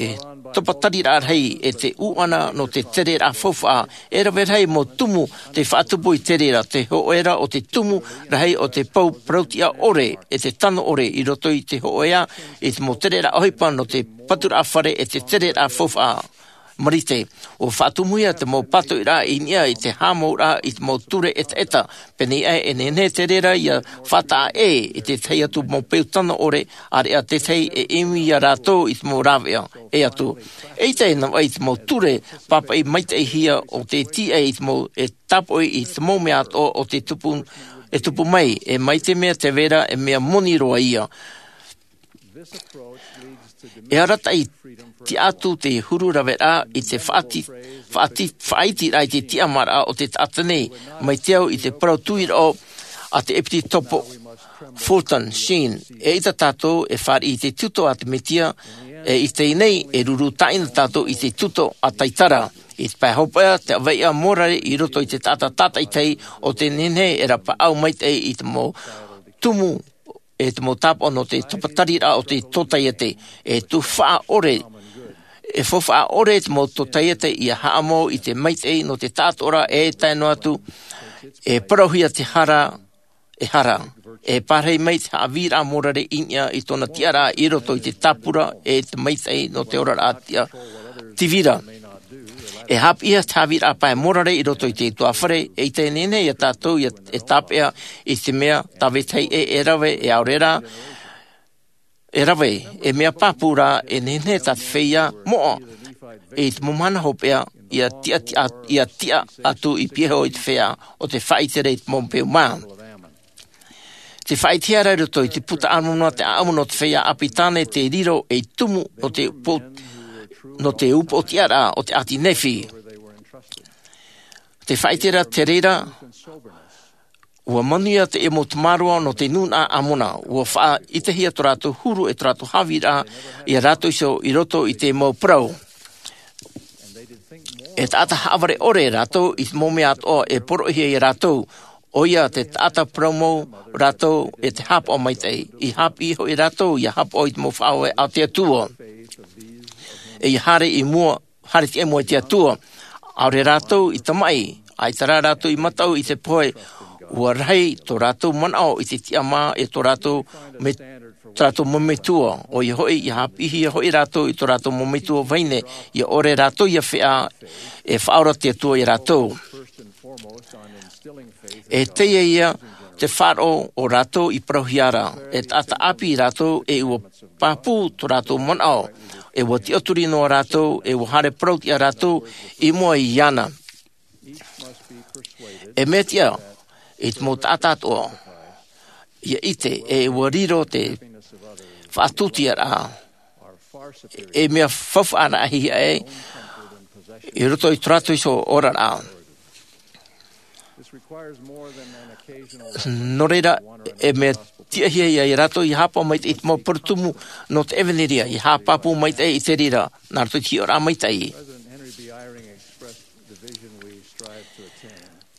topatariraʻa rahi e te ʻūʻana nō te tereraʻa faufaʻa. E rave rahi mau tumu te faʻatupu i te reira, te hoʻoraʻa o te tumu rahi o te pou parautiʻa ʻore e te tano ʻore i roto i te hoʻoraʻa i te mau tereraʻa ʻohipa nō te paturaʻa fare e te tereraʻa faufaʻa. Marite, ʻua faʻatumuhia te mau pātoʻiraʻa i niʻa i te haʻamouraʻa i te mau ture ʻetaʻeta. Pēnei aʻe e nehenehe te reira ia faʻataʻa ʻē i te tahi atu mau peu tano ʻore, ʻāreʻa tētahi e ʻimi ia rātou i te mau rāveʻa ʻē atu. ʻEita e navaʻi i te mau ture pāpaʻi maitaʻihia o te tīaʻi i te mau e tāpoʻi i te mau mea atoʻa o te tupu e tupu mai, e mai te mea te vera e mea moni roa ia. E arataʻi tiʻa atu te huru raveraʻa i te faʻati faʻati faʻaitiraʻa i te tiʻamāraʻa o te taʻata nei. Mai te au i te parau tuiraʻa a te ʻepitopo Fulton Sheen, eʻita tātou e fāriʻi i te tito a te Mesia. E i teie nei e ruru tāʻina tātou i te tito a taitara i te pae hopeʻa te ʻaveiʻa morare i roto i te taʻata tātaʻitahi o te nehenehe e rapaʻau maitaʻi i te mau tumu e te mau tāpaʻo nō te topatariraʻa o te tōtaiete. E tufaʻa ʻore e faufaʻa ʻore te mau tōtaiete ia haʻamau i te maitaʻi nō te taʻatoʻaraʻa e tae noa atu e parauhia te hara e hara e pārahi mai te haʻavīraʻa morare i niʻa i tōna tiʻaraʻa i roto i te tāpura e te maitaʻi nō te oraraʻa tiʻa tīvira. E haʻapiʻihia te haʻavīraʻa pae morare i roto i te utuāfare e i teie nei ia tātou ia e tāpeʻa i te mea tāvetahi e e rave e ʻaore rā e rave e mea pāpū rā e nehenehe tā te feiā moʻa i te mau mahana hopeʻa ia tiʻa tiʻa ia tiʻa atu i pīhaʻi i te feiā o te faʻaʻite i te mau peu mā. Te faʻaʻitehia ra i roto i te puta ʻamuna te ʻaʻamu nō te feiā ʻāpī tāne te riro ei tumu nō te upoʻo nō te upoʻotiʻaraʻa o te ʻāti nephi. Te faʻaʻite ra te reira ua manuia te ʻemo tamaroa nō te nūnaʻa ʻamuna ua faʻaʻitehia tō rātou huru e tō rātou haʻavīraʻa ia rātou iho i roto i te mau parau. E taʻata haʻavare ʻore rātou i te mau mea atoʻa e poroʻihia ia rātou. ʻOia te taʻata parau mau rātou e te hāpaʻo maitaʻi i haʻapiʻi hoʻi rātou ia hāpaʻo i te mau faʻaue a te atua e ia haere i mua haere tiʻa i mua i te atua. ʻAore rātou i tamaʻi ʻaita rā rātou i mataʻu i te pohe. Ua rahi tō rātou manaʻo i te tiʻamā e tō rātou me tō rātou mau metua ʻoia hoʻi ia haʻapiʻihia hoʻi rātou i tō rātou mau metua vahine ia ʻore rātou ia feʻa e faʻaora te atua ia rātou. E teie ia te faʻaroʻo o rātou i parauhia ra e taʻata ʻāpī rātou e ua pāpū tō rātou manaʻo e ua tiʻaturi noa rātou e ua haere parauʻtiʻa rātou i mua iāna. E mea tiʻa i te mau taʻata atoʻa ia ʻite e ua riro te faʻatūtiaraʻa e mea faufaʻa raʻa hia ʻē i roto i tō rātou iho oraraʻa. Nō reira e mea tiʻahia ia rātou ia hāpaʻo maitaʻi i te mau parau tumu nō te ʻevanelia ia haʻapāpū maitaʻi i te reira nā roto i te hiʻoraʻa maitaʻi.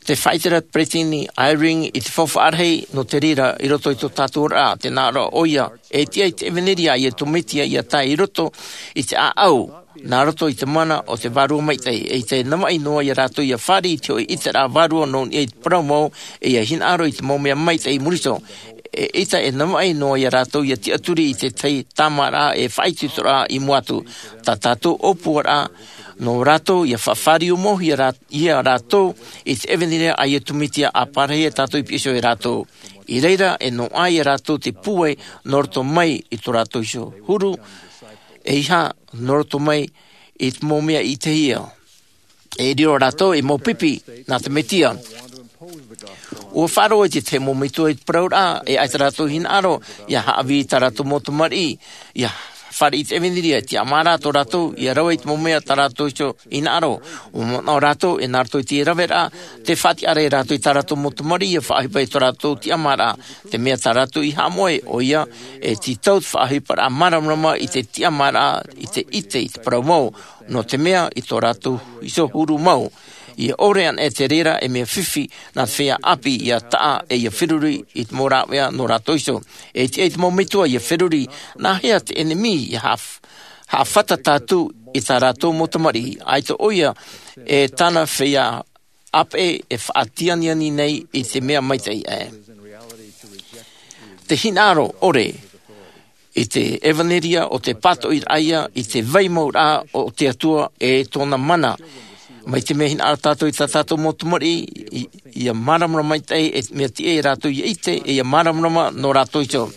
Te faʻaʻite ra peresideni Eyring i te faufaʻa rahi nō te reira i roto i tō tātou oraraʻa te nā ʻō ʻoia e tiʻa i te ʻevanelia a iesu mesia ia tae i roto i te ʻāʻau nā roto i te mana o te vārua maitaʻi e i te navaʻi noa ia rātou ia fāriʻi i te hoʻi ʻiteraʻa vārua nō niʻa i te parau mau e ia hinaʻaro i te mau mea maitaʻi i muri iho. E ʻita e navaʻi noa ia rātou ia tiʻaturi i te tahi tāmāraʻa e faʻaitoitoraʻa i mua atu. Tā tātou ʻōpuaraʻa nō rātou ia faʻafāriu mau ia rātou i te ʻevanelia a iesu mesia a pārahi e tātou i piʻi iho e rātou. I reira e noaʻa ia rātou te pūai nō roto mai i tō rātou iho huru e iha nō roto mai i te mau mea i te hia e riro rātou i mau pipi nā te mesia. Ua faʻaroʻo i te tahi mau metua i te parauraʻa e ʻaita rātou hinaʻaro ia haʻavī i tā rātou mau tamariʻi ia fāriʻi i te ʻevanelia e tiʻamā rā tō rātou ia rave i te mau mea tā rātou iho hinaʻaro. Ua manaʻo rātou e nā roto i te raveraʻa te faʻatiʻaraʻa rātou i tā rātou mau tamariʻi ia faʻaʻohipa i tō rātou tiʻamāraʻa te mea tā rātou i haʻamoʻe ʻoia e tītau te faʻaʻohiparaʻa māramarama i te tiʻamāraʻa i te ʻite i te parau mau nō te mea i tō rātou iho huru mau. Ia ʻore ana e te reira e mea fifi nā te feiā ʻāpī ia taʻa e ia feruri i te mau rāveʻa nō rātou iho. E tiʻa i te mau metua ia feruri nā hea te ʻenemi ia haʻafata tātou i tā rātou mau tamariʻi, ʻaita ʻo ia e tāna feiā ʻāpeʻe e faʻatianiani nei i te mea maitaʻi ē. Te hinaʻaro ʻore i te ʻevanelia o te pātoʻiraʻa ia i te vai mau rā o te Atua e tōna mana. Mai te mea hinaʻaro tātou i tā tātou mau tamariʻi, i, ia māramarama maitaʻi e mea tiʻa ia rātou ia ʻite, e ia māramarama nō rātou iho.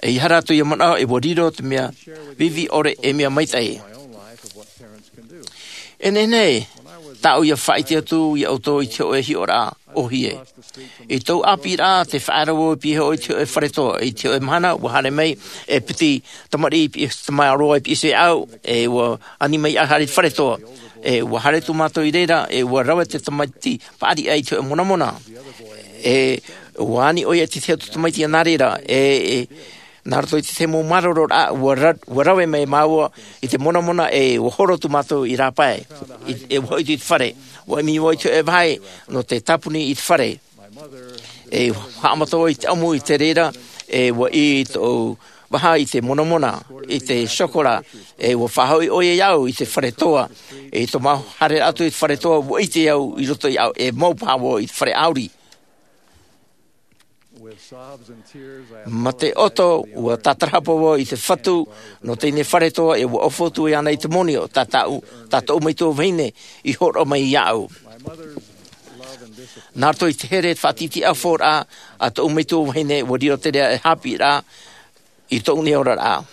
E ia rātou ia manaʻo e ua riro te mea vivi ʻore e mea maitaʻi. E nehenehe tāʻu ia faʻaʻite atu ia ʻoutou i te hoʻe hiʻoraʻa ʻōhie. I tōʻu ʻāpīraʻa, tē faʻaara vau i piha i te hoʻe fare toa. I te hoʻe mahana, ua haere mai e piti tamariʻi i piha, tamaroa i piha iho iāʻu, e ua ani mai iāʻu haere i te fare toa. E ua haere atu mātou i reira, e ua rave te tamaiti paʻari ʻā i te hoʻe monamona. E ua ani ʻo ia i te tahi atu tamaiti ia nā reira, e, e, nā roto i te tahi mau mārororaʻa, ua ra-, ua rave mai māua i te monamona, e ua horo atu mātou i rāpae, i, e ua hoʻi atu i te fare. Ua ʻimi vau i te hoʻe vahi nō te tāpuni i te fare. E haʻamata vau i te ʻamu i te reira, e ua ʻī tōʻu vaha i te monamona, i te chocolat, e ua faʻahoʻi ʻo ia iāʻu i te fare toa. E i tō māua haereraʻa atu i te fare toa, ua ʻite au i roto iāʻu e mau paha vau i te fare ʻāuri. Mā te ʻoto, ua tātarahapa vau i te Fatu nō teie fare toa, e ua ʻofa atu iāna i te moni o tā tāʻu, tā tōʻu metua vahine i hōroʻa mai iāʻu. Nā roto i te here, te faʻatītīʻauraʻa a tōʻu metua vahine, ua riro te reira ei haʻapiʻiraʻa i tōʻu nei oraraʻa.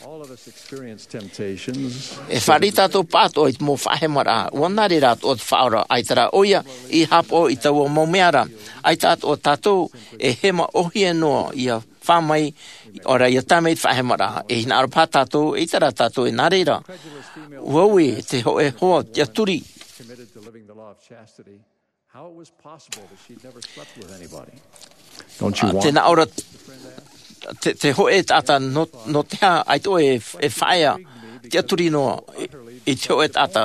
All of us experience temptations. E fāriʻi tātou pāʻatoʻa i te mau faʻahemaraʻa. ʻUa nā reira atoʻa te Faʻaora, ʻaita rā ʻo ia i haʻapaʻo i taua mau mea ra. ʻAita atoʻa tātou e hema ʻōhie noa ia fā mai, ʻaore rā ia tae mai i te faʻahemaraʻa. E hinaʻaro paha tātou, ʻaita rā tātou e nā reira. ʻUa ui te hoʻe hoa tiʻaturi. Committed to living the law of chastity. How it was possible that she'd never slept with anybody. Don't you want Tē nā ʻō ra, te, te hoʻe taʻata nō, nō te aha, ʻaita ʻoe e, e faʻaea tiʻaturi noa i, i te hoʻe taʻata.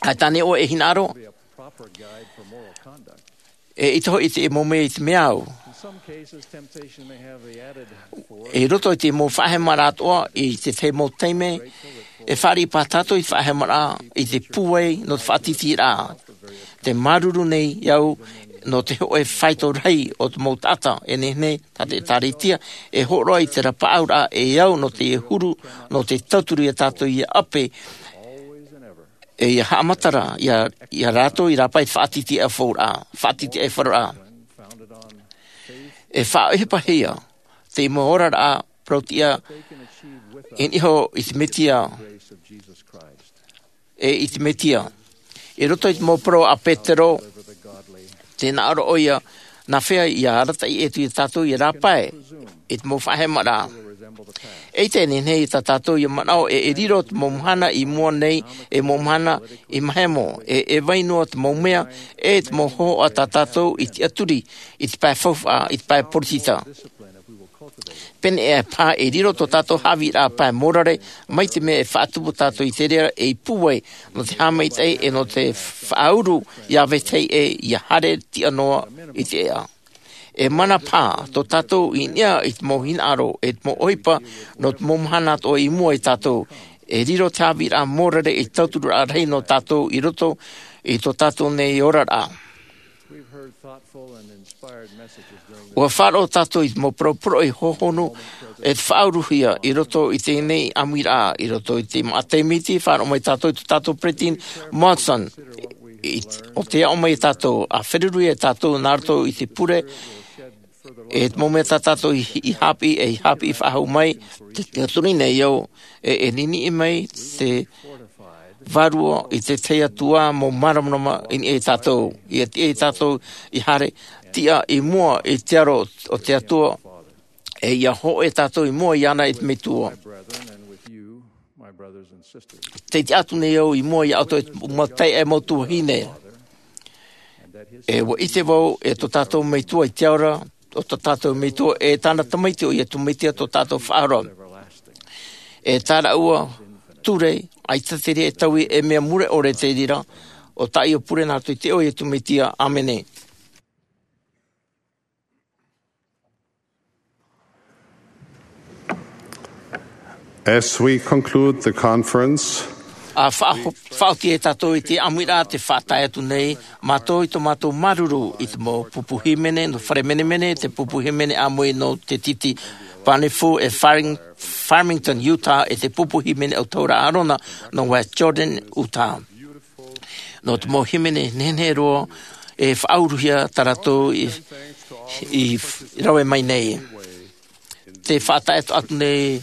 ʻAita ānei ʻoe e hinaʻaro? Be a proper guide for moral conduct. E ʻaita hoʻi te mau mea i te mea au. In some cases, temptation may have the added force. I roto i te mau faʻahemaraʻa atoʻa, i te tahi mau taime, e fāriʻi paha tātou i te faʻahemaraʻa, i te pūai nō te faʻatītīraʻa. Tē māuruuru nei au nō te hoʻe faito rahi o te mau taʻata, e nehenehe, tā te ʻĒkālesia, e hōroʻa i te rapaʻauraʻa e au nō te huru, nō te tauturu ia tātou ia ʻape, e ia haʻamatara, ia, ia rātou i rāpae i te faʻatītīʻauraʻa, faʻatītīʻauraʻa. E faʻaʻohipahia te mau oraraʻa parau-tiʻa i niʻa iho i te Mesia, e i te Mesia. I roto i te mau parau a Petero, tē nā ʻō ra ʻo ia, nā hea ia arataʻi atu ia tātou ia rāpae i te mau faʻahemaraʻa. ʻAita e nehenehe ia tā tātou ia manaʻo e, e riro te mau mahana i mua nei, e mau mahana i mahemo, e, e vai noa te mau mea, e te mau hōhoʻa tā tātou i tiʻaturi, i te pae faufaʻa, i te pae poritita. Pēneiaʻe paha e riro tō tātou haʻavīraʻa pae mōrare, mai te mea e faʻatupu tātou i te reira ei pūai, nō te haʻamaitaʻi e nō te faʻauru ia vetahi ʻē ia haere tiʻa noa i te ʻēʻa. E mana paha tō tātou i niʻa i te mau hinaʻaro, e te mau ʻohipa, nō te mau mahana atoʻa i mua ia tātou. E riro te haʻavīraʻa mōrare ei tautururaʻa rahi nō tātou i roto i tō tātou nei oraraʻa. We've heard thoughtful and inspired messages during the ʻUa faʻaroʻo tātou i te mau parau poroʻi hōhonu, e te faʻauruhia i roto i teie nei ʻāmuiraʻa, i roto i te maʻa taiete, faʻaroʻo mai tātou i tō tātou peresideni Monson, i, ʻo tē aʻo mai ia tātou, ʻa feruri ia tātou nā roto i te pure, e te mau mea tā tātou i, i haʻapiʻi, e i haʻapiʻi faʻahou mai, te, te tiʻaturi nei au, e, e niniʻi mai te Vārua i te tahi atu ā mau māramarama i niʻa ia tātou. ʻIa tiʻa ia tātou i haere, tiʻa i mua i te aro o te Atua, e ʻia hōʻē tātou i mua iāna e te Metua. Tē tiʻa atu nei au i mua ia ʻoutou e te mau taeaʻe, mau tuahine. E ʻua ʻite vau, e tō tātou Metua i te ao ra, ʻo tō tātou Metua, e tāna Tamaiti ʻo Iesu Mesia tō tātou Faʻaora. E tā rāua ture, ʻaita te reira e taui, e mea mure ʻore te reira, ʻo tāʻu ia pure nā roto i te iʻoa o Iesu Mesia. ʻĀmene. As we conclude the conference, A faʻaho- faʻaoti e tātou i te ʻāmuiraʻa te faʻatae atu nei mātou i tō mātou māuruuru i te mau pupu hīmene nō fare menemene, te pupu hīmene ʻāmui nō te titi Panefu e Farming- Farmington, Utah, e te pupu hīmene ʻautahuʻaraʻa ʻārona nō West Jordan, Utah. Nō te mau hīmene nehenehe roa e faʻauruhia tā rātou i, i rave mai nei. Te faʻatae atu nei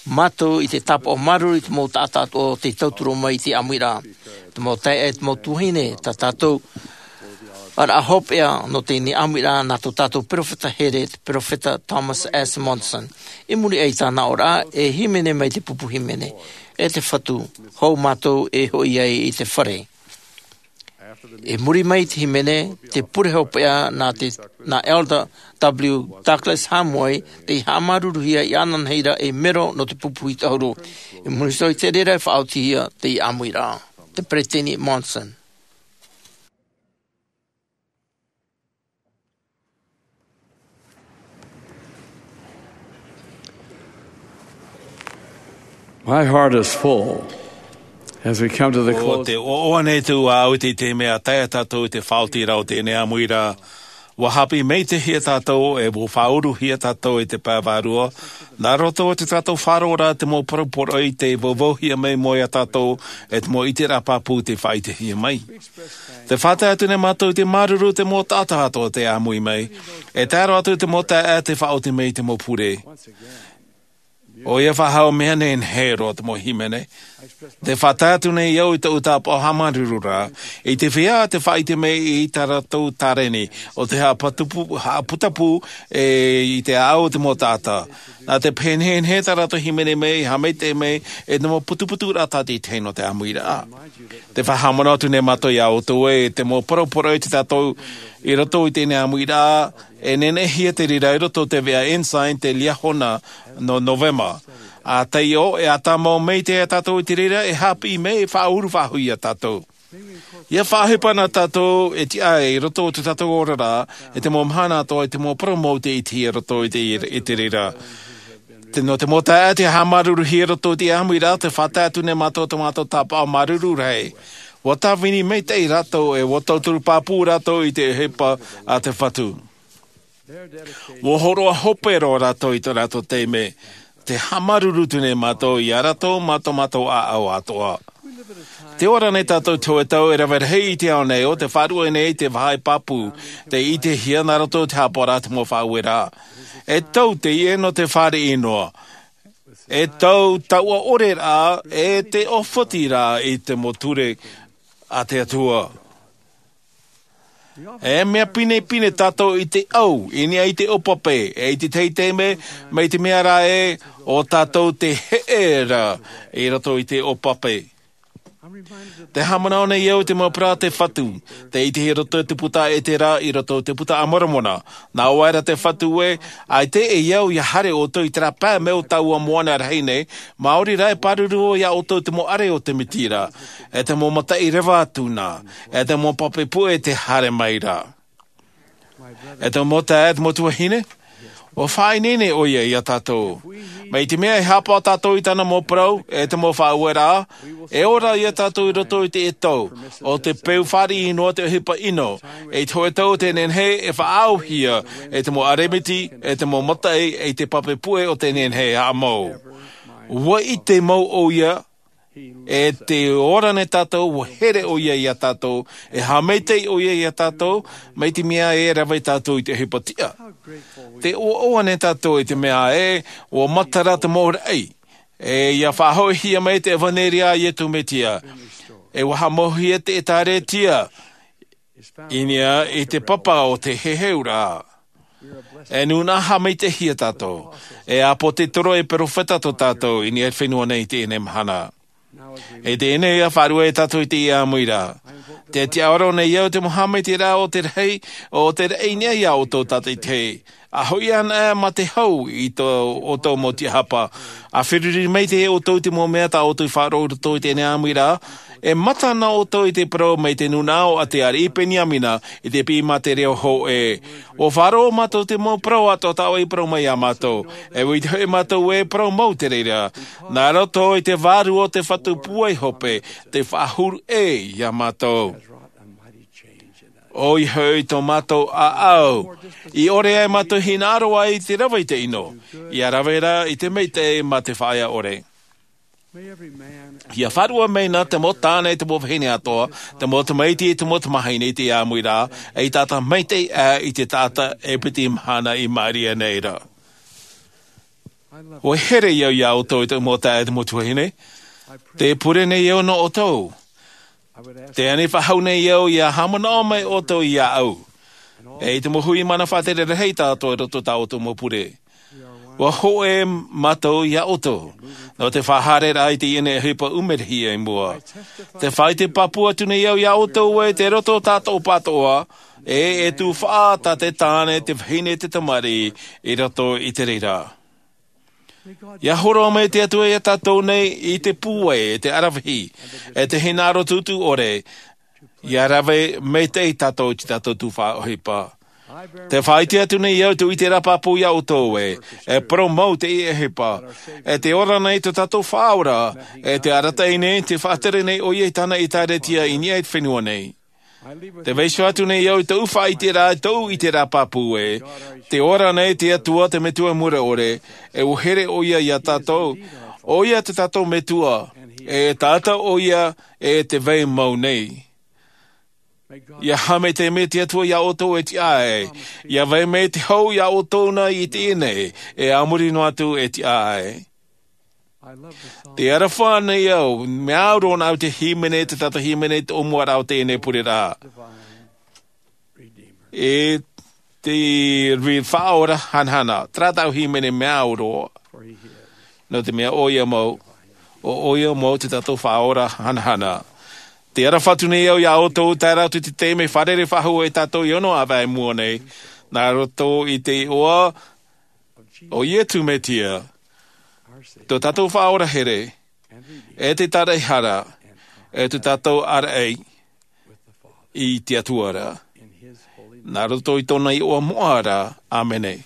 mātou i te tāpaʻo māuruuru i te mau taʻata atoʻa o te tauturu mai i te ʻāmuiraʻa. Te mau taeaʻe, te mau tuahine, tā tātou ʻaraʻa hopeʻa nō teie ʻāmuiraʻa nā tō tātou peropheta here, te peropheta Thomas S. Monson. I muri aʻe i tāna ʻōraʻa, e hīmene mai te pupu hīmene, e te Fatu, hou mātou e hoʻi ai i te fare. I muri mai i te hīmene, te pure hopeʻa nā te, nā Elder W. Douglas Hamoe, tei haʻamāuruuruhia iāna nei ra ei mero nō te pupu hītahuru. I muri iho i te reira e faʻaotihia te ʻāmuiraʻa. Te Peresideni Monson. My heart is full as we come to the ʻO close. te ʻoaʻoa nei tū au i te mea tae tātou i te faʻaotiraʻa o teie ʻāmuiraʻa. Ua haʻapiʻi maitaʻihia tātou e ua faʻauruhia tātou i te pae vārua, nā roto o te tātou faʻaroʻoraʻa te mau poroporoʻi tei vauvauhia mai iā tātou e te mau ʻiteraʻa pāpū tei faʻaʻitehia mai. Te faʻatae atu nei mātou i te māuruuru te mau taʻata atoʻa tei ʻāmui mai, e tae roa atu te mau taeaʻe tei faʻaoti mai i te mau pure. ʻOia faʻahou mea nehenehe roa te mau hīmene. Te faʻatae atu nei au i tōʻu tāpaʻo haʻamāuruururaʻa, i te feiā te faʻaʻite mai i tā rātou tāreni, ʻo te haʻaputapu, haʻaputapu e i te ʻāʻau o te mau taʻata. Nā te pehenehenehe tā rātou hīmene mai, haʻamaitaʻi mai, e te mau putuputuraʻa tātaʻitahi nō te ʻāmuiraʻa. Te faʻahaʻamanaʻo atu nei mātou iā ʻoutou ē, te mau poroporoʻi tā tātou i roto i teie ʻāmuiraʻa, e neneʻihia te reira i roto i te veʻa Ensign te Liahona nō Novema. ʻA taiʻo, e ʻa tāmau maitaʻi tātou i te reira e haʻapiʻi mai e faʻauru faʻahou iā tātou. ʻIa faʻaʻohipa na tātou e tiʻa i roto i tō tātou oraraʻa, e te mau mahana atoʻa, e te mau parau mau tei ʻitehia i roto i te, i te reira. Te, nō te mau taeaʻe tei haʻamāuruuruhia i roto i te ʻāmuiraʻa, te faʻatae atu nei mātou tō mātou tāpaʻo māuruuru rahi. Ua tāvini maitaʻi rātou e ua tauturu pāpū rātou i te ʻohipa a te Fatu. Ua hōroʻa hope roa rātou i tō rātou taime. Te haʻamāuruuru atu nei mātou iā rātou mā tō mātou ʻāʻau atoʻa. Tē ora nei tātou i te hōʻē tau e rave rahi i te ao nei, ʻo tē faʻaruʻe nei te vāhi pāpū tei ʻitehia nā roto i te haʻapaʻoraʻa a te mau faʻaueraʻa. E tau teie nō te fāriʻi noa. E tau taua ʻoreraʻa, e te ʻōfotiraʻa i te mau ture a te Atua. E mea pinepine tātou i te ʻau, i niʻa i te ʻōpape, e i te tahi taime, mai te mea rā ē, ʻo tātou tē heʻe ra i roto i te ʻōpape. Te haʻamanaʻo nei au i te mau parau a te Fatu, tei ʻitehia i roto i te puta a Etera, i roto i te puta a Moromona. Nā ʻō aʻera te Fatu ē, ʻaita e au ʻia haere ʻoutou i terā pae mai o taua moana rahi nei, maori rā e pāruru iā ʻoutou te mau ʻare o te Mesia, e te mau mataʻi reva atu na, e te mau pape puʻe tē haere mai ra. E te mau taeaʻe, e te mau tuahine, ʻua faʻaineine ʻoia iā tātou. Mai te mea e haʻapaʻo tātou i tāna mau parau, e te mau faʻaueraʻa, e ora iā tātou i roto i te ʻetau, ʻo te peu fāriʻi noa te ʻohipa ʻino, e i te hōʻē tau o tē nehenehe e faʻaauhia, e te mau ʻaremiti, e te mau mataʻi, e te pape puʻe o tē nehenehe e haʻamau. Ua ʻite mau ʻoia, e tē ora nei tātou, ua here ʻoia iā tātou, e haʻamaitaʻi ʻoia iā tātou, mai te mea e rave tātou i te ʻohipa tiʻa. Tē ʻoaʻoa nei tātou i te mea ē, ʻua matara te mau raʻi, e ʻia faʻahoʻihia mai te ʻevanelia a Iesu Mesia, e ʻua haʻamauhia te ʻēkālesia, i niʻa i te papa o te heheuraʻa. E nūnaʻa haʻamaitaʻihia tātou, e ʻāpōsetolo, e perofeta tō tātou, i niʻa i te fenua nei i teie mahana. E teie nei ʻia faʻaruʻe tātou i teie ʻāmuiraʻa. Te tiʻaoro nei au te mau haʻamaitaʻiraʻa o te rahi, o te raʻi i niʻa iā ʻoutou tātaʻitahi. ʻA hoʻi anaʻe mā te hau i tō ʻoutou mau tiʻahapa. ʻA feruri maitaʻi ʻoutou i te mau mea tā ʻoutou i faʻaroʻo i roto i teie ʻāmuiraʻa. E mata ana ʻoutou i te parau mai te nūnaʻa o te ariʻi Peniamina i te piʻi mā te reo hōʻē. ʻUa faʻaroʻo mātou te mau parau atoʻa tā ʻoe i parau mai iā mātou. E ʻite hoʻi mātou e parau mau te reira. Nā roto i te vārua o te Fatu Pūai Hope, te faʻahuru ʻē iā mātou. ʻOia hoʻi tō mātou ʻāʻau, i ʻore ai mātou hinaʻaro ai i te rave i te ʻino, ʻia rave rā i te maitaʻi mā te faʻaea ʻore. ʻIa faʻaruʻe mai na te mau tāne e te mau vahine atoʻa, te mau tamaiti e te mau tamahine i te ʻāmuiraʻa, e i tātā maitaʻi aʻe i te taʻata e piti mahana i maʻiri aʻe nei ra. ʻUa here au iā ʻoutou e te mau taeaʻe e te mau tuahine. Tē pure nei au nō ʻoutou. Tē ani faʻahou nei au ʻia haʻamanaʻo mai ʻoutou iāʻu, e i te mau hui mana faʻatere rahi tātou i roto tā ʻoutou mau pure. ʻUa hōʻē mātou iā ʻoutou, nō te faʻahaereraʻa i teie nei ʻohipa ʻumerahi i mua. Tē faʻaʻite pāpū atu nei au iā ʻoutou ē tei roto tātou pātoʻa, e, e tufaʻa tā te tāne, te vahine, te tamariʻi, i roto i te reira. ʻIa hōroʻa mai te Atua iā tātou nei i te pūai, e te ʻaravihi, e te hinaʻaro tūtū ʻore, ʻia rave maitaʻi tātou i tā tātou tufaʻa ʻohipa. Tē faʻaʻite atu nei au tō ʻite ra pāpū iā ʻoutou ē, e parau mau teie ʻohipa, e tē ora nei tō tātou Faʻaora, e tē arataʻi nei, tē faʻatere nei ʻoia i tāna ʻĒtārētia i niʻa i te fenua nei. Tē vaiiho atu nei au i tōʻu faʻaʻiteraʻa, tōʻu ʻiteraʻa pāpū ē, tē ora nei te Atua te Metua Mure ʻore, e ʻua here ʻoia iā tātou, ʻoia tō tātou Metua, e taʻata ʻoia, e tē vai mau nei. ʻIa haʻamaitaʻi mai te Atua iā ʻoutou e tiʻa ai, ʻia vai mai te hau iā ʻoutou na i teie nei, e a muri noa atu e tiʻa ai. Tē aroha nei au, mea au roa nā au te hīmene, te taʻata hīmene, te ʻōmuaraʻa o teie nei pureraʻa. E te Faʻaora hanahana, terā tāʻu hīmene mea au roa. Nō te mea ʻoia mau, ʻo ʻoia mau tō tātou Faʻaora hanahana. Tē aroha atu nei au iā ʻoutou, tae roa atu i te taime fārerei faʻahou e tātou i ʻōna ʻāvae i mua nei, nā roto i te iʻoa o Iesu Mesia, tō tātou Faʻaora here, e te Tāraʻehara, e tō tātou ʻāraʻi i te Atua ra. Nā roto i tōna iʻoa moʻa ra, ʻāmene.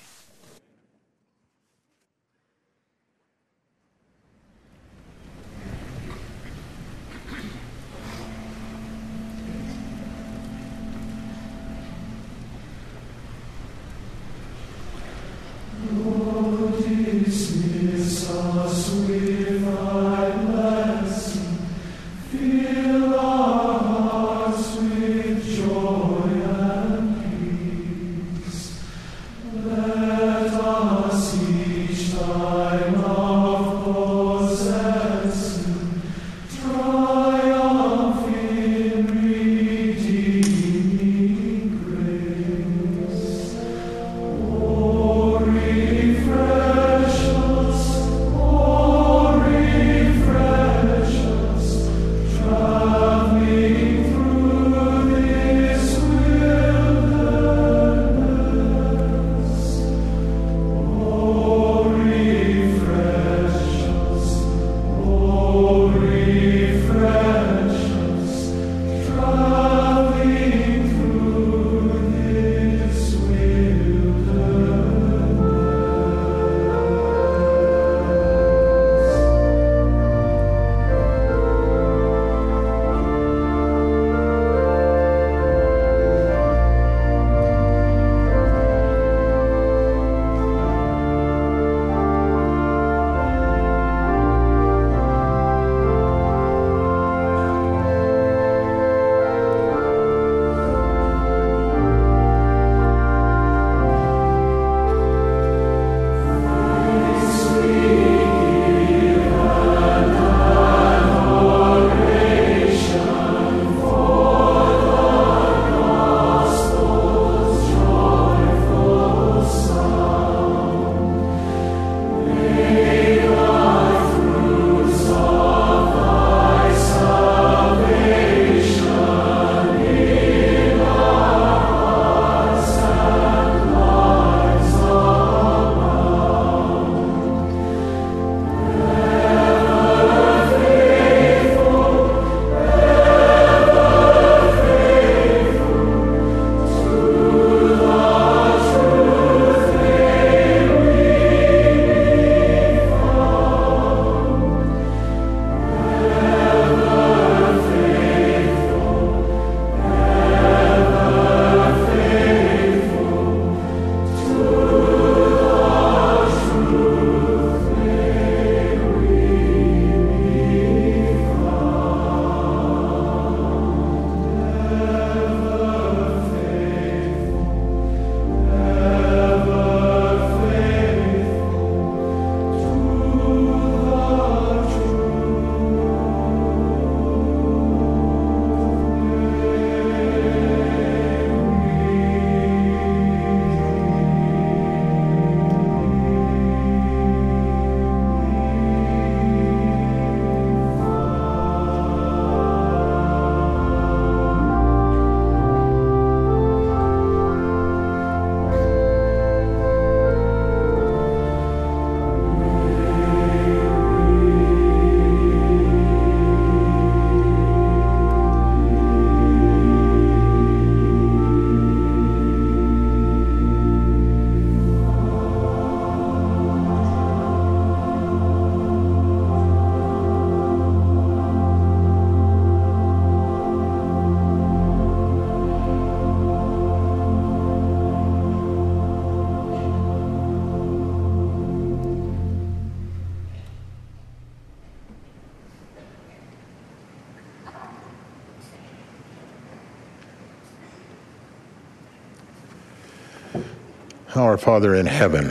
Our Father in heaven,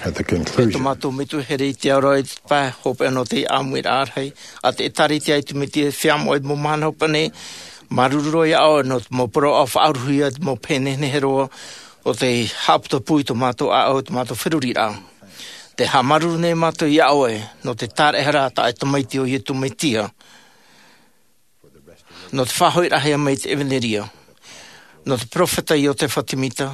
at the conclusion. E tō mātou Metua here i te ao ra, i te pae hopeʻa nō te ʻāmuiraʻa rahi a te ʻĒtārētia, e tū mai te feiā moʻa i te mau mahana hopeʻa nei, māuruuru roa iā ʻoe nō te mau parau faʻauruhia, te mau pehe nehenehe roa o te haʻaputapū i tō mātou ʻāʻau, tō mātou feruriraʻa. Tē haʻamāuruuru nei mātou iā ʻoe nō te tāraʻehara taʻa-tamaiti o Iesu Mesia, nō te faʻahoʻiraʻahia mai i te ʻevaneria, nō te peropheta Iosefa Semita,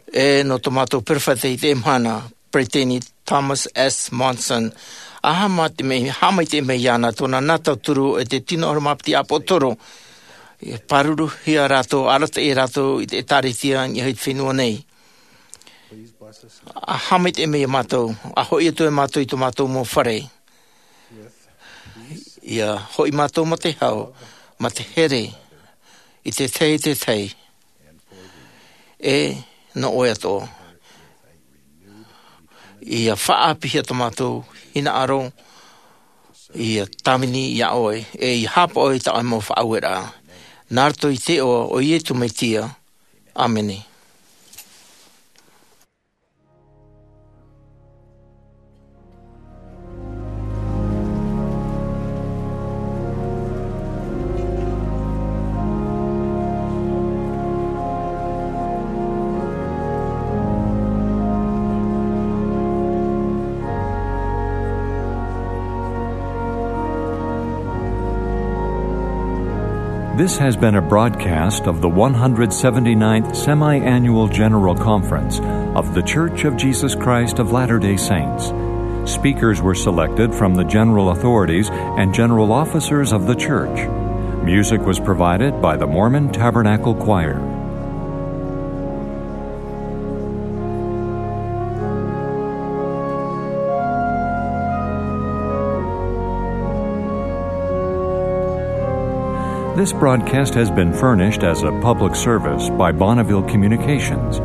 e nō tō mātou peropheta i teie mahana, Peresideni Thomas S. Monson. ʻA haʻamaitaʻi mai, haʻamaitaʻi mai iāna tōna nā tauturu e te tino ʻahuru mā piti ʻāpōsetolo, e pāruruhia rātou, arataʻi rātou i te ʻĒtārētia i niʻa i te fenua nei. ʻA haʻamaitaʻi mai iā mātou, ʻa hoʻi atu e mātou i tō mātou mau fare. ʻIa hoʻi mātou mā te hau, mā te here, i te tahi, te tahi, e nō ʻoe atoʻa. ʻIa faʻaʻāpīhia tō mātou hinaʻaro, ʻia tāvini iā ʻoe, e ʻia haʻapaʻo i tā ʻoe mau faʻaueraʻa. Nā roto i te iʻoa o Iesu Mesia. ʻĀmene. This has been a broadcast of the one hundred seventy-ninth Semi-Annual General Conference of The Church of Jesus Christ of Latter-day Saints. Speakers were selected from the general authorities and general officers of the church. Music was provided by the Mormon Tabernacle Choir. This broadcast has been furnished as a public service by Bonneville Communications.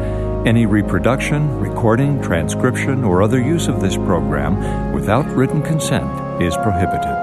Any reproduction, recording, transcription, or other use of this program without written consent is prohibited.